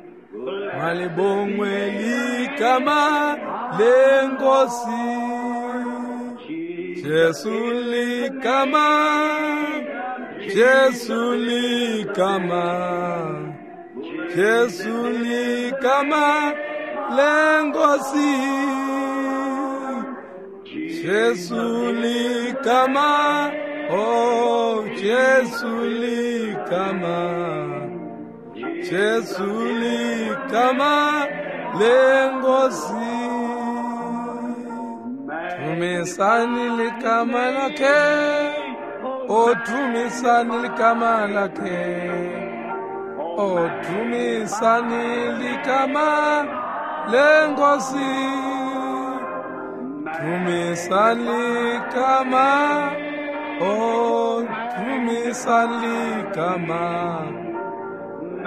malibongwe ligama lenkosi. Jesu ligama Jesu ligama Jesu ligama lenkosi. Jesu ligama oh Jesu ligama Jesu ligama lenkosi. Tumisani ligama lakhe oh tumisani ligama lakhe oh tumisani ligama lenkosi. Tumisani ligama oh tumisani ligama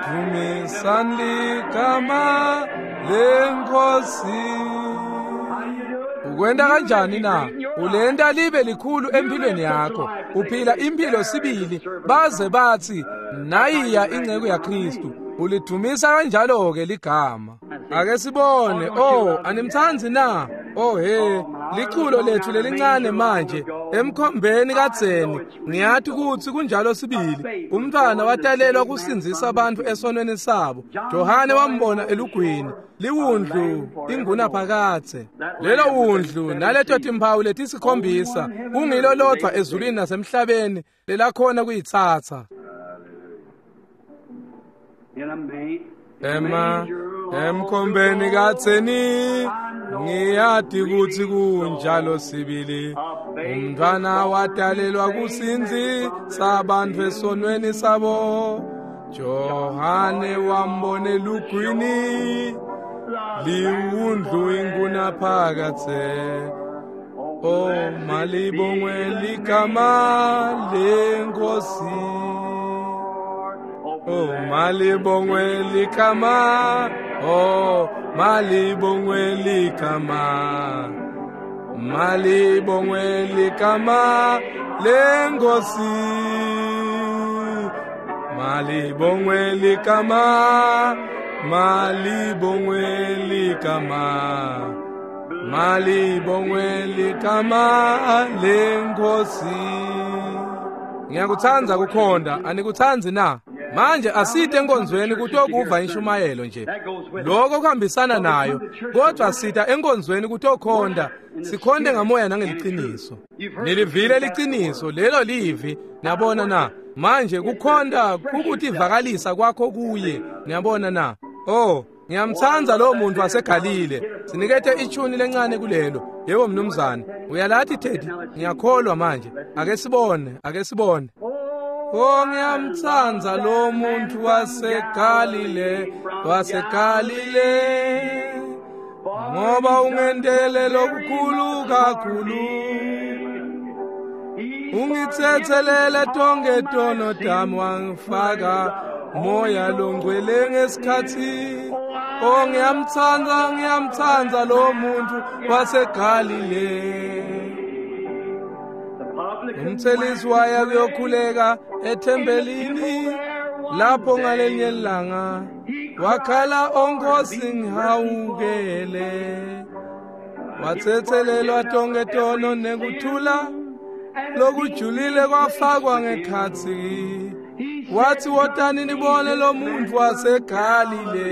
tumisani ligama lenkosi. Ukwenta kanjani na? Ulenta libe likhulu empilweni yakho uphila impilo sibili baze bathi nayiya inceku yaKristu. Ulidumisa kanjalo ke ligama. Ake sibone. Oh animthanzi na? Oh he, liculo lethu lelincane manje emkhombeni kadzeni. Ngiyathi kutsi kunjalo sibili. Umntwana watalelwa kusindzisa abantu esonweni sabo. Johane wambona elugwini, liwundlu inguna phakathe. Lelo wundlu naleto timphawu letisikhombisa kungilo lodvwa ezulwini nasemhlabeni lelakhona kuyitsatsa. Ema emkhombeni kadzeni ngiyati kutsi kunjalo sibili. Umntwana watalelwa kusindzisa abantu esonweni sabo. Johane wambona elugwini, liwundlu inguna phakathe. Oh malibongwe ligama lenkosi. Oh malibongwe ligama, oh malibongwe ligama, malibongwe ligama lenkosi. Malibongwe ligama, malibongwe ligama, malibongwe ligama lenkosi. Ngiyakutsandza kukhonda, anikutsanzi na? Manje asite enkonzweni kutokuva inshumayelo nje. Lokho kuhambisana nayo, kodwa sita enkonzweni kutokhonda, sikhonde ngamoya nangeliciniso. Nilivile liciniso, lelo livi, niyabona na? Manje kukhonda kukutivakalisa kwakho kuye, niyabona na? Oh, ngiyamtsandza lo muntu waseGalile. Sinikete ichuni lencane kulelo. Yebo mnumzane, uyalathi Teddy? Ngiyakholwa manje. Ake sibone, ake sibone. Oh ngiyamtsandza lo muntu waseGalile, waseGalile, ngoba ungendele lokukhulu kakhulu. Ungithethelele tonke tono tami, wangifaka moya longcwele ngesikhathi. Oh ngiyamtsandza, ngiyamtsandza lo muntu waseGalile. Umthelisi waya kuyokhuleka ethempelini, lapho ngalenye ilanga wakhala, onkosi ngihawukele. Wathethelelwa tonke tono nekuthula lokujulile kwafakwa ngekhatsi. Wathi wotani nibone lo muntu waseGalile.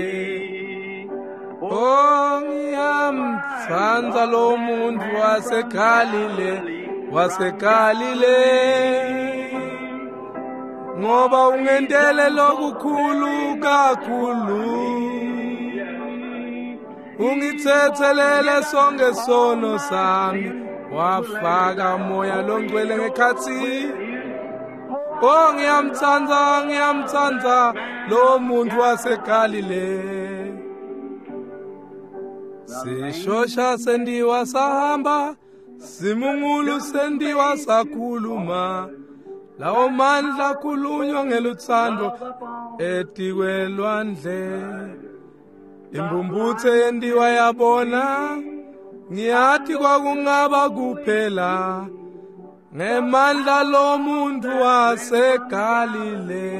Oh ngiyamtsandza lo muntu waseGalile, waseGalile, ngoba ungendele lokukhulu kakhulu. Ungithethelele sonke sono sami, wafaka moya longcwele ngekhatsi. Oh ngiyamtsandza, ngiyamtsandza lo muntu waseGalile. Sishosha sendiwa sahamba, simungulu sendiwa sakhuluma. Lawo mandla khulunywa ngelutsandvo etikwelwandle. Imbumbuthe yendiwa yabona, ngiyathi kwakungaba kuphela ngemandla lo muntu waseGalile.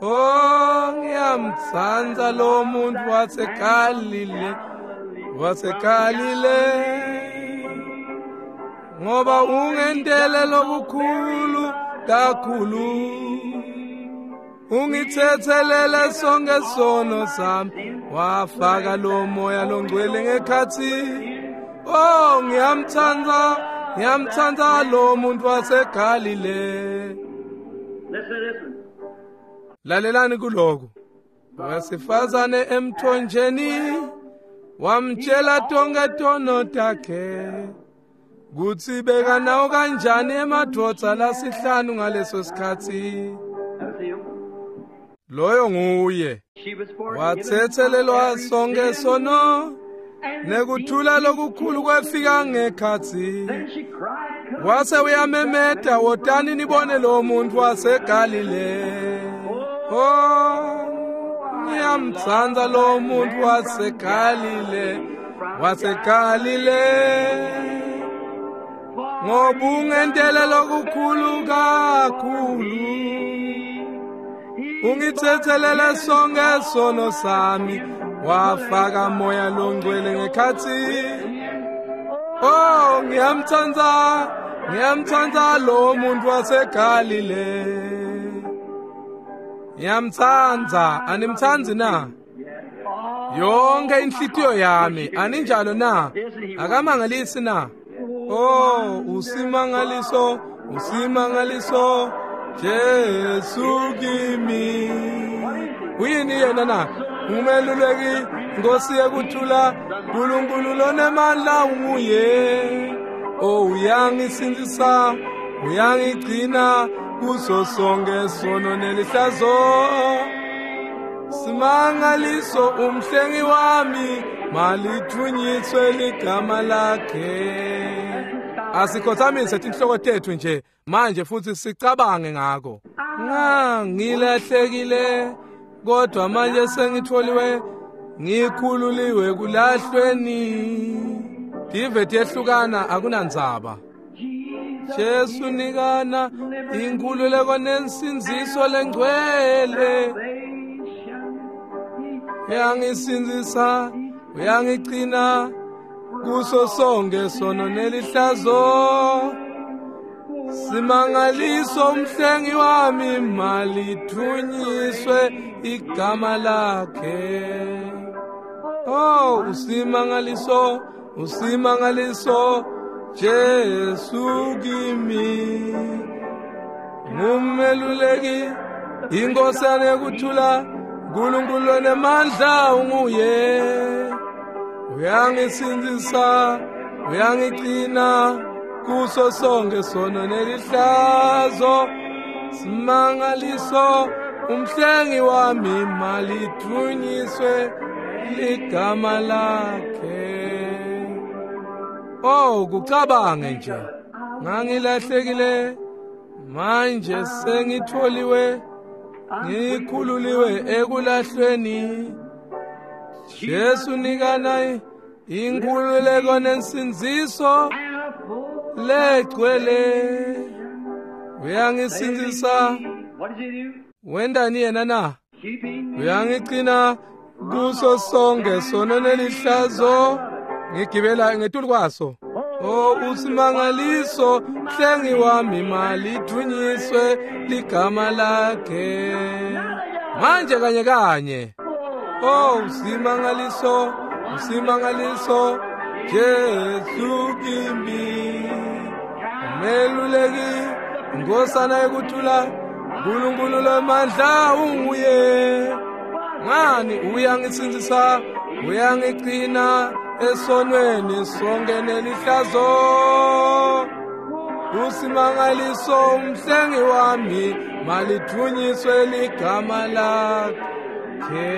Oh ngiyamtsandza lo muntu waseGalile, waseGalile, ngoba ungendele lokukhulu kakhulu. Ungithethelele sonke sono sami, wafaka lo moya longcwele ngekhatsi. Oh ngiyamtsandza, ngiyamtsandza lo muntu waseGalile. Lalelani kuloko. Wesifazane emthonjeni wamtshela tonke tono takhe, kutsi bekanawo kanjani emadvodza lasihlanu ngaleso sikhatsi. Loyo nguye. Wathethelelwa sonke sono nekuthula lokukhulu kwefika ngekhatsi. Wase uyamemeta, wotani nibone lo muntu waseGalile. Oh ngiyamtsandza lo muntu waseGalile, waseGalile, ngoba ungendele lokukhulu kakhulu. Ungithethelele sonke sono sami, Wafaka moya longcwele ngekhatsi. Oh, ngiyamtsandza, ngiyamtsandza lo muntu waseGalile. Ngiyamtsandza, animtsandzi na? Yonke inhlitiyo yami, aninjalo na? Akamangalisi na? Oh, usimangaliso, usimangaliso, Jesu kimi. Uyini yena na? Umeluleki, Nkosi yekuthula, Nkulunkulu lonemandla unguye. Oh, uyangisindzisa, uyangigcina kuso sonke sono nelihlazo. Simangaliso umhlengi wami, malithunyiswe ligama lakhe. Asikhothamise tinhloko tetfu nje manje futhi sicabange ngako. Ngangilahlekile kodwa manje sengitholiwe, ngikhululiwe kulahlweni. Tive tiyehlukana akunandzaba. Jesu nikana inkhululeko nensindziso lengcwele. Uyangisindzisa, uyangigcina kuso sonke sono nelihlazo. Simangaliso umhlengi wami, malithunyiswe igama lakhe. Oh, usimangaliso, usimangaliso, Jesu kimi. Ngumeluleki, inkosana yekuthula, Nkulunkulu onemandla unguye. Uyangisindzisa, uyangigcina kuso sonke sono nelihlazo. Simangaliso umhlengi wami, malithunyiswe ligama lakhe. Oh, kucabange nje. Ngangilahlekile, manje sengitholiwe, ngikhululiwe ekulahlweni. Jesu nikana inkhululeko nensindziso legcwele. Uyangisindzisa. Wendani yena na? Uyangigcina kuso sonke sono nelihlazo. Ngigibela ngetulu kwaso. Oh, usimangaliso mhlengi wami, malithunyiswe ligama lakhe. Manje kanye kanye. Oh, usimangaliso, usimangaliso, Jesu kimi. Umeluleki, inkosana yekuthula, Nkulunkulu lomandla unguye. Ngani uyangisindzisa, uyangigcina esonweni sonke nelihlazo. Usimangaliso umhlengi wami, malithunyiswe ligama lakhe.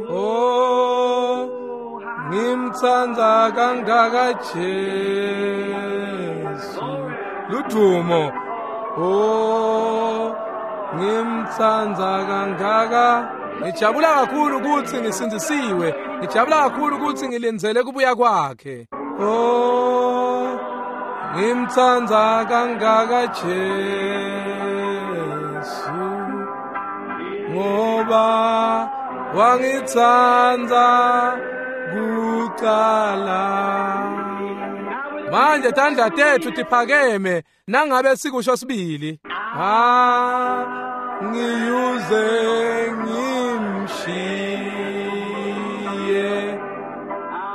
Oh, ngimtsandza kangaka Jesu. Ludumo. Oh, ngimtsandza kangaka. Ngijabula kakhulu ukuthi ngisindzisiwe. Ngijabula kakhulu ukuthi ngilindzele kubuya kwakhe. Oh, ngimtsandza kangaka Jesu, ngoba wangitsandza kucala. Manje tandla tetfu tiphakeme nangabe sikusho sibili. Ah, ngiyuze ngimshiye.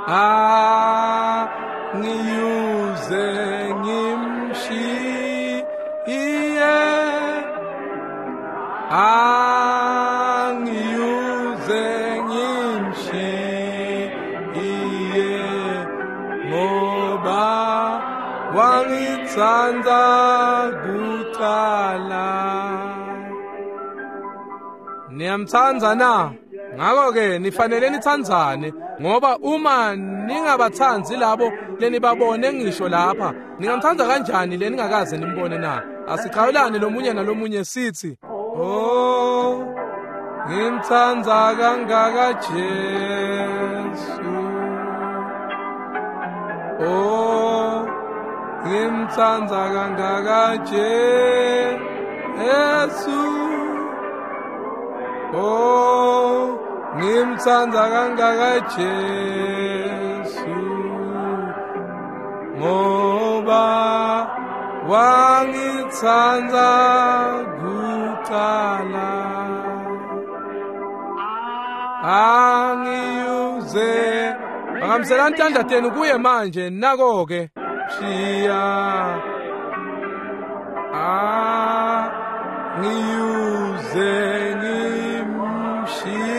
Ah, ngiyuze ngimshiye. Ah, ngiyuze ngimshiye, ngoba wangitsandza kucala. Niyamtsandza na? Ngakho-ke nifanele nitsandzane, ngoba uma ningabatsandzi labo lenibabone ngisho lapha, ningamtsandza kanjani leningakaze nimbone na? Asichawulane lomunye nalomunye sithi, oh, ngimtsandza kangaka Jesu. Oh, ngimtsandza kangaka Jesu. Oh, Ngimtsandza kangaka Jesu ngoba wangitsandza kucala. Angiyuze Phakamiselani tandla tenu kuye manje nako-ke shiya angiyuze ngimshiye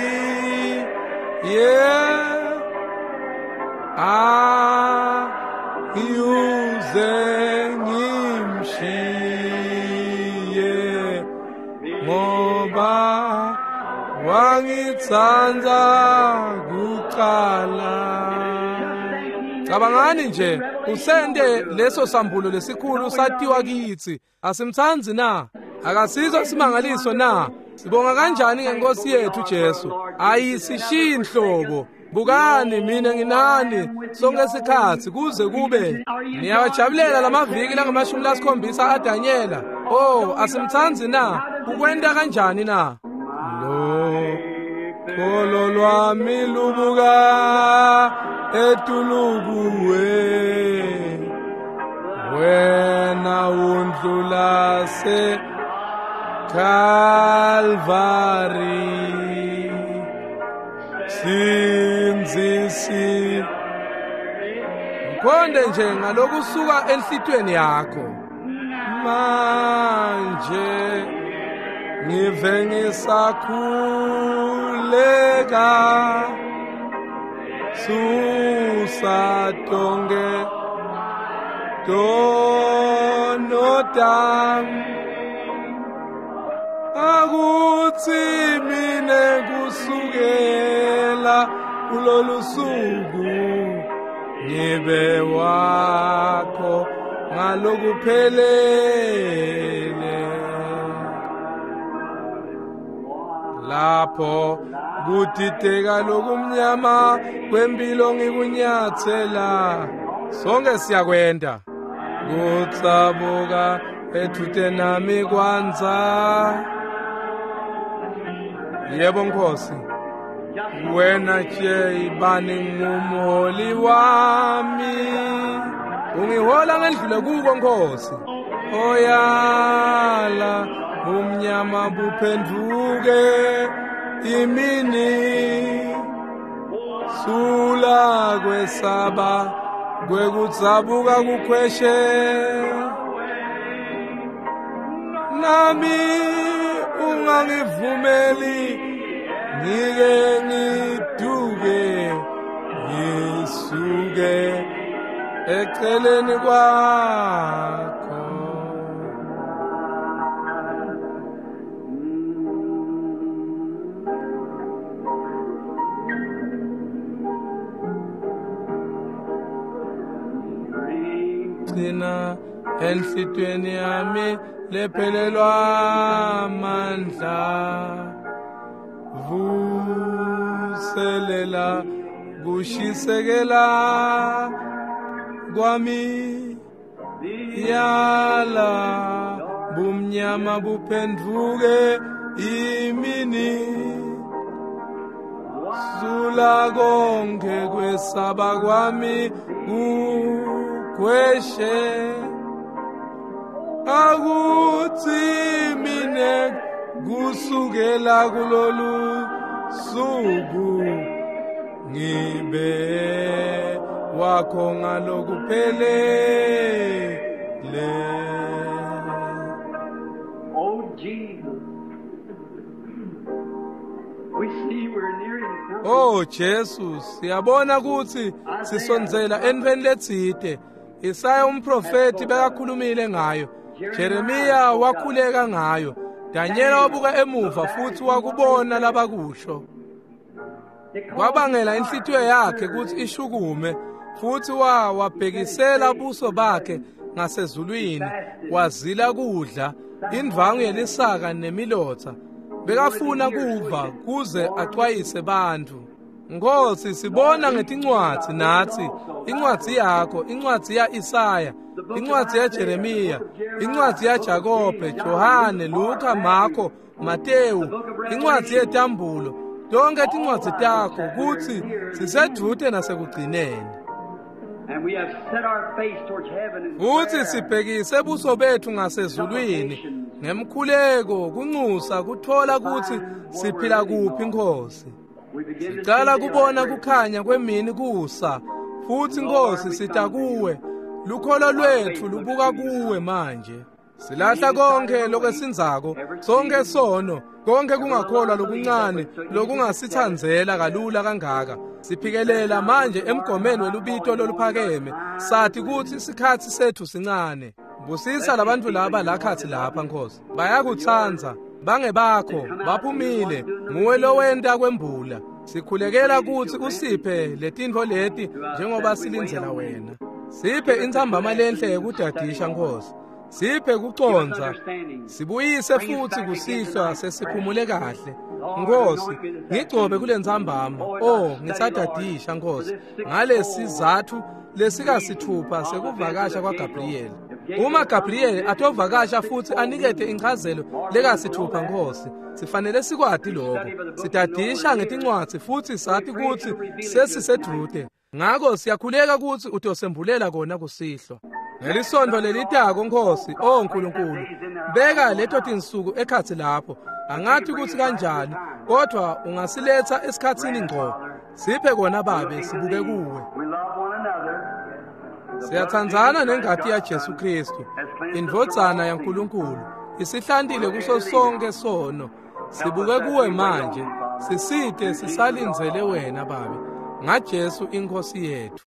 angiyuze ngimshiye ngoba wangitsandza kucala. Cabangani nje usende leso sambulo lesikhulu satiwa kitsi. Asimtsandzi na? Akasizo simangaliso na? Sibonga kanjani ngenkosi yethu Jesu. Ayisishiyi nhlobo. Bukani mina nginani sonke isikhatsi kuze kube. Niyawajabulela lamaviki langamashumi lasikhombisa aDanyela. Oh, asimtsandzi na? Ukwenta kanjani na? Lo kholo lwami lubuka etulukuwe wena undlula se Calvary sinzisi. Mkhonde nje ngalokusuka enhlitiyweni yakho manje ngive ngisakhuleka susa tonke tono tami akutsi mine kusukela kulolu suku ngibe wakho ngalokuphelele. Lapho kudideka lokumnyama kwempilo ngikunyathela sonke siyakwenda kutsabuka ethute nami kwanza. Yebo Nkosi, wena nje ibani ngumholi wami, ungihola ngendlule kuko Nkosi. Oyala umnyama buphenduke imini, sula kwesaba kwekutsabuka kukhweshe nami ungangivumeli ngike ngiduke ngisuke eceleni kwakho. Gcina enhlitiyweni yami lephelelwa amandla, vuselela kushisekela kwami, yala bumnyama buphenduke imini, sula konke kwesaba kwami kukhweshe akutsi mine kusukela kulolu suku ngibe wakho ngalokuphelele. Oh Jesus, we see we're nearing something. Oh Jesu, siyabona kutsi sisondzela entfweni letsite. Isaya umprofeti bekakhulumile ngayo, Jeremiya wakhuleka ngayo, Danyela wabuka emuva futhi wakubona labakusho. Kwabangela inhlitiyo yakhe kutsi ishukume futhi wa wabhekisela buso bakhe ngasezulwini, wazila kudla indvangu yelisaka nemilotsa. Bekafuna kuva kuze axwayise bantfu. Nkosi, sibona ngetincwadzi natsi, incwadzi yakho, incwadzi ya Isaya, incwadzi ya Jeremiya, incwadzi ya Jakobe, Johane, Luka, Marko, Matewu, incwadzi yetambulo. Tonke tincwadzi takho kutsi sisedvute nasekugcineni. And we have set our face towards heaven in Futhi prayer. sibhekise buso bethu ngasezulwini ngemkhuleko kunxusa kuthola kutsi siphila kuphi Nkosi. We begin to Sicala see kubona daylight kukhanya kwemini kusa futhi Nkosi sita kuwe. Lukholo lwethu lubuka kuwe manje. Silahla konke lokwesinzako, sonke sono, konke kungakholwa lokuncane lokungasithandzela kalula kangaka. Siphikelela manje emgomeni welubito loluphakeme, sathi kutsi isikhatsi sethu sincane. Busisa labantfu laba lakhatsi lapha Nkosi. Bayakutsandza, bangebakho, baphumile, nguwe lowenta kwembula. Sikhulekela kutsi usiphe letintfo leti njengoba silindzela wena. Siphe intsambama lenhle yekudadisha Nkosi. Siphe kucondza, sibuyise futsi kusihlwa sesiphumule kahle. Nkosi, ngigcobe kule ntsambama. Oh, ngisadadisha Nkosi ngalesizathu lesikasithupha sekuvakasha kwaGabriyeli. Uma Gabriyeli atovakasha futsi anikete inchazelo lekasithupha Nkosi, sifanele sikwati lokho. Sidadisha ngetincwadzi futsi sati kutsi sesisedvute. Ngako siyakhuleka kutsi utosembulela kona kusihlwa. Ngelisontfo lelitako Nkosi, oh Nkulunkulu, beka leto tinsuku ekhatsi lapho. Angathi kutsi kanjani, kodwa ungasiletha esikhatsini ngco. Siphe kona Babe, sibuke kuwe. We love one another. Siyathandzana nengati yaJesu Kristu, indvodzana yaNkulunkulu, isihlantile kuso sonke sono. Sibuke kuwe manje, sisite sisalindzele wena Babe, ngaJesu inkosi yethu.